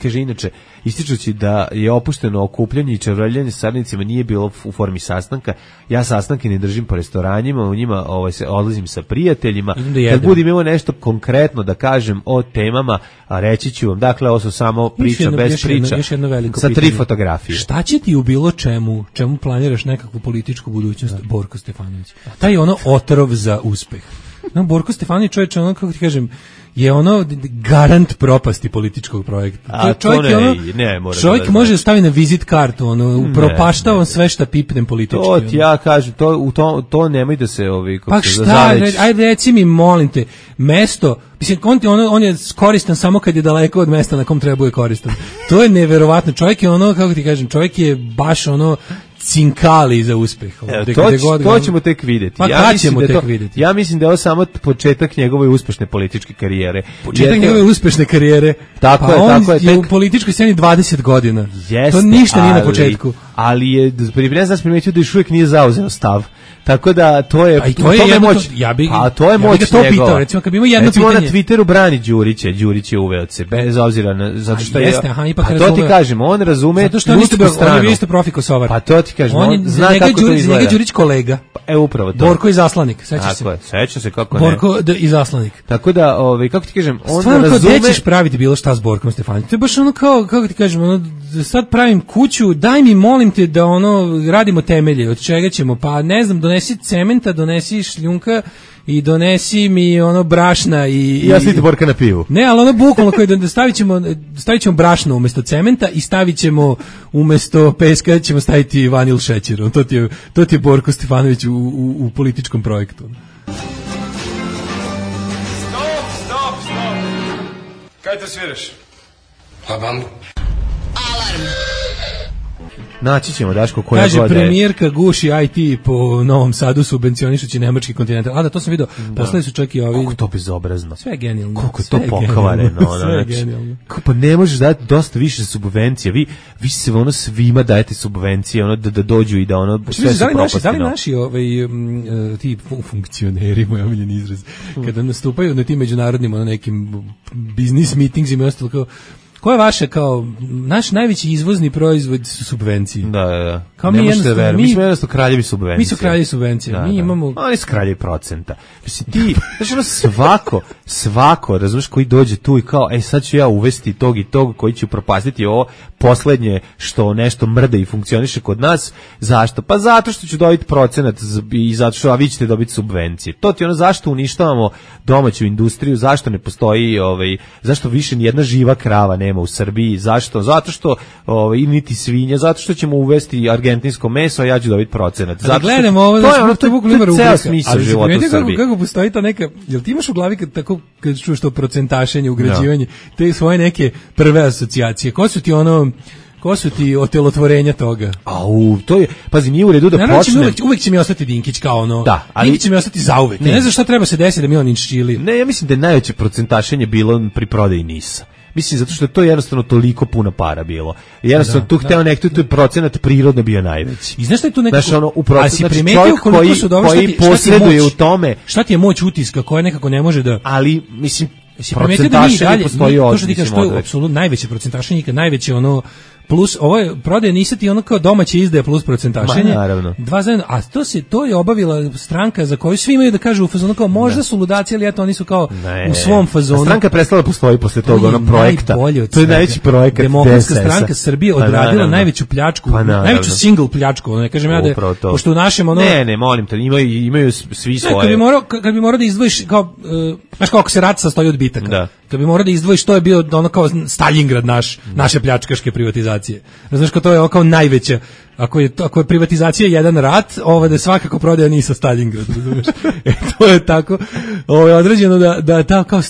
[SPEAKER 5] kaže inače, ističući da je opušteno okupljanje i čavrljanje sa saradnicima nije bilo u formi sastanka. Ja sastanke ne držim po restoranima, u njima se odlazim sa prijateljima. Kad budem imao nešto konkretno da kažem o temama, a reći ću vam. Dakle, ovo su samo priča bez priča. Sa 3 fotografije.
[SPEAKER 6] Šta će ti u bilo čemu planiraš nekakvu političku budućnost, Borko Stefanović? Taj ono otrov za uspeh. No, Borko Stefanović, čovječe, ono, kako ti kažem, je ono garant propasti političkog projekta.
[SPEAKER 5] A čovjek to
[SPEAKER 6] čovjek može da stavi na vizit kartu, ono, upropašta on sve šta pipnem politički.
[SPEAKER 5] To ti ja kažem, to nemoj da se
[SPEAKER 6] pa šta, ajde reci mi, molim te, mesto, mislim, on je koristan samo kad je daleko od mesta na kom treba bude koristan. To je neverovatno. Čovjek je ono, kako ti kažem, čovjek je baš ono cinkali za uspeh.
[SPEAKER 5] To ćemo tek vidjeti.
[SPEAKER 6] Pa kad ćemo tek vidjeti?
[SPEAKER 5] Ja mislim da je ovo samo početak njegove uspešne političke karijere.
[SPEAKER 6] Početak njegove uspešne karijere?
[SPEAKER 5] Tako je.
[SPEAKER 6] On je u političkoj sceni 20 godina. To ništa nije na početku.
[SPEAKER 5] Ali je, ne znam, primetio da još uvijek nije zauzeo stav. Tako da to je moć. To je moć njegova.
[SPEAKER 6] Recimo, kad bi imao jedno pitanje.
[SPEAKER 5] Na Twitteru brani Đurića. Đurić je uveo se, bez obzira na, zato što je.
[SPEAKER 6] Pa
[SPEAKER 5] to ti kažem, on razume ljudsku stranu.
[SPEAKER 6] On je isto profi Kosovar.
[SPEAKER 5] Pa to ti kažem, on zna kako to izgleda.
[SPEAKER 6] Njega Đurić kolega.
[SPEAKER 5] Upravo to.
[SPEAKER 6] Borko izaslanik, sećaš se.
[SPEAKER 5] Seća se kako ne.
[SPEAKER 6] Borko izaslanik.
[SPEAKER 5] Tako da, kako ti kažem, on
[SPEAKER 6] razume.
[SPEAKER 5] Stvarno,
[SPEAKER 6] kao ćeš praviti bilo šta s Borkom Stefanovićem. To je baš ono kao, kako ti kažem, ono, sad pravim kuću, daj mi, molim te, da ono, radimo temelje, od čega ćemo, pa ne znam, donesi cementa, donesi šljunka i donesi mi ono brašna i
[SPEAKER 5] ja slite Borka na pivu.
[SPEAKER 6] Ne, ali ono bukvalno koji stavit ćemo brašno umjesto cementa i stavit ćemo umjesto peska ćemo staviti vanil šećer. To ti je Borko Stefanović u političkom projektu.
[SPEAKER 8] Stop. Kaj to sviraš?
[SPEAKER 7] Pa bambu.
[SPEAKER 2] Alarm.
[SPEAKER 5] Naći ćemo, Daško, koja
[SPEAKER 6] kaže, premijerka guši IT po Novom Sadu subvencionišući nemački Continental. A da, to sam vidio. Poslali su čak i ovi.
[SPEAKER 5] Koliko to bezobrazno.
[SPEAKER 6] Sve je genijalno.
[SPEAKER 5] Koliko je to pokvareno.
[SPEAKER 6] Sve je genijalno.
[SPEAKER 5] Pa ne možeš dati dosta više subvencija. Vi se ono svima dajete subvencije, ono da dođu i da ono sve su propasti.
[SPEAKER 6] Da li naši ti funkcioneri, moj omiljeni izraz, kada nastupaju na tim međunarodnim nekim biznis meetingsima i ostalo, kao ko je vaše, kao, naš najveći izvozni proizvod su subvencije.
[SPEAKER 5] Da.
[SPEAKER 6] Kao
[SPEAKER 5] ne možete verovati. Mi smo jednostavno kraljevi subvencija.
[SPEAKER 6] Mi su kraljevi subvencija. Mi imamo...
[SPEAKER 5] Oni su kraljevi procenta. Mislim, ti, znači ono svako, razumiješ, koji dođe tu i kao, sad ću ja uvesti tog i tog koji će upropastiti ovo poslednje što nešto mrde i funkcioniše kod nas. Zašto? Pa zato što ću dobiti procenat i zato što vi ćete dobiti subvencije. To ti ono, zašto uništavamo domaću industriju, zašto ne postoji, zašto više nijedna živa krava nema u Srbiji, zašto? Zato što niti svinja, zato što ćemo uvesti argentinsko meso, a ja ću dobiti procenat.
[SPEAKER 6] Zato što gledamo ovo,
[SPEAKER 5] to je ceo smisao života u Srbiji.
[SPEAKER 6] Kako postoji ta neka, jel ti imaš u glavi kad čuješ to procentašenje, ugrađivanje, te svoje neke prve asocijacije? Ko su ti otelotvorenja toga?
[SPEAKER 5] To je, pazi, nije u redu da počne.
[SPEAKER 6] Uvek će mi ostati Dinkić kao ono. Da, ali Dinkić će mi ostati zauvek. Ne znam šta treba se desiti da mi on inščili.
[SPEAKER 5] Ne, ja mislim da je najveće procentašenje bilo pri prodaji NIS-a. Mislim, zato što je to jednostavno toliko puno para bilo. Jednostavno, tu hteo nekto, tu je procenat prirodno bio najveći.
[SPEAKER 6] I znaš šta je tu nekako...
[SPEAKER 5] Znaš, čovjek koji posreduje u tome...
[SPEAKER 6] Šta ti je moć utiska koja nekako ne može da...
[SPEAKER 5] Ali, mislim, procentašenje postoji
[SPEAKER 6] to što ti kažeš, to je apsolutno najveće procentašenje, najveće ono... Plus, ovo je prodaje NIS-a ti ono kao domaće izdaje plus procentašenje.
[SPEAKER 5] Naravno.
[SPEAKER 6] Dva zajedno, a to je obavila stranka za koju svi imaju da kažu u fazonu kao možda su ludaci, ali eto oni su kao u svom fazonu.
[SPEAKER 5] Stranka prestala postoji posle toga onog projekta.
[SPEAKER 6] To je
[SPEAKER 5] najveći projekat.
[SPEAKER 6] Demokratska stranka Srbije odradila najveću pljačku, najveću single pljačku, ne kažem ja da pošto u našem ono...
[SPEAKER 5] Ne, molim te, imaju svi svoje.
[SPEAKER 6] Kad bi morao da izdvojiš kao, znaš kako se rat sastoji od bitaka. Kad bi morao da izdvojiš, to je bio ono kao Stalingrad naše pljačkaške privatizacije. Znaš, to je kao najveća, ako je privatizacija jedan rat, da svakako prodaja NIS-a Stalingrad, razumeš? To je tako određeno da ta kao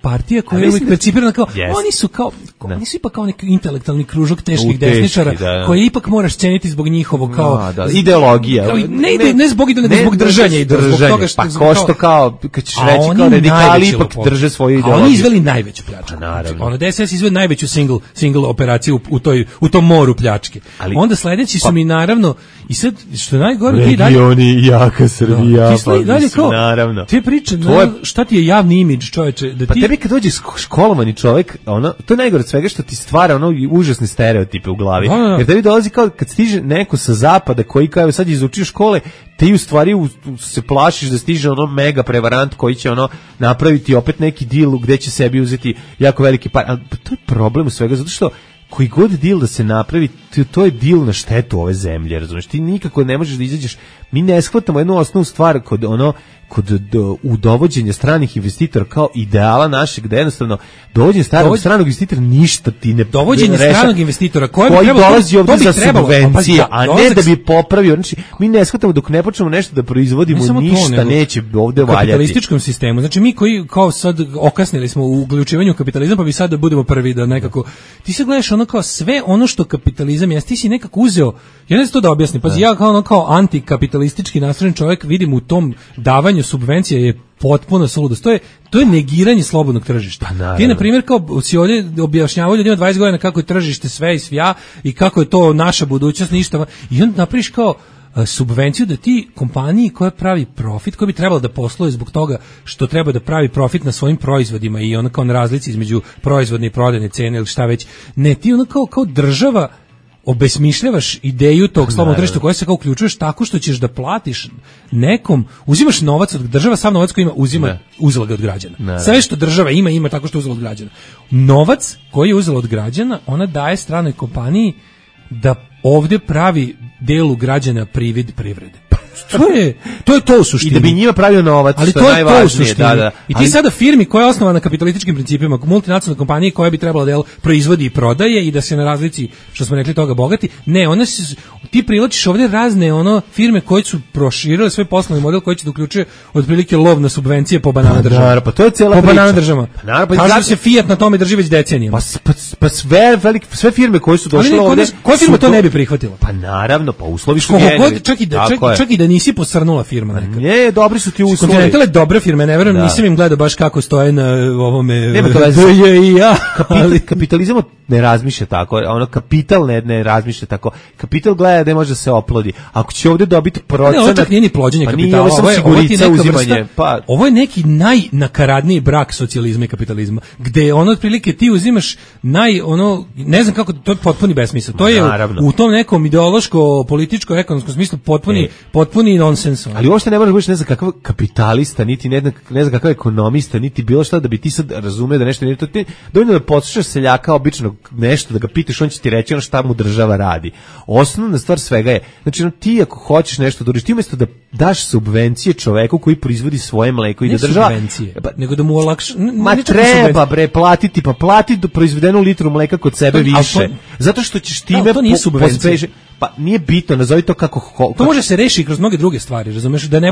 [SPEAKER 6] partija koja je uvijek percipirana kao, oni su ipak kao neki intelektualni kružok teških desničara, koje ipak moraš ceniti zbog njihovog kao...
[SPEAKER 5] ideologija.
[SPEAKER 6] Ne zbog ideologije, nego zbog držanja.
[SPEAKER 5] Pa ko što kao, kad ćeš reći kao radikali, ipak drže svoju ideologiju.
[SPEAKER 6] A oni izveli najveću pljačku. Naravno. DSS izveli najveću single operaciju u tom moru pljačke. Onda sledeći su mi naravno, i sad, što je najgore, ti dalje...
[SPEAKER 5] Regioni, jaka Srbija,
[SPEAKER 6] naravno. Ti priča, šta ti je javni imidž, čoveče, da ti...
[SPEAKER 5] Kad dođe školovani čovjek, to je najgore, pored svega što ti stvara ono užasne stereotipe u glavi. Jer tebi dolazi kao kad stiže neko sa zapada koji kao sad izučio škole, ti u stvari se plašiš da stiže ono mega prevarant koji će ono napraviti opet neki deal gde će sebi uzeti jako veliki par. Ali to je problem u svega, zato što koji god deal da se napravi, to je deal na štetu ove zemlje, razumiješ? Ti nikako ne možeš da izađeš. Mi ne shvatamo jednu osnovnu stvar kod dovođenja stranih investitora kao ideala našeg, da jednostavno dovođenje stranog investitora ništa ti ne
[SPEAKER 6] dovođenje stranog investitora koji
[SPEAKER 5] dolazi ovdje za subvencije, a ne da bi popravio. Znači, mi ne shvatamo dok ne počnemo nešto da proizvodimo, ništa neće ovdje valjati. U
[SPEAKER 6] kapitalističkom sistemu, znači mi koji kao sad okasnili smo u uključivanju kapitalizma, pa bi sad da budemo prvi da nekako, ti se gledaš ono kao sve ono što kapitalizam jeste, ti si nekako uzeo, ja ne znam to da objasnim, pazi, ja kao antikapitalistički nastrojen čovjek vidim u tom davanju subvencija je potpuno suludost. To je negiranje slobodnog tržišta. Pa, ti, na primjer, kao si ovdje objašnjavao ljudima 20 godina kako je tržište sve i svja i kako je to naša budućnost, ništa. I onda napraviš kao subvenciju da ti kompaniji koja pravi profit, koja bi trebala da posluje zbog toga što treba da pravi profit na svojim proizvodima i ono kao na razlici između proizvodne i prodajne cene ili šta već, ne, ti ono kao država obesmišljavaš ideju tog slobodnog tržišta koje se kao uključuješ tako što ćeš da platiš nekom, uzimaš novac od država, sav novac koji ima uzela ga od građana. Sve što država ima tako što uzela od građana. Novac koji je uzela od građana, ona daje stranoj kompaniji da ovdje pravi delu građana privid privrede. To je to u suštini.
[SPEAKER 5] I da bi njima pravio novac,
[SPEAKER 6] ali to je to u suštini. I ti sada firmi koja je osnovana na kapitalističkim principima, multinacionalne kompanije koja bi trebala da proizvodi i prodaje i da se na razlici, što smo rekli, toga bogati, ne, ti privlačiš ovdje razne firme koje su proširile svoj poslovni model koji će da uključuje otprilike lov na subvencije po banana država.
[SPEAKER 5] Pa to je cijela priča.
[SPEAKER 6] Po banana država. Kažu se Fiat na tome drži već decenijama.
[SPEAKER 5] Pa sve firme koje su došle ovdje...
[SPEAKER 6] Koja firma to ne bi prihvatila?
[SPEAKER 5] Pa naravno, pa uslovi su njeni.
[SPEAKER 6] Čak i da nisi posrnula firma neka.
[SPEAKER 5] Ne, dobri su ti uslovi.
[SPEAKER 6] Continental je dobra firma, ne verujem, nisam im gledao baš kako stoje na ovome.
[SPEAKER 5] Nema to kapitalizam ne razmišlja tako, kapital ne razmišlja tako. Kapital gleda da može da se oplodi. Ako će ovdje dobiti procenat...
[SPEAKER 6] Ne, čak nije ni plođenje kapitala, ovo je neki najnakaradniji brak socijalizma i kapitalizma, gde otprilike ti uzimaš ne znam kako, to je potpuni besmisao. To je u tom nekom ideološko, političko, ekonomskom smislu potpuni nonsens.
[SPEAKER 5] Ali uopšte ne moraš biti ne znam kakav kapitalista, niti ne znam kakav ekonomista, niti bilo šta da bi ti sad razumeo da nešto nije to. Dovoljno da poslušaš seljaka običnog nešto, da ga pitaš, on će ti reći ono šta mu država radi. Osnovna stvar svega je, znači ti ako hoćeš nešto da uriš, ti umjesto da daš subvencije čoveku koji proizvodi svoje mleko i da država...
[SPEAKER 6] nego da mu olakša...
[SPEAKER 5] treba platiti, plati do proizvedenu litru mleka kod sebe više. Zato što ćeš time pospešiti. Pa nije bitno, nazovi to kako...
[SPEAKER 6] To može se reši kroz mnoge druge stvari, razumeš? Da ne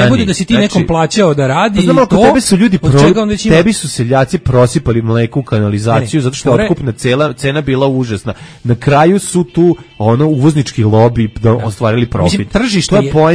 [SPEAKER 6] bude da si ti nekom plaćao da radi
[SPEAKER 5] i to... Tebe su ljudi tebi su seljaci prosipali mleko u kanalizaciju zato što je otkupna cena bila užasna. Na kraju su tu uvoznički lobi ostvarili profit.
[SPEAKER 6] Mislim,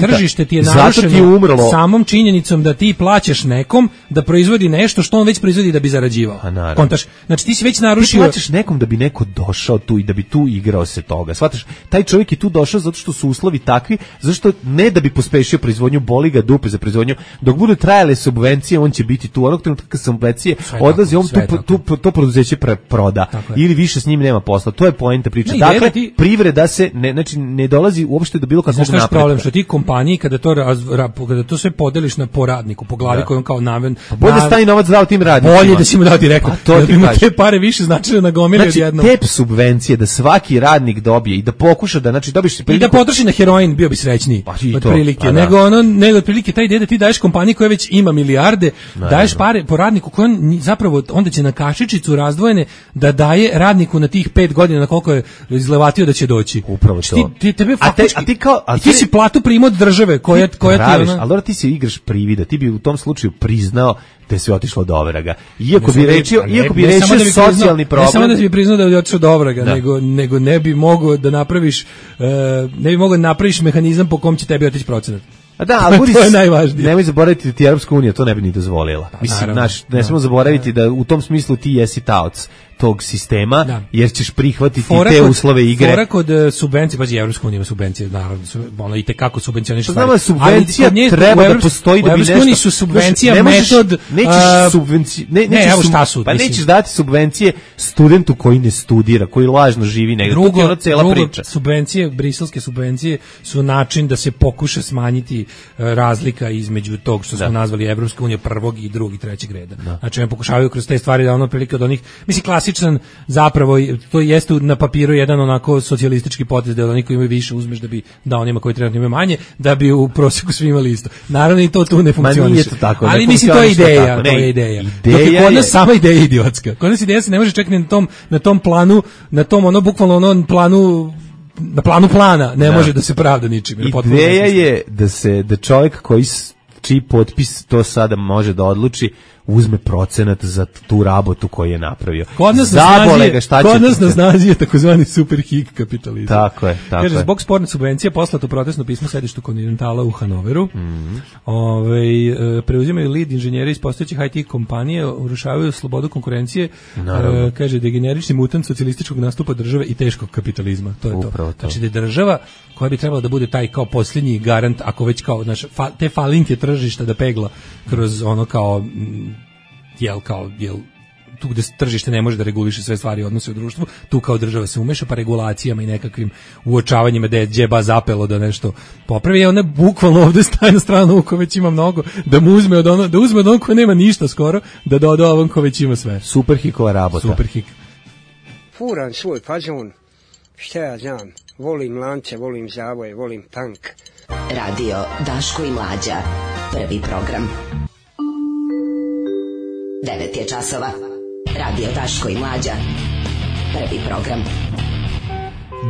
[SPEAKER 6] tržište ti je narušeno samom činjenicom da ti plaćaš nekom da proizvodi nešto što on već proizvodi da bi zarađivao. Kontaš? Znači ti si već narušio...
[SPEAKER 5] Ti plaćaš nekom da bi neko došao tu i da bi tu igrao se toga. Shvataš? Taj čovjek je tu došao zato što su uslovi takvi, zašto ne da bi pospešio proizvodnju, boli ga dupe za proizvodnju. Dok budu trajale subvencije, on će biti tu. Onog trenutka kad subvencije odlazi, on to preduzeće proda. Ili više s njim nema posla. To je poenta priče. Dakle, privreda se ne dolazi uopšte do bilo kakvog napretka.
[SPEAKER 6] Znaš problem što ti kompaniji kada to sve podeliš na poradniku, po glavi koji on kao naven.
[SPEAKER 5] Bolje da stavi novac dao tim radnicima.
[SPEAKER 6] Bolje da si mu dao direktno. Da bi mu te pare više značile na gomili odjednom.
[SPEAKER 5] Znači, te subvencije da svaki radnik dobije i da pokuša da dobiš
[SPEAKER 6] priliku... I da potroši na heroin, bio bi srećniji. Otprilike. Nego otprilike taj ide da ti daješ kompaniji koja već ima milijarde, daješ pare po radniku koji on zapravo onda će na kašičicu razdvojene da daje radniku na tih 5 godina na koliko je izlevatio da će doći.
[SPEAKER 5] Upravo to.
[SPEAKER 6] Tebe faktički... Ti si platu primao od države koja ti...
[SPEAKER 5] Ali ti se igraš privida, ti bi u tom slučaju priznao da je sve otišlo do ovraga. Iako bi rečio socijalni problem.
[SPEAKER 6] Ne samo da bi priznao da je otišlo do ovraga, nego ne bi mogao da napraviš mehanizam po kom će tebi otići procenat.
[SPEAKER 5] A da, ali to je najvažnije. Nemoj zaboraviti da ti Europska unija to ne bi ni dozvolila. Mislim, ne smemo zaboraviti da u tom smislu ti jesi taoc. tog sistema, jer ćeš prihvatiti te uslove igre.
[SPEAKER 6] Fora kod subvencije, pazi, Evropska unija ima subvencije, naravno, ono i tekako subvencioniše stvari.
[SPEAKER 5] Znamo, subvencija treba da postoji da bi nešto... U
[SPEAKER 6] Evropskoj su subvencija metod...
[SPEAKER 5] Evo šta su. Pa nećeš dati subvencije studentu koji ne studira, koji lažno živi negdje. Drugo,
[SPEAKER 6] subvencije, briselske subvencije su način da se pokuša smanjiti razlika između tog što smo nazvali Evropska unija prvog i drugog i trećeg reda. Znači, oni pokušavaju kroz te stvari da ono prilike od onih, mislim, klasičan zapravo, to jeste na papiru jedan onako socijalistički potez da oni koji imaju više uzmeš da bi dao onima koji trenutno imaju manje, da bi u prosjeku svi imali isto. Naravno i to tu ne funkcioniše. Ali mislim, to je ideja. To je ideja. Dok je kod nas sama ideja idiotska. Kod nas ideja se ne može čekati na tom planu, na tom ono bukvalno onom planu, na planu plana, ne može da se pravda ničim.
[SPEAKER 5] Ideja je da čovjek čiji potpis to sada može da odluči, uzme procenat za tu rabotu koju je napravio.
[SPEAKER 6] Kod nas na snazi je takozvani superhik kapitalizam.
[SPEAKER 5] Tako je.
[SPEAKER 6] Kaže, zbog sporne subvencije poslato protestno pismo sedištu Kontinentala u Hanoveru. Preuzimaju lead inženjeri iz postojećih IT kompanije, urušavaju slobodu konkurencije, kaže, degenerični mutant socijalističkog nastupa države i teškog kapitalizma. To je to. Znači da je država koja bi trebala da bude taj kao posljednji garant, ako već kao te falinke tržišta da pegla kroz ono kao tu gde tržište ne može da reguliše sve stvari i odnose u društvu, tu kao država se umeša pa regulacijama i nekakvim uočavanjima da je džeba zapelo da nešto popravi, ona bukvalno ovde staje na stranu ko već ima mnogo, da mu uzme od onog ko nema ništa skoro, da doda ovom ko već ima sve.
[SPEAKER 5] Superhikova rabota.
[SPEAKER 6] Superhik.
[SPEAKER 11] Furan svoj fazon, šta ja znam, volim lance, volim zavoje, volim tank.
[SPEAKER 2] Radio Daško i Mlađa, prvi program. 9 je časova. Radio Daško i Mlađa, prvi program.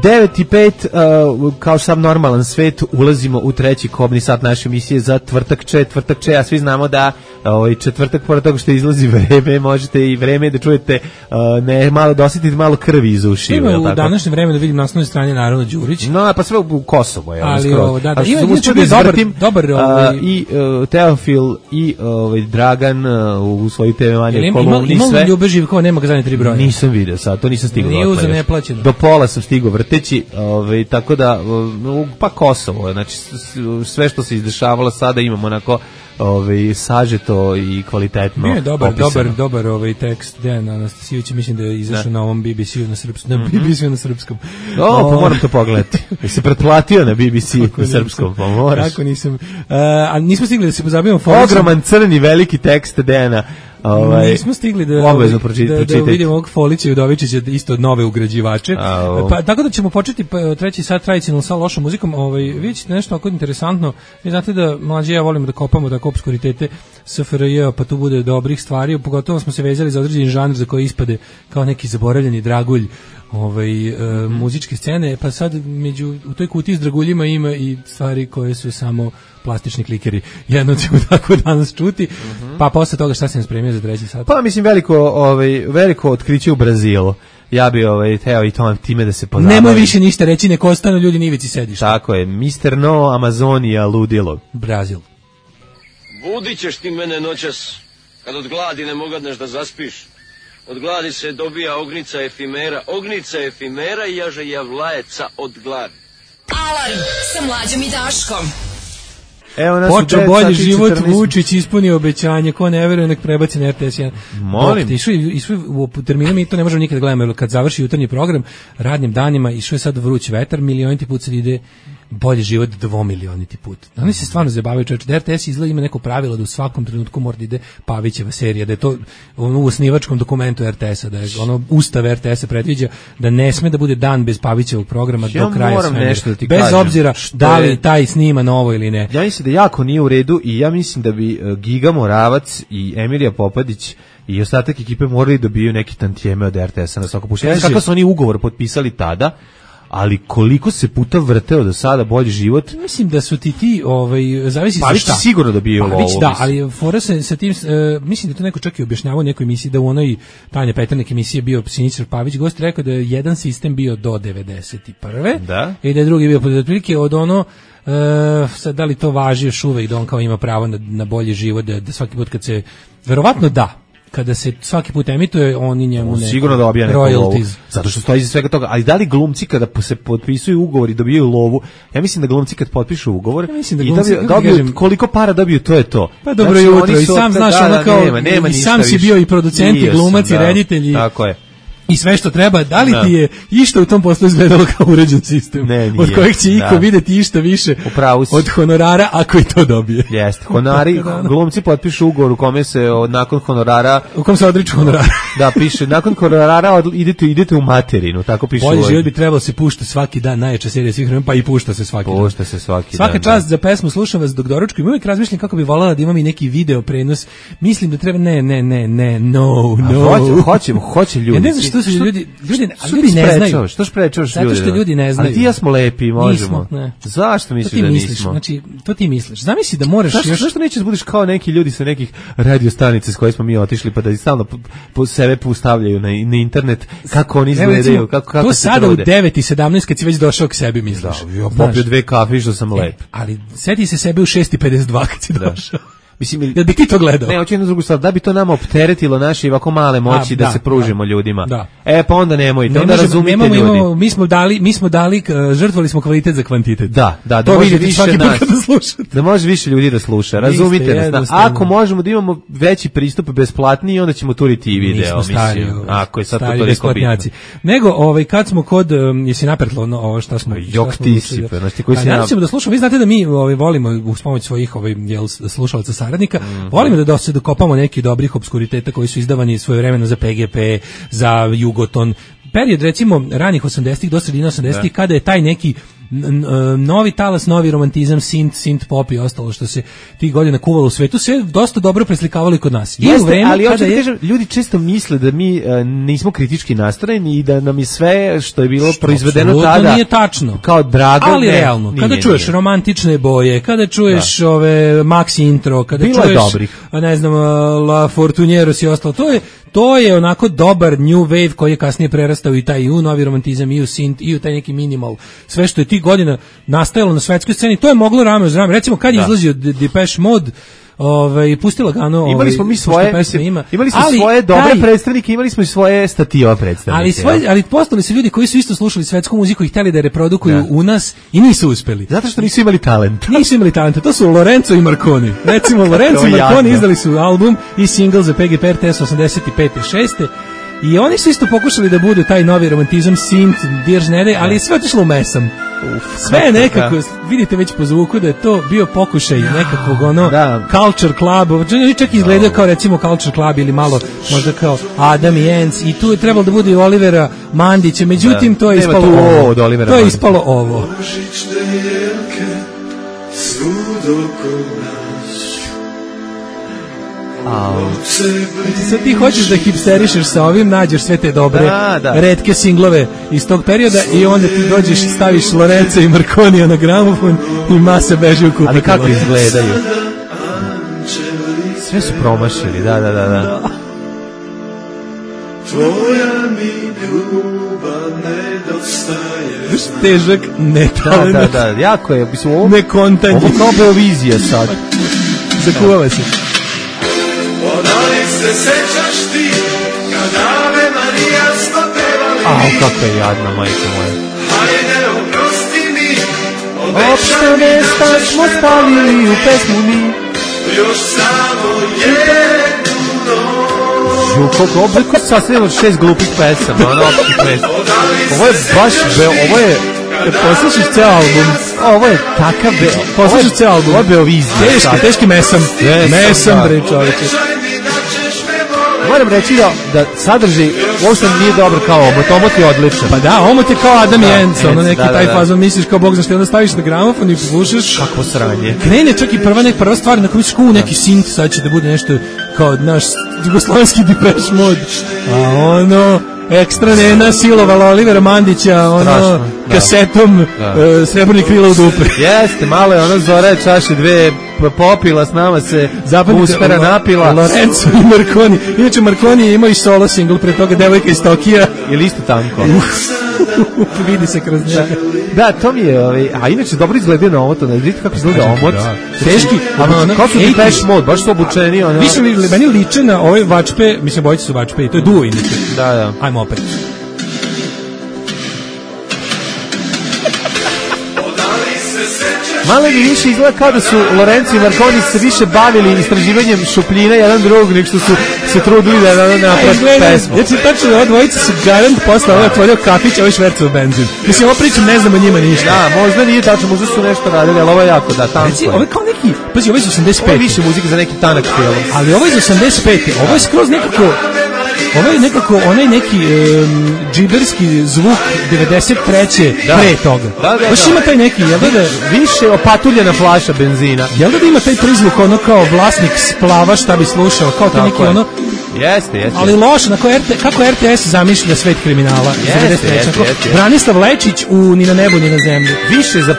[SPEAKER 5] 9:05, kao sam normalan svet, ulazimo u treći kobni sat naše emisije za Tvrtak Če, a svi znamo da četvrtak, pored toga što izlazi vreme, možete i vreme da čujete, malo da osjetite malo krvi iz ušiju.
[SPEAKER 6] Ima u današnjem vremenu da vidim na osnovnoj strani naravno Đurić.
[SPEAKER 5] No, pa sve u Kosovo je.
[SPEAKER 6] Ali dobar
[SPEAKER 5] i Teofil i Dragan u svoju TV manje kolumni sve.
[SPEAKER 6] Ima Ljube Živkova, nema ga zadnje 3 broja.
[SPEAKER 5] Nisam video sad, to nisam stigao.
[SPEAKER 6] Nije uza neplaćeno.
[SPEAKER 5] Do pola sam stigao vrteći, tako da pa Kosovo, znači sve što se izdešavalo sada imamo onako sažeto i kvalitetno.
[SPEAKER 6] Nije dobar tekst Dejan Anastasijević, mislim da je izašao na ovom BBC-u na srpskom.
[SPEAKER 5] Pa moram to pogledati. Se pretplatio na BBC na srpskom, pa moraš.
[SPEAKER 6] Tako nisam. A nismo stigli da se pozabavimo
[SPEAKER 5] ogroman crni veliki tekst Dejana.
[SPEAKER 6] Nismo stigli da vidimo ovog Folića i Udovičića isto nove ugrađivače. Pa tako da ćemo početi treći sat tradicionalno sa lošom muzikom. Vidjet ćete nešto ako interesantno. Vi znate da Mlađe ja volimo da kopamo tako obskuritete SFRJ, pa tu bude dobrih stvari. Pogotovo smo se vezali za određeni žanr za koji ispade kao neki zaboravljeni dragulj muzičke scene, pa sad u toj kutiji s draguljima ima i stvari koje su samo plastični klikeri. Jedno ćemo tako danas čuti, pa posle toga šta se nam spremio za treći sat?
[SPEAKER 5] Pa mislim veliko otkriće u Brazilu. Ja bi teo i time da se pozabavim.
[SPEAKER 6] Nemoj više ništa reći, neko ostanu ljudi na ivici sedišta.
[SPEAKER 5] Tako je, Mr. No, Amazonija, ludilo.
[SPEAKER 6] Brazil.
[SPEAKER 12] Budit ćeš ti mene noćas, kad od gladi ne mogadneš da zaspiš. Od gladi se dobija ognica efimera i jaže javlajeca od gladi.
[SPEAKER 2] Alarm sa Mlađom i Daškom.
[SPEAKER 6] Počeo bolji život, Vučić ispunio obećanje, ko ne veruje nek prebaci na RTS 1.
[SPEAKER 5] Molim.
[SPEAKER 6] Išao u terminu, mi to ne možemo nikad gledamo, jer kad završi jutarnji program, radnim danima, išao je sad vruć vetar, milioniti put sad ide bolji život 2 milioniti put. Oni se stvarno zabavaju, čovječe, da RTS izgleda ima neko pravilo da u svakom trenutku mora da ide Pavićeva serija, da je to u osnivačkom dokumentu RTS-a, da je ustav RTS-a predviđa da ne sme da bude dan bez Pavićevog programa do kraja svemira. Bez obzira da li taj snima novo ili ne.
[SPEAKER 5] Ja mislim da jako nije u redu i ja mislim da bi Giga Moravac i Emilija Popadić i ostatak ekipe morali dobiju neki tantijeme od RTS-a na svako puštenje. Kako su oni ugovor potpisali tada, ali koliko se puta vrteo do sada bolji život.
[SPEAKER 6] Mislim da su ti zavisi
[SPEAKER 5] pa šta. Sigurno da bio ovo.
[SPEAKER 6] Da, ali fora se sa tim, mislim da to neko čak i objašnjavao u nekoj emisiji, da u onoj Tanja Peternek emisiji bio Siniša Pavić, gost rekao da je jedan sistem bio do 91.
[SPEAKER 5] Da.
[SPEAKER 6] I da je drugi bio otprilike od ono, sad da li to važi još uvek, da on kao ima pravo na bolji život, da svaki put kad se, verovatno da, kada se svaki put emituje, oni njemu ne
[SPEAKER 5] sigurno dobija neku lovu, zato što stoji iza svega toga. Ali da li glumci kada se potpisuju ugovori dobijaju lovu? Ja mislim da glumci kad potpišu ugovor i dobiju koliko para dobiju, to je to.
[SPEAKER 6] Pa dobro jutro, i sam znaš ono kao, i sam si bio i producent i glumac i reditelj.
[SPEAKER 5] Tako je.
[SPEAKER 6] I sve što treba, da li ti je išta u tom poslu izgledalo kao uređen sistem?
[SPEAKER 5] Ne, nije.
[SPEAKER 6] Od kojeg će iko vidjeti išta više od honorara ako i to dobije.
[SPEAKER 5] Jeste, honori, glumci potpišu ugovor u kome se nakon honorara...
[SPEAKER 6] U kom se odriču honorara.
[SPEAKER 5] Da, piše, nakon honorara idete u materinu, tako piše.
[SPEAKER 6] Bolje život bi trebalo se pušta svaki dan, najjača serija svih vremena, pa i pušta se svaki dan.
[SPEAKER 5] Pušta se svaki dan.
[SPEAKER 6] Svaka čast za pesmu, slušam vas dok doručkujem, uvijek razmišljam kako bi voljela da imam i neki video prenos. Mislim da treba,
[SPEAKER 5] hoće ljudi.
[SPEAKER 6] Ja ne znam što su ljudi ne znaju.
[SPEAKER 5] Što sprečavaš ljudi?
[SPEAKER 6] Zato što ljudi ne znaju.
[SPEAKER 5] Ali ti ja smo lepi, možemo. Zašto misliš da nismo?
[SPEAKER 6] Znači, to ti misliš. Zamisli da moraš
[SPEAKER 5] Zašto nećeš budeš kao neki ljudi sa nekih radio stanica s koje smo mi otišli, pa da stalno po sebe postavljaju na internet kako oni izgledaju, kako se trude.
[SPEAKER 6] To sada u 9:17 kad si već došao k sebi misliš.
[SPEAKER 5] Ja popio 2 kafe i što sam lep.
[SPEAKER 6] Ali seti se sebe u 6:52 kad si došao.
[SPEAKER 5] Mislim,
[SPEAKER 6] da bi ti to gledao.
[SPEAKER 5] Ne, hoću jednu drugu stvar, da bi to nama opteretilo naše ovako male moći da se pružimo ljudima.
[SPEAKER 6] Da.
[SPEAKER 5] Pa onda nemojte, onda razumite ljudi.
[SPEAKER 6] Mi smo dali, žrtvovali smo kvalitet za kvantitet.
[SPEAKER 5] Da
[SPEAKER 6] to
[SPEAKER 5] može
[SPEAKER 6] više nas.
[SPEAKER 5] Da može više ljudi da sluša. Razumite nas. Ako možemo da imamo veći pristup besplatni, onda ćemo turiti i video, mislim. Ako je sad to toliko bitno.
[SPEAKER 6] Nego, kad smo kod, jesi napertlo ovo šta smo...
[SPEAKER 5] Jok ti si, znači koji si
[SPEAKER 6] nam... da slušamo, vi znate da mi volimo uz pomoć svojih slušalaca saradnika, volimo da se dokopamo nekih dobrih obskuriteta koji su izdavani svojevremeno za PGP, za Jugoton. Period, recimo, ranih 80-ih do sredine 80-ih, kada je taj neki novi talas, novi romantizam, synth pop i ostalo što se tih godina kuvalo u svetu, sve dosta dobro preslikavalo i kod nas.
[SPEAKER 5] Ali hoću da kažem, ljudi često misle da mi nismo kritički nastrojeni i da nam je sve što je bilo proizvedeno tada
[SPEAKER 6] nije tačno.
[SPEAKER 5] Kao drago,
[SPEAKER 6] ali realno. Kada čuješ romantične boje, kada čuješ ove Maxi intro, kada
[SPEAKER 5] bilo
[SPEAKER 6] čuješ
[SPEAKER 5] ne
[SPEAKER 6] znam La Fortunieros i ostalo, to je onako dobar new wave koji je kasnije prerastao i taj u novi romantizam i u synth i u taj neki minimal. Sve što je tih godina nastajalo na svetskoj sceni, to je moglo rame uz rame. Recimo kad je izlazio Depeche Mode, pustila Gano,
[SPEAKER 5] imali smo mi svoje svoje dobre predstavnike, imali smo i svoje stativa predstavnike.
[SPEAKER 6] Ali postali su ljudi koji su isto slušali svetsku muziku i hteli da reprodukuju u nas i nisu uspeli.
[SPEAKER 5] Zato što nisu imali talent.
[SPEAKER 6] To su Lorenzo i Marconi. Recimo Lorenzo i Marconi izdali su album i single za PGP RTS 85. i 6. I oni su isto pokušali da budu taj novi romantizam, synth, dirž-nede, ali sve otišlo u mesam. Sve je nekako, vidite već po zvuku da je to bio pokušaj nekakvog Culture Club, čak izgledao kao recimo Culture Club ili malo možda kao Adam i Ants i tu je trebalo da bude i Olivera Mandića, međutim to je ispalo ovo. To je ispalo ovo. Sad ti hoćeš da hipsterišeš sa ovim, nađeš sve te dobre retke singlove iz tog perioda i onda ti dođeš, staviš Lorenza i Marconija na gramofon i masa beže u kupu.
[SPEAKER 5] Ali kako izgledaju? Sve su promašili, da.
[SPEAKER 13] Tvoja mi ljubav nedostaje.
[SPEAKER 6] Težak, netalent.
[SPEAKER 5] Da, jako je.
[SPEAKER 6] Nekontanje.
[SPEAKER 5] Ovo kao Beovizija sad.
[SPEAKER 6] Zakuvava se.
[SPEAKER 13] Odali se sećaš ti kad Ave Marija smo pevali.
[SPEAKER 5] Kako je jadna, majko moja.
[SPEAKER 13] Hajde oprosti mi.
[SPEAKER 6] Opšte mesta smo stavili u pesmu mi.
[SPEAKER 13] Još samo jednu noć.
[SPEAKER 5] Koliko obliko sasvim od 6 glupih pesama. Ovo je baš, ovo je...
[SPEAKER 6] Poslušaš ceo album.
[SPEAKER 5] Ovo je takav
[SPEAKER 6] poslušaš ceo album.
[SPEAKER 5] Ovo je Beovizija.
[SPEAKER 6] Teški mesam. Mesam, bre, čoveče.
[SPEAKER 5] Moram reći da sadržaj uopšte nije dobar kao omot je odličan.
[SPEAKER 6] Pa da, omot je kao Adam i Ants, ono neki taj fazon, misliš kao Bog znaš, onda staviš na gramofon i poslušaš.
[SPEAKER 5] Kakvo sranje.
[SPEAKER 6] Krene čak i prva stvar, na koju misliš kao neki synth, sad će da bude nešto kao naš jugoslovenski Depeche Mode. A ono... Ekstra nena silovala Olivera Mandića kasetom Srebrni krila u dupe.
[SPEAKER 5] Jeste, malo je ona Zora čaše dve popila, s nama se uspera napila.
[SPEAKER 6] Lorenzo i Marconi. Inače Marconi je imao i solo single pre toga, Devojka iz Tokija.
[SPEAKER 5] Ili isto tanko?
[SPEAKER 6] Vidi se kroz njega.
[SPEAKER 5] Da, to mi je, a inače dobro izgleda na ovo, to ne vidite kako izgleda omot.
[SPEAKER 6] Teški,
[SPEAKER 5] kao su Depeche Mode, baš su obučeni.
[SPEAKER 6] Više meni liče na ove vačpe, mislim, bojice su vačpe i to je duo inače.
[SPEAKER 5] Da.
[SPEAKER 6] Ajmo opet.
[SPEAKER 5] Malo mi više izgleda kao da su Lorenzo i Marconi se više bavili istraživanjem šupljina jedan drugog, nek što su se trudili da naprave pesmu.
[SPEAKER 6] Ja ću tačno da ova dvojica su garant posle ovo otvorio kafić, a ovo švercao benzin. Mislim, ovo pričam, ne znam o njima ništa.
[SPEAKER 5] Da, možda nije tačno, možda su nešto radili, ali ovo je jako, da, tanko je.
[SPEAKER 6] Ovo je kao neki, pazi, ovo je iz 85.
[SPEAKER 5] Ovo je više muzike za neki tanak film.
[SPEAKER 6] Ali ovo je iz 85. Ovo je skroz nekako... Ovo je nekako onaj neki džiberski zvuk 93. pre toga.
[SPEAKER 5] Da.
[SPEAKER 6] Baš ima taj neki, jel da
[SPEAKER 5] više opatuljena flaša benzina.
[SPEAKER 6] Jel da ima taj prizvuk ono kao vlasnik splava šta bi slušao, kao to neki ono...
[SPEAKER 5] Jeste.
[SPEAKER 6] Ali loše, kako RTS zamišlja svet kriminala.
[SPEAKER 5] Jeste.
[SPEAKER 6] Branislav Lečić u Ni na nebu, ni na zemlji.
[SPEAKER 5] Više za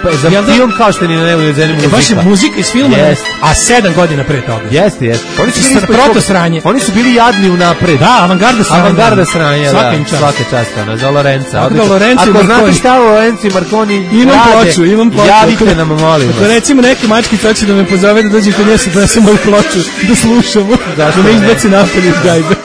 [SPEAKER 5] film kao što je Ni na nebu, ni na zemlji muzika.
[SPEAKER 6] Baš je muzika iz filma, a 7 godina pre toga.
[SPEAKER 5] Jeste.
[SPEAKER 6] Oni su bili protosranje.
[SPEAKER 5] Oni su bili jadni unapred.
[SPEAKER 6] Da, avangarda sranje.
[SPEAKER 5] Svaka čast, za Lorenza.
[SPEAKER 6] Ako
[SPEAKER 5] znate šta Lorenzo i Marconi
[SPEAKER 6] imam ploču.
[SPEAKER 5] Javite nam, molim vas.
[SPEAKER 6] Ako recimo neki mačkica hoće da me pozove da dođe kod nje da donesem moju ploču, da slušamo, da me izbaci napad iz gajbe.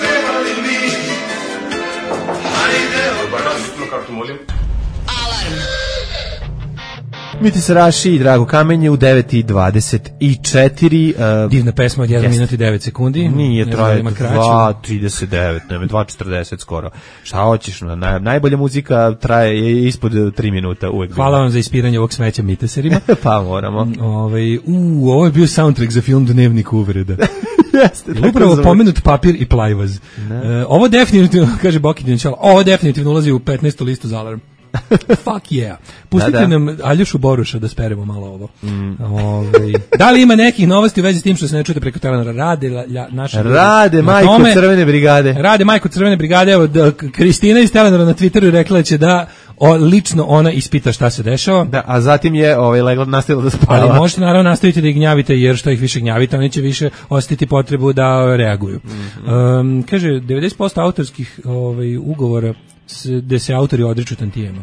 [SPEAKER 5] Miti se Raši i Drago Kamenje u 9:24.
[SPEAKER 6] Divna pesma od 1 minut i 9 sekundi.
[SPEAKER 5] Nije, traje 2:39, ne, 2:40 skoro. Šta hoćeš? Najbolja muzika traje ispod 3 minuta uvek.
[SPEAKER 6] Hvala vam za ispiranje ovog smeća miteserima.
[SPEAKER 5] Pa moramo.
[SPEAKER 6] Ovo je bio soundtrack za film Dnevnik uvreda.
[SPEAKER 5] Jeste.
[SPEAKER 6] Upravo pomenut papir i plajvaz. Ovo definitivno, kaže Boki Dinčala, ovo definitivno ulazi u 15. listu za alarm. Fuck yeah. Pustite nam Aljošu Boruša da speremo malo ovo. Da li ima nekih novosti u vezi s tim što se ne čujete preko Telenora? Rade
[SPEAKER 5] majko Crvene brigade.
[SPEAKER 6] Rade majko Crvene brigade. Evo, Kristina iz Telenora na Twitteru rekla će da lično ona ispita šta se dešava.
[SPEAKER 5] Da, a zatim je nastavila da spava.
[SPEAKER 6] Ali možete naravno nastaviti da ih gnjavite, jer što ih više gnjavite, oni će više osjetiti potrebu da reaguju. Kaže, 90% autorskih ugovora gde se autori odriču tantijema.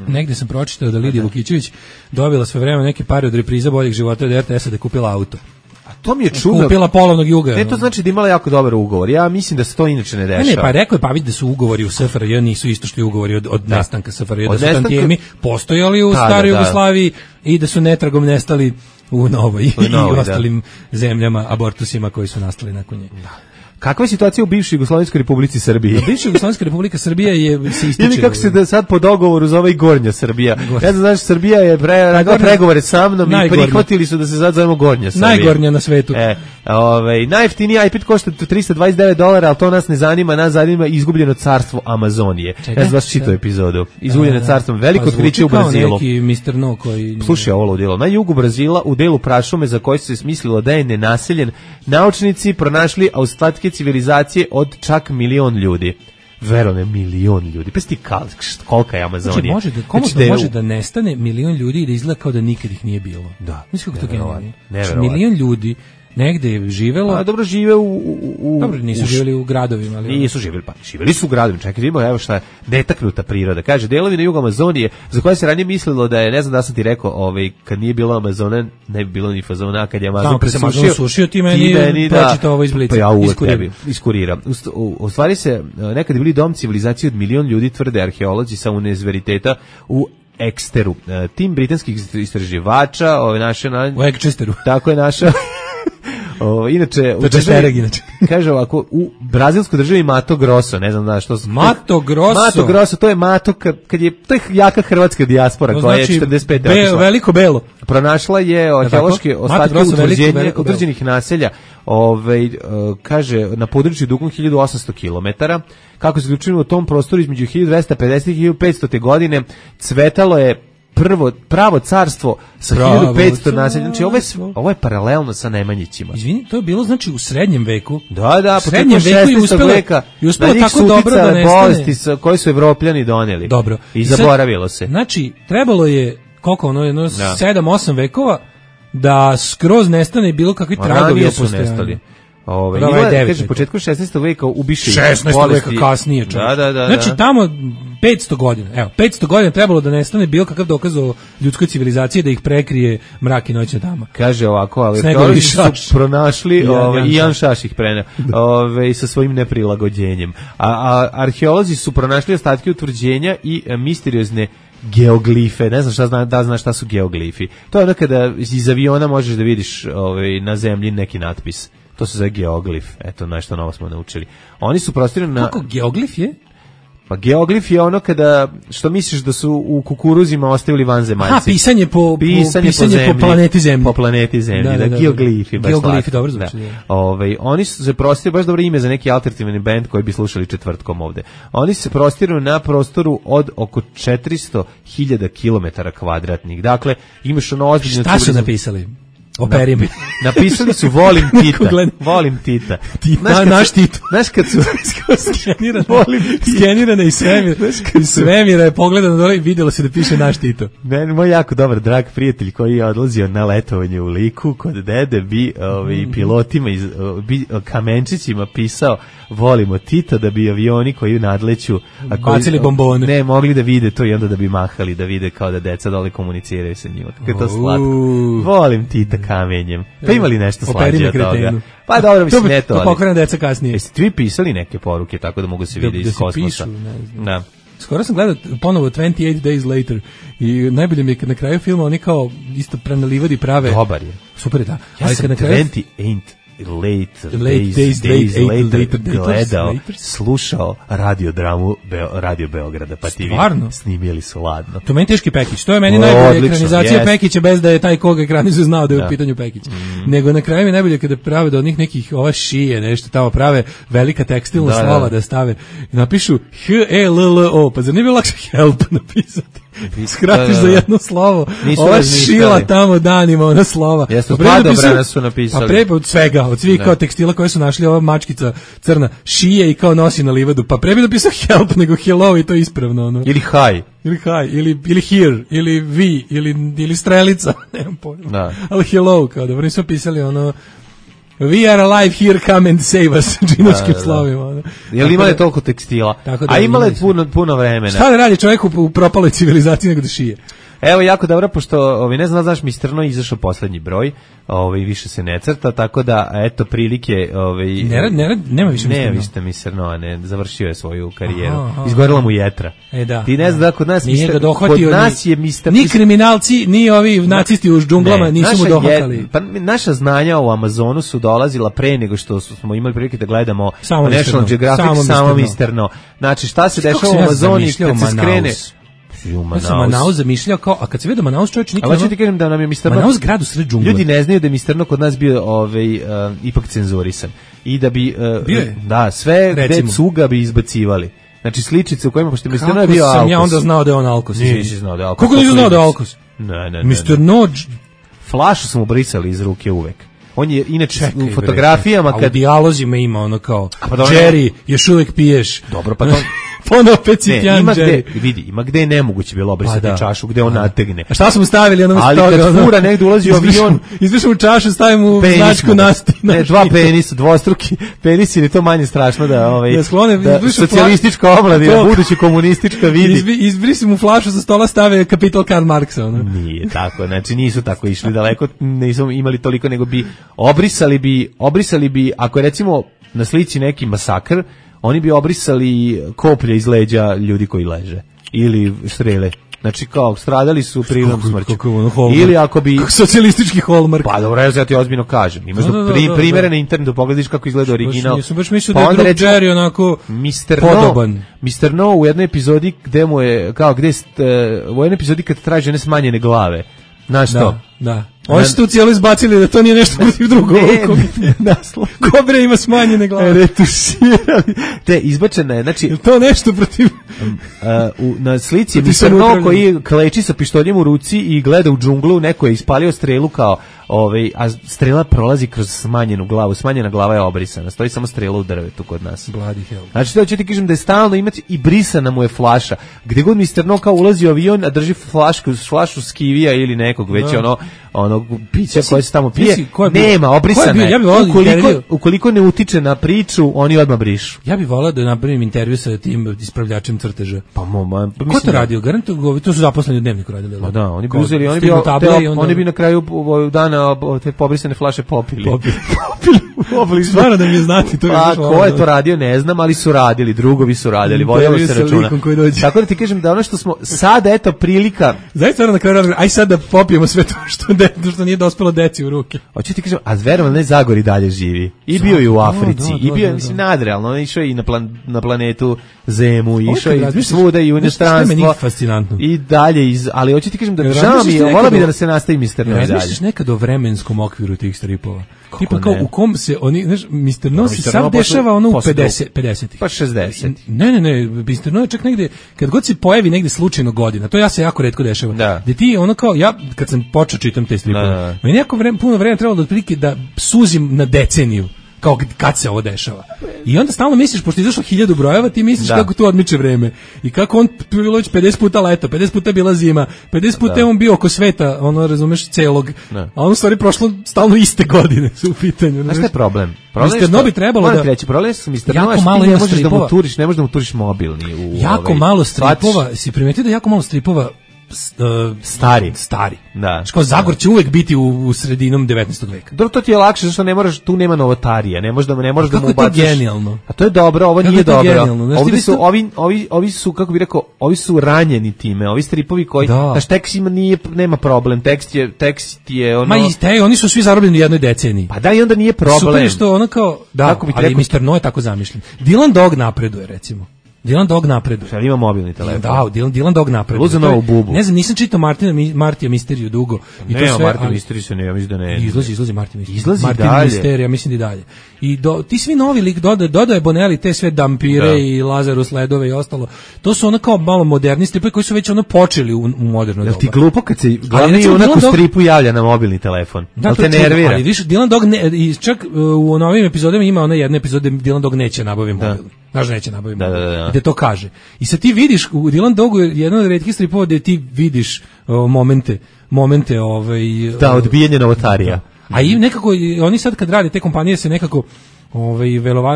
[SPEAKER 6] Negde sam pročitao da Lidija Vukićević dobila sve vreme neke pare od repriza Boljeg života od RTS-a da je kupila auto.
[SPEAKER 5] A to mi je čudno.
[SPEAKER 6] Kupila polovnog Juga.
[SPEAKER 5] Ne, to znači da imala jako dobar ugovor. Ja mislim da se to inače ne dešava.
[SPEAKER 6] Ne, pa rekao je Pavić da su ugovori u SFRJ nisu isto što i ugovori od nestanka SFRJ, da su tantijemi postojali u staroj Jugoslaviji i da su netragom nestali u novoj i ostalim zemljama, abortusima koji su nastali nakon nje.
[SPEAKER 5] Kakva je situacija u bivšoj Jugoslovenskoj Republici Srbiji?
[SPEAKER 6] Bivša Jugoslovenska Republika Srbija se ističe.
[SPEAKER 5] Ili kako se sad po dogovoru zove i Gornja Srbija. Ja znam, Srbija je radila pregovore sa mnom i prihvatili su da se sad zovemo Gornja Srbija.
[SPEAKER 6] Najgornja na svetu.
[SPEAKER 5] Najjeftiniji iPad košta $329, ali to nas ne zanima, nas zanima izgubljeno carstvo Amazonije. Ja sam vas čitao epizodu. Izgubljeno carstvo, veliko otkriće u Brazilu.
[SPEAKER 6] Neki Mr. No koji...
[SPEAKER 5] Slušaj ovo ludilo. Na jugu Brazila, u delu prašume za koji se smislilo da je nenaseljen, naučnici pronašli ostatke civilizacije od čak 1.000.000 ljudi. Verovne, 1.000.000 ljudi. Pa ti kolika je Amazonija.
[SPEAKER 6] Znači, može da nestane 1.000.000 ljudi i da izgleda kao da nikad ih nije bilo.
[SPEAKER 5] Da.
[SPEAKER 6] Mislim kako to genijalno. 1.000.000 ljudi negde je živelo.
[SPEAKER 5] A dobro, žive
[SPEAKER 6] Dobro, nisu živjeli u gradovima, ali
[SPEAKER 5] nisu živjeli, pa živjeli su u gradovima. Čekaj, evo šta je netaknuta priroda. Kaže, delovi na jugu Amazonije, za koje se ranije mislilo da je, ne znam da sam ti rekao, kad nije bilo Amazona, ne bi bilo ni fazona, kad je Amazon
[SPEAKER 6] presušio, ti meni pročitao ovo iz Blica.
[SPEAKER 5] Pa ja uvek tebi iskuriram. U stvari se, nekad je bili dom civilizacije od 1.000.000 ljudi, tvrde arheolozi sa univerziteta u Eksteru. Tim britanskih istraživača,
[SPEAKER 6] u Ekčesteru.
[SPEAKER 5] Tako je naša... Inače, kaže ovako, u brazilskoj državi Mato Grosso, ne znam da što...
[SPEAKER 6] Mato
[SPEAKER 5] Grosso, to je Mato, to je jaka hrvatska dijaspora, koja je 45. otišla.
[SPEAKER 6] Veliko belo.
[SPEAKER 5] Pronašla je arheološke ostatke utvrđenih naselja, kaže, na području dugom 1800 km. Kako se zaključilo u tom prostoru između 1250 i 1500. godine, cvetalo je pravo carstvo sa 1500 naselja. Znači, ovo je paralelno sa Nemanjićima.
[SPEAKER 6] Izvini, to je bilo znači u srednjem veku.
[SPEAKER 5] Da, početkom 16. veka.
[SPEAKER 6] I uspelo tako dobro da nestane.
[SPEAKER 5] Bolesti koje su Evropljani doneli.
[SPEAKER 6] Dobro.
[SPEAKER 5] I zaboravilo se.
[SPEAKER 6] Znači, trebalo je, koliko 7-8 vekova da skroz nestane bilo kakvi tragovi o postojanju.
[SPEAKER 5] Kaže, početkom 16. veka ubiše
[SPEAKER 6] 16. veka kasnije.
[SPEAKER 5] Da.
[SPEAKER 6] Znači, tamo 500 godina. Evo, 500 godina trebalo da nestane bilo kakav dokaz o ljudskoj civilizaciji da ih prekrije mrak i noćna dama.
[SPEAKER 5] Kaže ovako, ali oni su pronašli Ian Šaš ih preneo sa svojim neprilagođenjem. A arheolozi su pronašli ostatke utvrđenja i misteriozne geoglife. Ne znam znaš šta su geoglifi. To je ono kada iz aviona možeš da vidiš na zemlji neki natpis. To se zove geoglif. Eto, nešto novo smo naučili. Oni su prostirani na...
[SPEAKER 6] Kako geoglif je?
[SPEAKER 5] Pa geoglif je ono kada, što misliš da su u kukuruzima ostavili vanzemaljci.
[SPEAKER 6] Aha, pisanje po planeti Zemlji.
[SPEAKER 5] Po planeti Zemlji, da geoglifi.
[SPEAKER 6] Geoglifi, dobro zvuči.
[SPEAKER 5] Oni su se prostirali, baš dobro ime za neki alternativni band koji bi slušali četvrtkom ovde. Oni se prostiraju na prostoru od oko 400.000 km². Dakle, imaš ono ozbiljno...
[SPEAKER 6] Šta su napisali? Operime.
[SPEAKER 5] Napisali su volim Tita. Volim Tita.
[SPEAKER 6] Naš Tito.
[SPEAKER 5] Znaš kad su
[SPEAKER 6] skenirane iz svemira je pogledano dole i vidjelo se da piše naš Tito.
[SPEAKER 5] Moj jako dobar drag prijatelj koji je odlazio na letovanje u Liku kod dede bi pilotima kamenčićima pisao volimo Tita da bi avioni koji nadleću
[SPEAKER 6] bacili bombone.
[SPEAKER 5] Ne, mogli da vide to i onda da bi mahali, da vide kao da deca dole komuniciraju sa njima. Kako je to slatko. Volim Tita kamenjem. Pa imali nešto slađe od toga? Pa dobro, mislim, ne to.
[SPEAKER 6] To pokvarna deca kasnije.
[SPEAKER 5] Jeste vi pisali neke poruke tako da mogu se vidjeti iz kosmosa? Da.
[SPEAKER 6] Skoro sam gledao ponovo 28 Days Later i najbolje mi je kad na kraju filma oni kao isto prenalivadi prave.
[SPEAKER 5] Dobar je.
[SPEAKER 6] Super je, da.
[SPEAKER 5] Ja sam 28 Days later gledao, slušao radiodramu Radio Beograda, pa ti snimili su ladno.
[SPEAKER 6] To meni teški Pekić, to je meni najbolja ekranizacija Pekića bez da je taj koga ekranizuje znao da je u pitanju Pekić. Nego na kraju mi najbolje kada prave do onih nekih ova šije, nešto tamo prave velika tekstilna slova da stave i napišu H-E-L-L-O, pa zar nije bilo lakše help napisati? Skratiš za jedno slovo. Ova šila tamo danima, ona slova.
[SPEAKER 5] Jesu padobrana su napisali.
[SPEAKER 6] Pa pre od svega, od svih kao tekstila koje su našli, ova mačkica crna šije i kao nosi na livadu. Pa pre bi napisao help nego hello i to ispravno. Ono.
[SPEAKER 5] Ili hi.
[SPEAKER 6] Ili here, ili vi, ili strelica. Nemam pojma. Ali hello, kao da nisu pisali ono... We are alive here, come and save us, džinočkim slovima.
[SPEAKER 5] Jel imali toliko tekstila? A imali puno vremena.
[SPEAKER 6] Šta da radi čovjek u propaloj civilizaciji nego da šije?
[SPEAKER 5] Evo, jako dobro, pošto, ne znam, znaš, Mistrno izašao poslednji broj, više se ne crta, tako da, eto, prilike...
[SPEAKER 6] Nema više Mistrno.
[SPEAKER 5] Nema više Mistrno, ne, završio je svoju karijeru. Izgorila mu jetra.
[SPEAKER 6] Da.
[SPEAKER 5] Ti ne znaš da kod nas je Mistrno...
[SPEAKER 6] Ni kriminalci, ni ovi nacisti u džunglama nisu mu dohvatali.
[SPEAKER 5] Pa naša znanja u Amazonu su dolazila pre nego što smo imali prilike da gledamo National Geographic, samo Mistrno. Znači, šta se dešava u Amazoni kad se skrene...
[SPEAKER 6] Ja sam Manaus zamišljao kao, a kad se vidio Manaus čovječ nikad...
[SPEAKER 5] Ali ću ti kažem da nam je Mistrno...
[SPEAKER 6] Manaus grad u sred džungle.
[SPEAKER 5] Ljudi ne znaju da je Mistrno kod nas bio ipak cenzurisan. I da bi... da, sve gde cuga bi izbacivali. Znači sličice u kojima, pošto Mistrno je bio Alkos.
[SPEAKER 6] Kako sam ja onda znao da je on Alkos?
[SPEAKER 5] Nisi znao da je Alkos.
[SPEAKER 6] Kako nisi znao da je Alkos?
[SPEAKER 5] Ne.
[SPEAKER 6] Mistrno...
[SPEAKER 5] Flašu smo brisali iz ruke uvek. On je inače u fotografijama
[SPEAKER 6] kad... A u dijalozima ima ono kao Jerry, još uvek piješ.
[SPEAKER 5] Dobro, pa to...
[SPEAKER 6] Ponovo opet Citjan Jerry.
[SPEAKER 5] Ima gde je nemoguće bilo obrisati čašu, gde on nategne.
[SPEAKER 6] A šta smo stavili?
[SPEAKER 5] Ali kad fura negdje ulazi u avion...
[SPEAKER 6] Izvršimo čašu, stavimo u značku nasti.
[SPEAKER 5] Ne, dva penisa, dvostruki penis, ili to manje strašno da socijalistička omladina, budući komunistička vidi.
[SPEAKER 6] Izbrisimo flašu sa stola, stave kapital Karl Marksa.
[SPEAKER 5] Nije tako, znači nisu tako išli daleko, nisu imali toliko, nego bi obrisali bi, ako je recimo na slici neki masakr, oni bi obrisali koplje iz leđa ljudi koji leže. Ili strele. Znači kao stradali su prirodnom smrću. Ili ako bi...
[SPEAKER 6] socijalistički Hallmark.
[SPEAKER 5] Pa dobro, ja ti ozbiljno kažem. Imaš primjere na internetu, pogledaš kako izgleda original.
[SPEAKER 6] Nisam baš mislio da je Drug Jerry onako podoban.
[SPEAKER 5] Mr. No u jednoj epizodi gde mu je, u jednoj epizodi kad traži one smanjene glave. Znaš što?
[SPEAKER 6] Da. Oni su tu cijelo izbacili da to nije nešto protiv drugog. Kobre ima smanjene glave.
[SPEAKER 5] Retuširali. Te izbačena je, znači...
[SPEAKER 6] Je to nešto protiv...
[SPEAKER 5] na slici je Mr. No koji kleči sa pištoljem u ruci i gleda u džunglu, neko je ispalio strelu kao... a strela prolazi kroz smanjenu glavu. Smanjena glava je obrisana. Stoji samo strela u drvetu kod nas.
[SPEAKER 6] Bloody hell.
[SPEAKER 5] Znači, da ću ti kažem da je stalno imati i brisana mu je flaša. Gdje god Mr. No kao ulazi u avion, a drži flašu skivija ili nekog, već ono onog pića koje se tamo pije. Nema, obrisana je. Ukoliko ne utiče na priču, oni odmah brišu.
[SPEAKER 6] Ja bih volao da napravim intervju sa tim ispravljačem crteža.
[SPEAKER 5] Pa
[SPEAKER 6] ko to radio? Garantujem, to su zaposleni u Dnevniku radili.
[SPEAKER 5] Pa da, oni bi uzeli, oni bi na kraju dana te pobrisane flaše popili.
[SPEAKER 6] Stvarno da mi je znati to.
[SPEAKER 5] Pa ko je to radio, ne znam, ali su radili, drugovi su radili, vodilo se računa. Tako da ti kažem da ono što smo sad, eto, prilika.
[SPEAKER 6] Zaista na kraju, aj sad da popijemo sve to što nije dospelo deci u ruke.
[SPEAKER 5] Hoću ti kažem, a verovatno ne Zagori dalje živi. I bio je u Africi, i bio je, mislim, nadrealno, on išao i na planetu Zemu, išao i svuda i u inostranstvo. I dalje, ali hoću ti kažem da žao mi je, vola bi da se nastavi Mr. No i dalje.
[SPEAKER 6] Razmišljaš nekad o vremenskom okviru tih stripova? Tipa kao u kom se oni, znaš, Mr. No se sad dešava ono u 50-ih.
[SPEAKER 5] Pa 60.
[SPEAKER 6] Ne, Mr. No je čak negde, kad god se pojavi negde slučajno godina, to ja se jako retko dešava. Da ti ono kao, ja kad sam počeo čitam te stripove, meni jako puno vremena trebalo da otprilike da suzim na deceniju. Kao kad se ovo dešava. I onda stalno misliš, pošto je izašlo 1000 brojeva, ti misliš kako tu odmiče vreme. I kako on bilo već 50 puta leto, 50 puta bila zima, 50 puta je on bio oko sveta, ono, razumeš, celog. A on u stvari prošlo stalno iste godine su u pitanju.
[SPEAKER 5] Znaš šta je problem?
[SPEAKER 6] Mr. No bi trebalo da...
[SPEAKER 5] Problem je Mr. No, ti ne možeš da mu turiš mobilni.
[SPEAKER 6] Jako malo stripova, si primetio da jako malo stripova stari.
[SPEAKER 5] Da.
[SPEAKER 6] Što Zagor će uvek biti u sredinom 19. veka.
[SPEAKER 5] Dobro, to ti je lakše, zašto ne moraš, tu nema novotarija, ne možeš da mu ubaciš.
[SPEAKER 6] Kako je to genijalno?
[SPEAKER 5] A to je dobro, ovo nije dobro. Ovi su, kako bih rekao, ovi su ranjeni time, ovi stripovi koji, znaš, tekst nema problem, tekst je ono...
[SPEAKER 6] Ma i oni su svi zarobljeni u jednoj deceniji.
[SPEAKER 5] Pa da, i onda nije problem.
[SPEAKER 6] Super je što ono kao, da, ali Mr. No je tako zamišljen. Dylan Dog napreduje, recimo. Dylan Dog napreduje.
[SPEAKER 5] Šta ima mobilni telefon?
[SPEAKER 6] Da, Dylan Dog napreduje.
[SPEAKER 5] Luza novu bubu.
[SPEAKER 6] Ne znam, nisam čitao Martija Misteriju dugo.
[SPEAKER 5] I to sve, Martija Misteriju se ne, ja mislim da ne.
[SPEAKER 6] Izlazi Martija Misteriju.
[SPEAKER 5] Izlazi
[SPEAKER 6] Martin
[SPEAKER 5] dalje.
[SPEAKER 6] Misterija, mislim da i dalje. I ti svi novi lik dodaje Bonelli, te sve Dampire i Lazarus Ledove i ostalo. To su ono kao malo moderni stripovi koji su već ono počeli u moderno doba.
[SPEAKER 5] Jel ti glupo kad se glavni junak u stripu javlja na mobilni telefon? Jel te nervira?
[SPEAKER 6] Ali više, Dylan Dog, čak u novim epizodama ima ona jedna epizoda gde Dylan Dog neće nabaviti mobilni. Znaš da neće nabaviti mobilni. Gde to kaže. I sad ti vidiš, u Dylan Dogu je jedan od retkih stripova gde ti vidiš momente
[SPEAKER 5] da, odbijanje novotarija.
[SPEAKER 6] A i nekako, oni sad kad rade te kompanije se nekako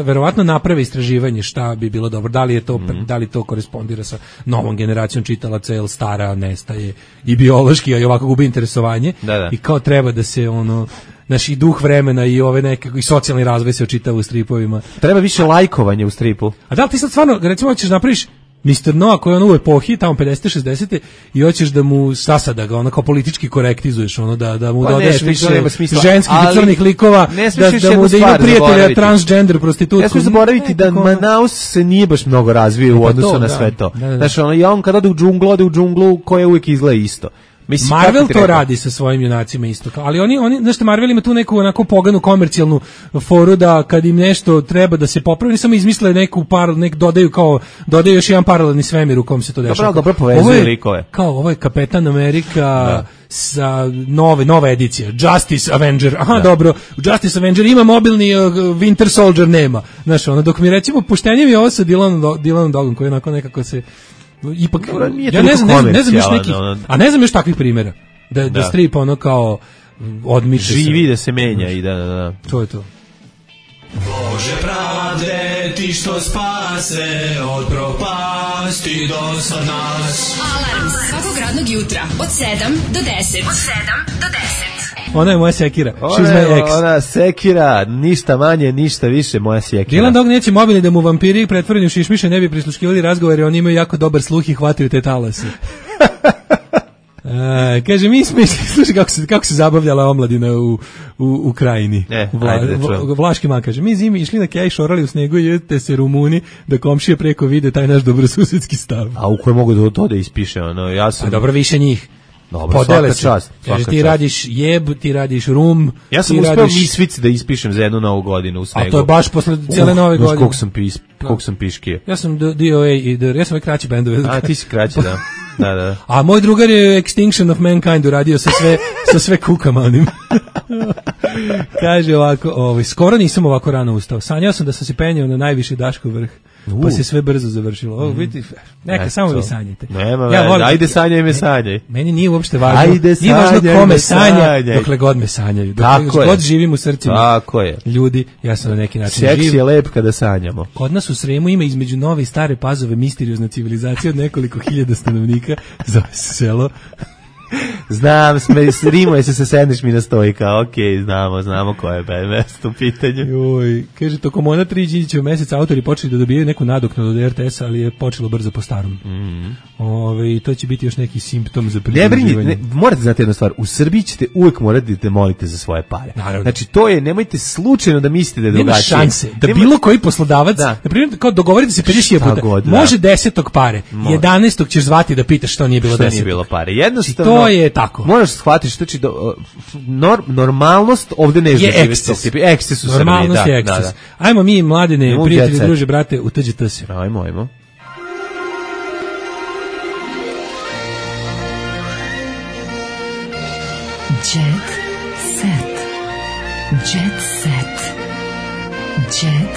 [SPEAKER 6] verovatno naprave istraživanje šta bi bilo dobro, da li to korespondira sa novom generacijom čitalaca, jer stara nestaje i biološki, a i ovako gubi interesovanje. I kao treba da se naš i duh vremena i ove neke i socijalni razvoj se očitava u stripovima.
[SPEAKER 5] Treba više lajkovanja u stripu.
[SPEAKER 6] A da li ti sad stvarno, recimo, hoćeš napraviš Mr. No, koji je u epohi, tamo 50. 60. i hoćeš da mu sasada ga kao politički korektizuješ, da mu dodaš više ženskih i crnih likova, da mu da ima prijatelja transgender prostitutku.
[SPEAKER 5] Ne smiješ zaboraviti da Manaus se nije baš mnogo razvio u odnosu na sve to. Znaš, on kad ode u džunglu koja uvijek izgleda isto.
[SPEAKER 6] Mislim, Marvel to radi sa svojim junacima isto. Ali oni znaš, Marvel ima tu neku onako poganu komercijalnu foru da kad im nešto treba da se popravi, oni samo izmisle dodaju još jedan paralelni svemir u kom se to dešava.
[SPEAKER 5] Dobro povezuje likove.
[SPEAKER 6] Kao ovo je Kapetan Amerika sa nova edicija Justice Avenger. Dobro, u Justice Avenger ima mobilni, Winter Soldier nema. Znaš, dok mi recimo poštenje mi je ovo sa Dylanom Dogom koji onako nekako se ipak, ja ne znam još nekih, a ne znam još takvih primjera da strip kao odmiče
[SPEAKER 5] živi, da se menja i da.
[SPEAKER 6] To je to.
[SPEAKER 13] Bože pravde, ti što spase od propasti do sad nas.
[SPEAKER 2] Alarm svakog radnog jutra od 7 do 10.
[SPEAKER 6] Ona je moja sekira.
[SPEAKER 5] Ona sekira, ništa manje, ništa više, moja sekira.
[SPEAKER 6] Dylan Dog neće mobilni da mu vampiri pretvoreni u šišmiše ne bi prisluškivali razgovore, oni imaju jako dobar sluh i hvataju te talase. Kaže, mi smo išli, slušaj kako se zabavljala omladina u krajini. Vlaški man kaže, mi zimi išli na kej, šorali u snegu i jedete se Rumuni da komšije preko vide taj naš dobrosusedski stav.
[SPEAKER 5] A u koje mogu to da ispiše? Ja sam...
[SPEAKER 6] A dobro, više njih.
[SPEAKER 5] Dobro, svaka čast.
[SPEAKER 6] Ti radiš jeb, ti radiš rum.
[SPEAKER 5] Ja sam uspeo Misvic da ispišem za jednu novu godinu u snegu.
[SPEAKER 6] A to je baš posle cijele nove godine.
[SPEAKER 5] Koliko sam piškio.
[SPEAKER 6] Ja sam DOA i ja sam kraći bendove.
[SPEAKER 5] A ti si kraći, da. Da.
[SPEAKER 6] A moj drugar je Extinction of Mankind uradio sa sve kukama onim. Kaže ovako, skoro nisam ovako rano ustao. Sanjao sam da sam se penjao na najviši Daškov vrh. pa se sve brzo završilo. Ovo vidite, neka samo vi sanjate.
[SPEAKER 5] Nema, ajde sanjaj me sanjaj.
[SPEAKER 6] Meni nije uopšte važno. Nije važno kome sanja, dokle god me sanjaju. Dokle god živim u srcima.
[SPEAKER 5] Tako je.
[SPEAKER 6] Ljudi, ja sam na neki način živ.
[SPEAKER 5] Seks je lep kada sanjamo.
[SPEAKER 6] Kod nas u Sremu ima između Nove i Stare Pazove misteriozna civilizacija od nekoliko hiljada stanovnika, zove se selo.
[SPEAKER 5] Znam, rimuje se sa sedneš mi na stojka, okej, znamo koje je mesto u pitanju.
[SPEAKER 6] Joj, kaže, tokom ona 3 Đinđićeva meseca autori počeli da dobijaju neku nadoknadu od RTS-a, ali je počelo brzo po starom. I to će biti još neki simptom za pridruživanje.
[SPEAKER 5] Morate znati jednu stvar, u Srbiji ćete uvek morati da molite za svoje pare.
[SPEAKER 6] Naravno.
[SPEAKER 5] Znači, to je, nemojte slučajno da mislite da je drugačije.
[SPEAKER 6] Nema šanse da bilo koji poslodavac, na primjer, kao dogovorite se 50 puta, može 10. pare, 11. ćeš zvati da pitaš što nije bilo 10.
[SPEAKER 5] Što nije bilo pare. Jednostavno,
[SPEAKER 6] to je tako.
[SPEAKER 5] Moraš shvatiti, znači normalnost ovde ne
[SPEAKER 6] je eksces.
[SPEAKER 5] Eksces u Srbiji,
[SPEAKER 6] normalnost je eksces. Ajmo mi, mladine, prijatelji, druže, brate, u TGT se.
[SPEAKER 5] Ajmo.
[SPEAKER 2] Jet set. Jet set. Jet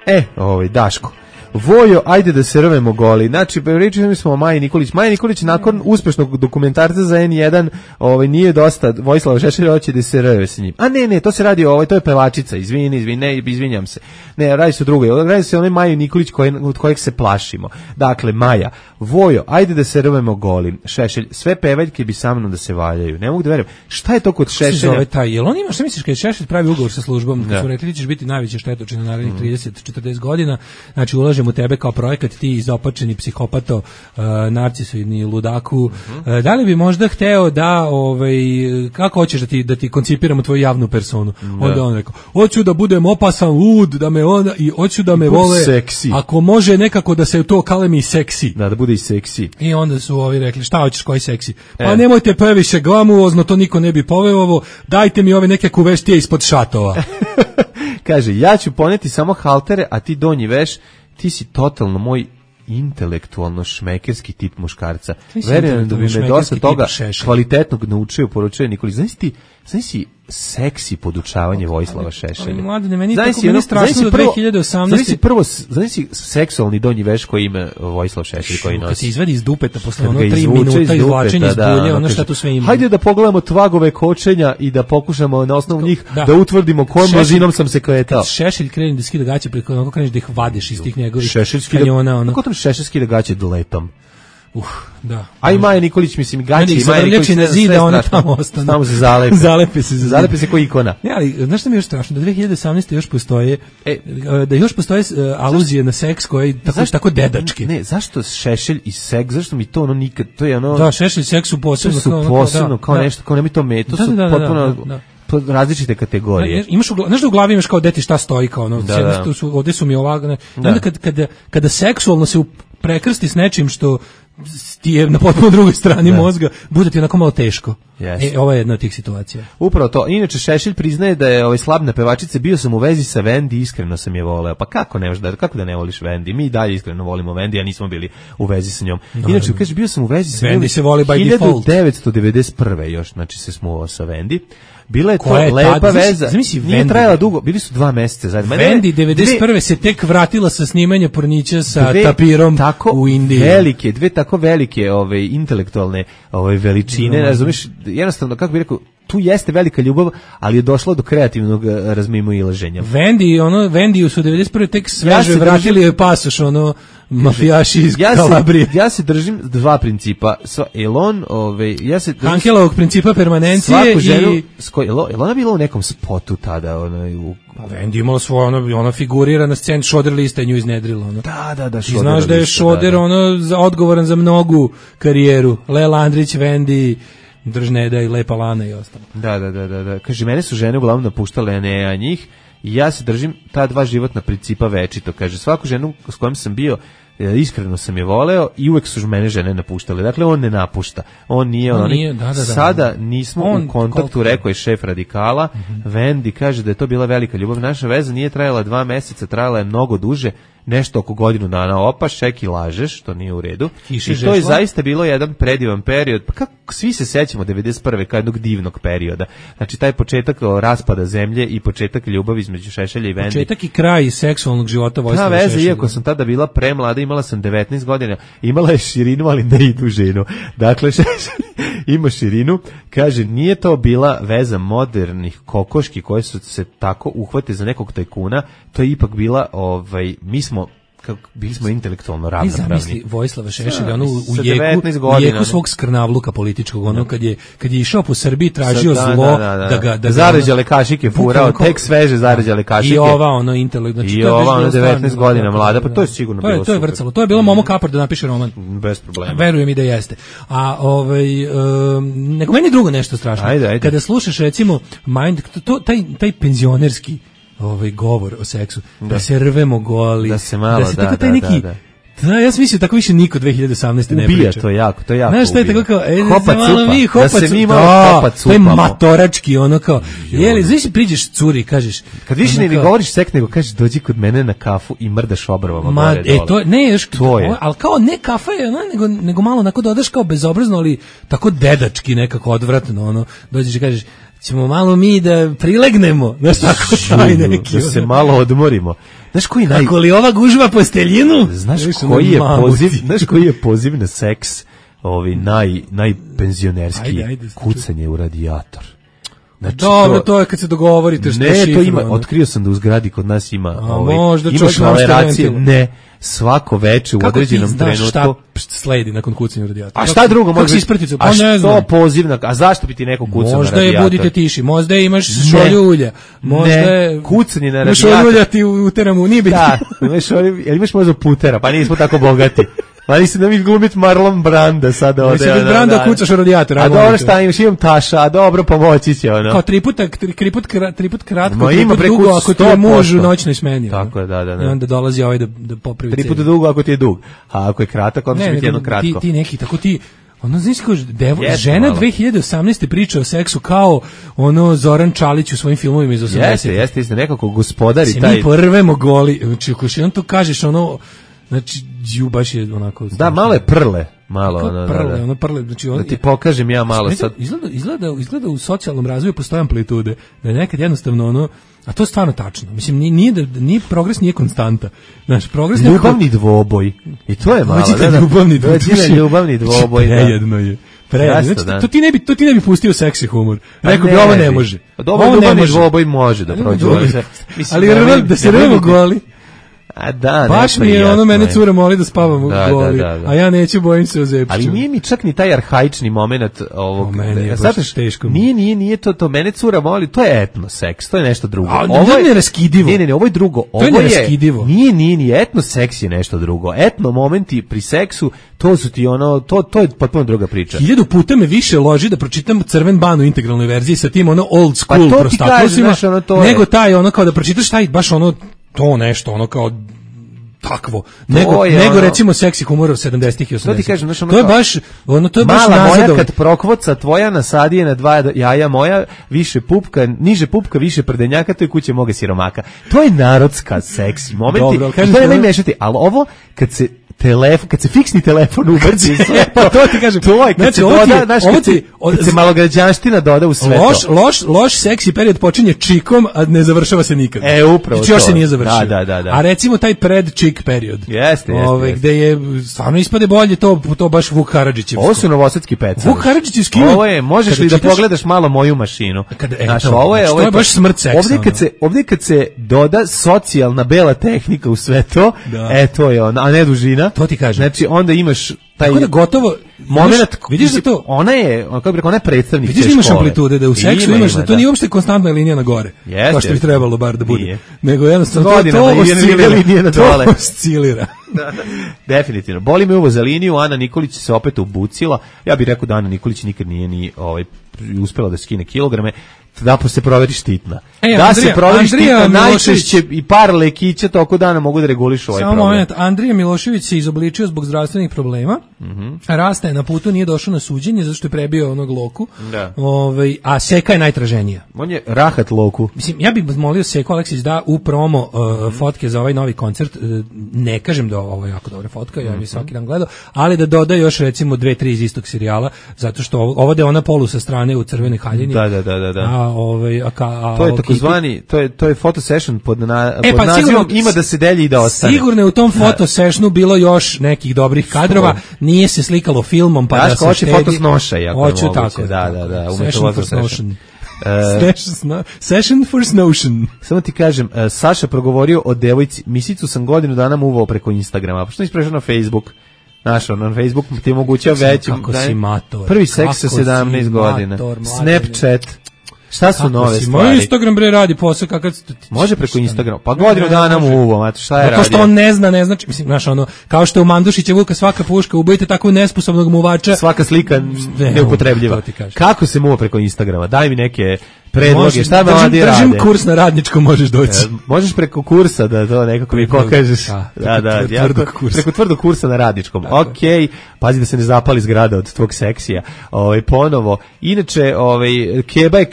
[SPEAKER 2] set.
[SPEAKER 5] Daško. Vojo, ajde da se rvemo goli. Znači, pričali smo o Maji Nikolić. Maja Nikolić nakon uspešnog dokumentarca za N1, nije dosta, Vojislava Šešelja hoće da se rve sa njim. A ne, to se radi to je pevačica, izvinjam se. Ne, radi se o drugoj. Radi se o onoj Maji Nikolić od kojeg se plašimo. Dakle, Maja, Vojo, ajde da se rvemo goli. Šešelj, sve pevaljke bi sa mnom da se valjaju. Ne mogu da verujem. Šta je to kod Šešelja?
[SPEAKER 6] Jel on ima, šta misliš, kad Šešelj pravi ugovor sa službom, kad su rekli ti ćeš biti najveća štetočina na narednih 30-40 godina, znači ulažemo u tebe kao projekat, ti izopačeni psihopato, narcisoidni ludaku, da li bi možda hteo da, kako hoćeš da ti koncipiramo tvoju javnu personu? Onda on rekao, hoću da budem opasan, lud, da me onda, i hoću da me vole,
[SPEAKER 5] seksi.
[SPEAKER 6] Ako može nekako da se to kalemi seksi.
[SPEAKER 5] Da bude i seksi.
[SPEAKER 6] I onda su ovi rekli, šta hoćeš, koji seksi? Pa nemojte previše glamuozno, to niko ne bi poveo ovo, dajte mi ove neke kuveštije ispod šatova.
[SPEAKER 5] Kaže, ja ću poneti samo haltere, a ti donji veš. Ti si totalno moj intelektualno šmekerski tip muškarca. Verujem da bi me dosta toga kvalitetnog naučio, poručuje Nikolić. Znaš seksi podučavanje Vojislava Šešelja.
[SPEAKER 6] Mladine, meni tako meni strašno do 2018.
[SPEAKER 5] Znaš si seksualni donji veš koji ima Vojislav Šešelj koji nosi.
[SPEAKER 6] Kad se izvadi iz dupeta posle 3 minuta izvlačenja iz bulje, ono šta tu sve ima.
[SPEAKER 5] Hajde da pogledamo tvagove kočenja i da pokušamo na osnovu njih da utvrdimo kojom množinom sam se kretao.
[SPEAKER 6] Šešelj krene da skida gaće, preko onako kreneš da ih vadeš iz tih njegovih kanjona.
[SPEAKER 5] Kako tam Šešelj skida gaće letom?
[SPEAKER 6] Da.
[SPEAKER 5] A i Maja Nikolić, mislim, gaće i Maja Nikolić
[SPEAKER 6] na zida, ona tamo ostane.
[SPEAKER 5] Tamo se zalepe.
[SPEAKER 6] Zalepe
[SPEAKER 5] se ko ikona.
[SPEAKER 6] Ne, ali znaš što mi je još strašno? Da 2018. još postoje, da još postoje aluzije na seks koji tako dedački.
[SPEAKER 5] Ne, zašto Šešelj i seks, zašto mi to nikad, to je
[SPEAKER 6] Da, Šešelj i seks su
[SPEAKER 5] posebno, kao nešto, kao nema to to su potpuno različite kategorije.
[SPEAKER 6] Znaš da u glavi imaš kao deti šta stoji, kao ovdje su mi ovako, onda kada seksualno se prekrsti s nečim što ti je na potpuno drugoj strani mozga, bude ti onako malo teško. Ovo je jedna od tih situacija.
[SPEAKER 5] Upravo to. Inače, Šešelj priznaje da je slab na pevačice, bio sam u vezi sa Vendi, iskreno sam je voleo. Pa kako da ne voliš Vendi? Mi dalje iskreno volimo Vendi, a nismo bili u vezi sa njom. Inače, kaže, bio sam u vezi sa
[SPEAKER 6] Vendi, se voli by default.
[SPEAKER 5] 1991. još, znači se smuvao sa Vendi. Bila je to lepa veza. Nije trajala dugo, bili su 2 meseca zajedno.
[SPEAKER 6] Vendi 91. se tek vratila sa snimanja pornića sa tapirom u Indiji.
[SPEAKER 5] Dve tako velike intelektualne veličine, razumiješ, jednostavno, kako bih rekao, tu jeste velika ljubav, ali je došlo do kreativnog razmimoilaženja.
[SPEAKER 6] Vendiju su 91. tek sveže vratili joj pasoš, mafijaši iz Kalabrije.
[SPEAKER 5] Ja se držim 2 principa.
[SPEAKER 6] Hankelovog principa permanencije i...
[SPEAKER 5] Ona bila u nekom spotu tada?
[SPEAKER 6] Pa Vendi imala svoje, ona figurira na sceni, Šoder lista je nju iznedrila.
[SPEAKER 5] Da,
[SPEAKER 6] Šoder. I znaš da je Šoder odgovoran za mnogu karijeru. Lela Andrić, Vendi, Držneda i Lepa Lana i ostalo.
[SPEAKER 5] Da. Kaže, mene su žene uglavnom napuštale, a ne njih. I ja se držim ta 2 životna principa večito. Kaže, svaku ženu s kojom sam bio, iskreno sam je voleo i uvek su mene žene napuštale. Dakle, on ne napušta. On nije. Sada nismo u kontaktu, rekao je šef Radikala. Vendi kaže da je to bila velika ljubav. Naša veza nije trajala 2 meseca, trajala je mnogo duže. nešto oko godinu dana opaš, ček i lažeš, to nije u redu.
[SPEAKER 6] Kiše
[SPEAKER 5] I to je zaista bilo jedan predivan period, pa kako svi se sećamo 91. kao jednog divnog perioda. Znači taj početak raspada zemlje i početak ljubavi između Šešelja i Vendi.
[SPEAKER 6] Početak i kraj seksualnog života Vojislava
[SPEAKER 5] Šešelja.
[SPEAKER 6] Šešelja.
[SPEAKER 5] Iako sam tada bila premlada, imala sam 19 godina, imala je širinu, ali ne i dužinu. Dakle, Šešelj ima širinu, kaže, nije to bila veza modernih kokoški koje su se tako uhvate za nekog tajkuna, to je ipak bila, mi smo bili smo intelektualno ravnopravni.
[SPEAKER 6] Zamisli Vojislava Šešelja, ono u jeku svog skrnavluka političkog, ono kad je išao po Srbiji, tražio zlo, da
[SPEAKER 5] zarađale kašike furao, tek sveže zarađale kašike.
[SPEAKER 6] I ova ono intelekt,
[SPEAKER 5] znači i ova ono 19 godina mlada, pa to je sigurno bilo.
[SPEAKER 6] To je vrcalo, to je bilo Momo Kapor da napiše roman.
[SPEAKER 5] Bez problema.
[SPEAKER 6] Verujem i da jeste. A nego meni drugo nešto strašno.
[SPEAKER 5] Ajde.
[SPEAKER 6] Kada slušaš recimo Mind, taj penzionerski govor o seksu, da se rvemo goli,
[SPEAKER 5] da se malo,
[SPEAKER 6] tako taj neki, da, ja sam mislio tako više niko 2018. ne priča.
[SPEAKER 5] Ubija to jako.
[SPEAKER 6] Znaš šta je tako kao,
[SPEAKER 5] da se mi malo hopac
[SPEAKER 6] to je matorački, ono kao, jeli, znaš priđeš curi i kažeš,
[SPEAKER 5] kad više ne govoriš seks, nego kažeš dođi kod mene na kafu i mrdaš obrovama gore dole.
[SPEAKER 6] To ne, još, ali kao ne kafa je, nego malo onako dodaš kao bezobrazno, ali tako dedački nekako odvratno, ono, dođeš i kažeš, ćemo malo mi da prilegnemo, znaš tako taj neki.
[SPEAKER 5] Da se malo odmorimo. Znaš koji
[SPEAKER 6] Kako li ova gužva posteljinu?
[SPEAKER 5] Znaš koji je poziv na seks, najpenzionerski, kucanje u radijator.
[SPEAKER 6] Znači, dobro, to je kad se dogovorite što
[SPEAKER 5] ne, to ima, otkrio sam da u zgradi kod nas ima ima švaleracije, ne, svako veče u određenom trenutku.
[SPEAKER 6] Kako ti znaš šta sledi nakon kucanja u radijator?
[SPEAKER 5] A šta drugo može
[SPEAKER 6] biti?
[SPEAKER 5] A što pozivna, a zašto bi ti neko kucao na radijator?
[SPEAKER 6] Možda je budite tiši, možda imaš šolju ulja, možda je
[SPEAKER 5] kucanje na radijator.
[SPEAKER 6] Šolju ulja ti uteramo, nije bitno.
[SPEAKER 5] Da, imaš možda putera, pa nismo tako bogati. Pa nisi da mi glumit Marlon Branda sada ovde.
[SPEAKER 6] Nisi da Branda kucaš u radijator.
[SPEAKER 5] A dobro šta imaš, imam taša, a dobro pomoći će ono.
[SPEAKER 6] Kao tri put kratko, tri put dugo ako ti je muž u noćnoj smeni.
[SPEAKER 5] Tako je, da.
[SPEAKER 6] I onda dolazi ovaj da popravi cenu.
[SPEAKER 5] 3 puta dugo ako ti je dug, a ako je kratak, onda će biti jedno kratko.
[SPEAKER 6] Ti neki, tako ti, ono znaš kao žena 2018. priča o seksu kao ono Zoran Čalić u svojim filmovima iz 80.
[SPEAKER 5] Jeste, nekako gospodari
[SPEAKER 6] taj.
[SPEAKER 5] Se
[SPEAKER 6] mi porvemo goli, znači ako še on to kažeš ono, znači baš je onako.
[SPEAKER 5] Da, malo je prle, malo
[SPEAKER 6] ono prle, znači
[SPEAKER 5] da ti pokažem ja malo sad.
[SPEAKER 6] Izgleda u socijalnom razvoju postoje amplitude, da je nekad jednostavno ono, a to je stvarno tačno. Mislim nije progres nije konstanta. Znaš, progres
[SPEAKER 5] ljubavni dvoboj. I to je malo, ljubavni dvoboj.
[SPEAKER 6] Prejedno je. Znači, to ti ne bi pustio seksi humor. Rekao bi ovo ne može.
[SPEAKER 5] Dobro, ljubavni dvoboj može da prođe.
[SPEAKER 6] Ali da se revemo goli.
[SPEAKER 5] A da,
[SPEAKER 6] baš mi je ono, mene cura moli da spavam u goli, a ja neću, bojim se o zepću.
[SPEAKER 5] Ali nije mi čak ni taj arhaični moment ovog.
[SPEAKER 6] Meni je baš teško.
[SPEAKER 5] Nije to, mene cura moli, to je etno seks, to je nešto drugo.
[SPEAKER 6] Ovo je neraskidivo.
[SPEAKER 5] Ne, ovo je drugo.
[SPEAKER 6] To je neraskidivo.
[SPEAKER 5] Nije, etno seks je nešto drugo. Etno momenti pri seksu, to su ti ono, to je potpuno druga priča.
[SPEAKER 6] 1000 puta me više loži da pročitam Crven ban u integralnoj verziji sa tim ono old school prostaklusima, nego taj ono kao da pročitaš taj baš ono to nešto, ono kao takvo. Nego recimo seksi humor 70-ih i 80-ih.
[SPEAKER 5] To ti kažem,
[SPEAKER 6] to je baš
[SPEAKER 5] mala moja kad prokvoca tvoja nasadije na 2 jaja moja, više pupka, niže pupka, više prdenjaka, to je kuće moga siromaka. To je narodska seksi momenti. Dobro, to je najmešati, ali ovo kad se fiksni telefon ubrzi sve,
[SPEAKER 6] pa to ti kažem.
[SPEAKER 5] To je kad se doda, kad se malograđanština doda u sve to.
[SPEAKER 6] Loš seksi period počinje čikom, a ne završava se nikad.
[SPEAKER 5] Upravo
[SPEAKER 6] to. Još se nije završio.
[SPEAKER 5] Da.
[SPEAKER 6] A recimo taj pred-čik period.
[SPEAKER 5] Jeste.
[SPEAKER 6] Gde je stvarno ispade bolje to baš Vuk Karadžićevsko.
[SPEAKER 5] Ovo su novosadski peca.
[SPEAKER 6] Vuk Karadžićevski.
[SPEAKER 5] Ovo je, možeš li da pogledaš malo moju mašinu?
[SPEAKER 6] Ovo je baš smrt seksa.
[SPEAKER 5] Ovdje kad se doda socijalna bela tehnika u sve to, to je ona, a ne dužina.
[SPEAKER 6] To ti kažem.
[SPEAKER 5] Znači onda imaš taj
[SPEAKER 6] tako da gotovo
[SPEAKER 5] moment,
[SPEAKER 6] vidiš da to
[SPEAKER 5] ona je, kako bih rekao, ona je predstavnik te škole.
[SPEAKER 6] Vidiš imaš amplitude da u seksu imaš da to nije uopšte konstantna linija na gore. Kao što bi trebalo bar da bude. Nego jednostavno to oscilira.
[SPEAKER 5] Definitivno. Boli me uvo za liniju, Ana Nikolić se opet obucila. Ja bih rekao da Ana Nikolić nikad nije ni uspela da skine kilograme. da se proveri štitna. Se proveri štitna najčešće i par lekića toko dana mogu da regulišu ovaj problem.
[SPEAKER 6] Moment, Andrija Milošević se izobličio zbog zdravstvenih problema. Rasta je na putu, nije došao na suđenje zato što je prebio onog Loku. A Seka je najtraženija.
[SPEAKER 5] On je rahat Loku.
[SPEAKER 6] Mislim, ja bih molio Seku Aleksić da u promo fotke za ovaj novi koncert, ne kažem da ovo je jako dobra fotka, ja bih svaki dan gledao, ali da doda još recimo 2-3 iz istog serijala, zato što ovo da je ona polu sa strane u crvenoj haljini.
[SPEAKER 5] Da. To je takozvani, to je photo session pod nazivom ima da se delji i da ostane.
[SPEAKER 6] Sigurno je u tom photo sessionu bilo još nekih dobrih kadrova, nije se slikalo filmom pa da se štedi.
[SPEAKER 5] Foto snoša, jako je moguće.
[SPEAKER 6] Tako.
[SPEAKER 5] Da.
[SPEAKER 6] Session for snotion. Session for snotion.
[SPEAKER 5] Samo ti kažem, Saša progovorio o devojci, misicu sam godinu dana muvao preko Instagrama, pa što nisi prešao na Facebook? Našao na Facebook ti omogućava većim.
[SPEAKER 6] Kako si mator.
[SPEAKER 5] Prvi seks sa 17 godina. Snapchat. Šta su nove stvari?
[SPEAKER 6] Moj Instagram bre radi posao kakav
[SPEAKER 5] može preko Instagrama. Pa godinu dana mu uvo, znači šta je radio?
[SPEAKER 6] To što on ne znači, mislim, znaš, ono, kao što je u Mandušića Vuka svaka puška, ubojite tako nesposobnog muvača.
[SPEAKER 5] Svaka slika neupotrebljiva. Kako se muva preko Instagrama? Daj mi neke predloge, šta me mladi rade?
[SPEAKER 6] Držim kurs na Radničkom, možeš doći.
[SPEAKER 5] Možeš preko kursa da to nekako mi pokažeš. Preko tvrdog kursa na Radničkom. Okej, pazi da se ne zapali zgrada od tvog seksija. Ponovo. Inače, Keba je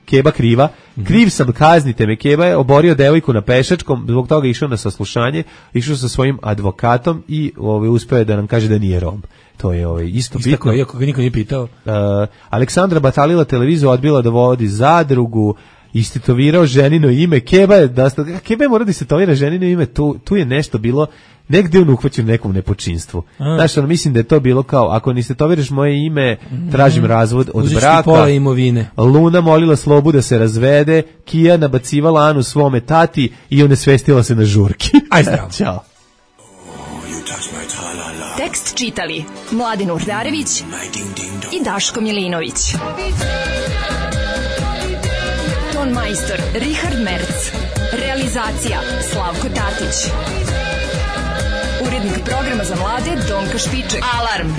[SPEAKER 5] Keba kriva. Kriv sam, kaznite me. Keba je oborio devojku na pešačkom, zbog toga išao na saslušanje, išao sa svojim advokatom i uspeo je da nam kaže da nije Rom. To je isto bitno.
[SPEAKER 6] Iako ga niko nije pitao.
[SPEAKER 5] Aleksandra batalila televiziju, odbila da vodi zadrugu, istetovirao ženino ime. Keba je mora da istetovira ženino ime, tu je nešto bilo, negde on uhvaćen nekom nepočinstvu. Znaš, mislim da je to bilo kao, ako ne istetoviraš moje ime, tražim razvod od braka.
[SPEAKER 6] Pola imovine.
[SPEAKER 5] Luna molila Slobu da se razvede, Kija nabacivala Anu svome tati i onesvestila se na žurki.
[SPEAKER 6] Aj zdravo.
[SPEAKER 5] Ćao.
[SPEAKER 14] Tekst čitali Mladin Urdarević i Daško Milinović. Ton majstor Richard Merc. Realizacija Slavko Tatić. Urednik programa za mlade Donka Špiček. Alarm!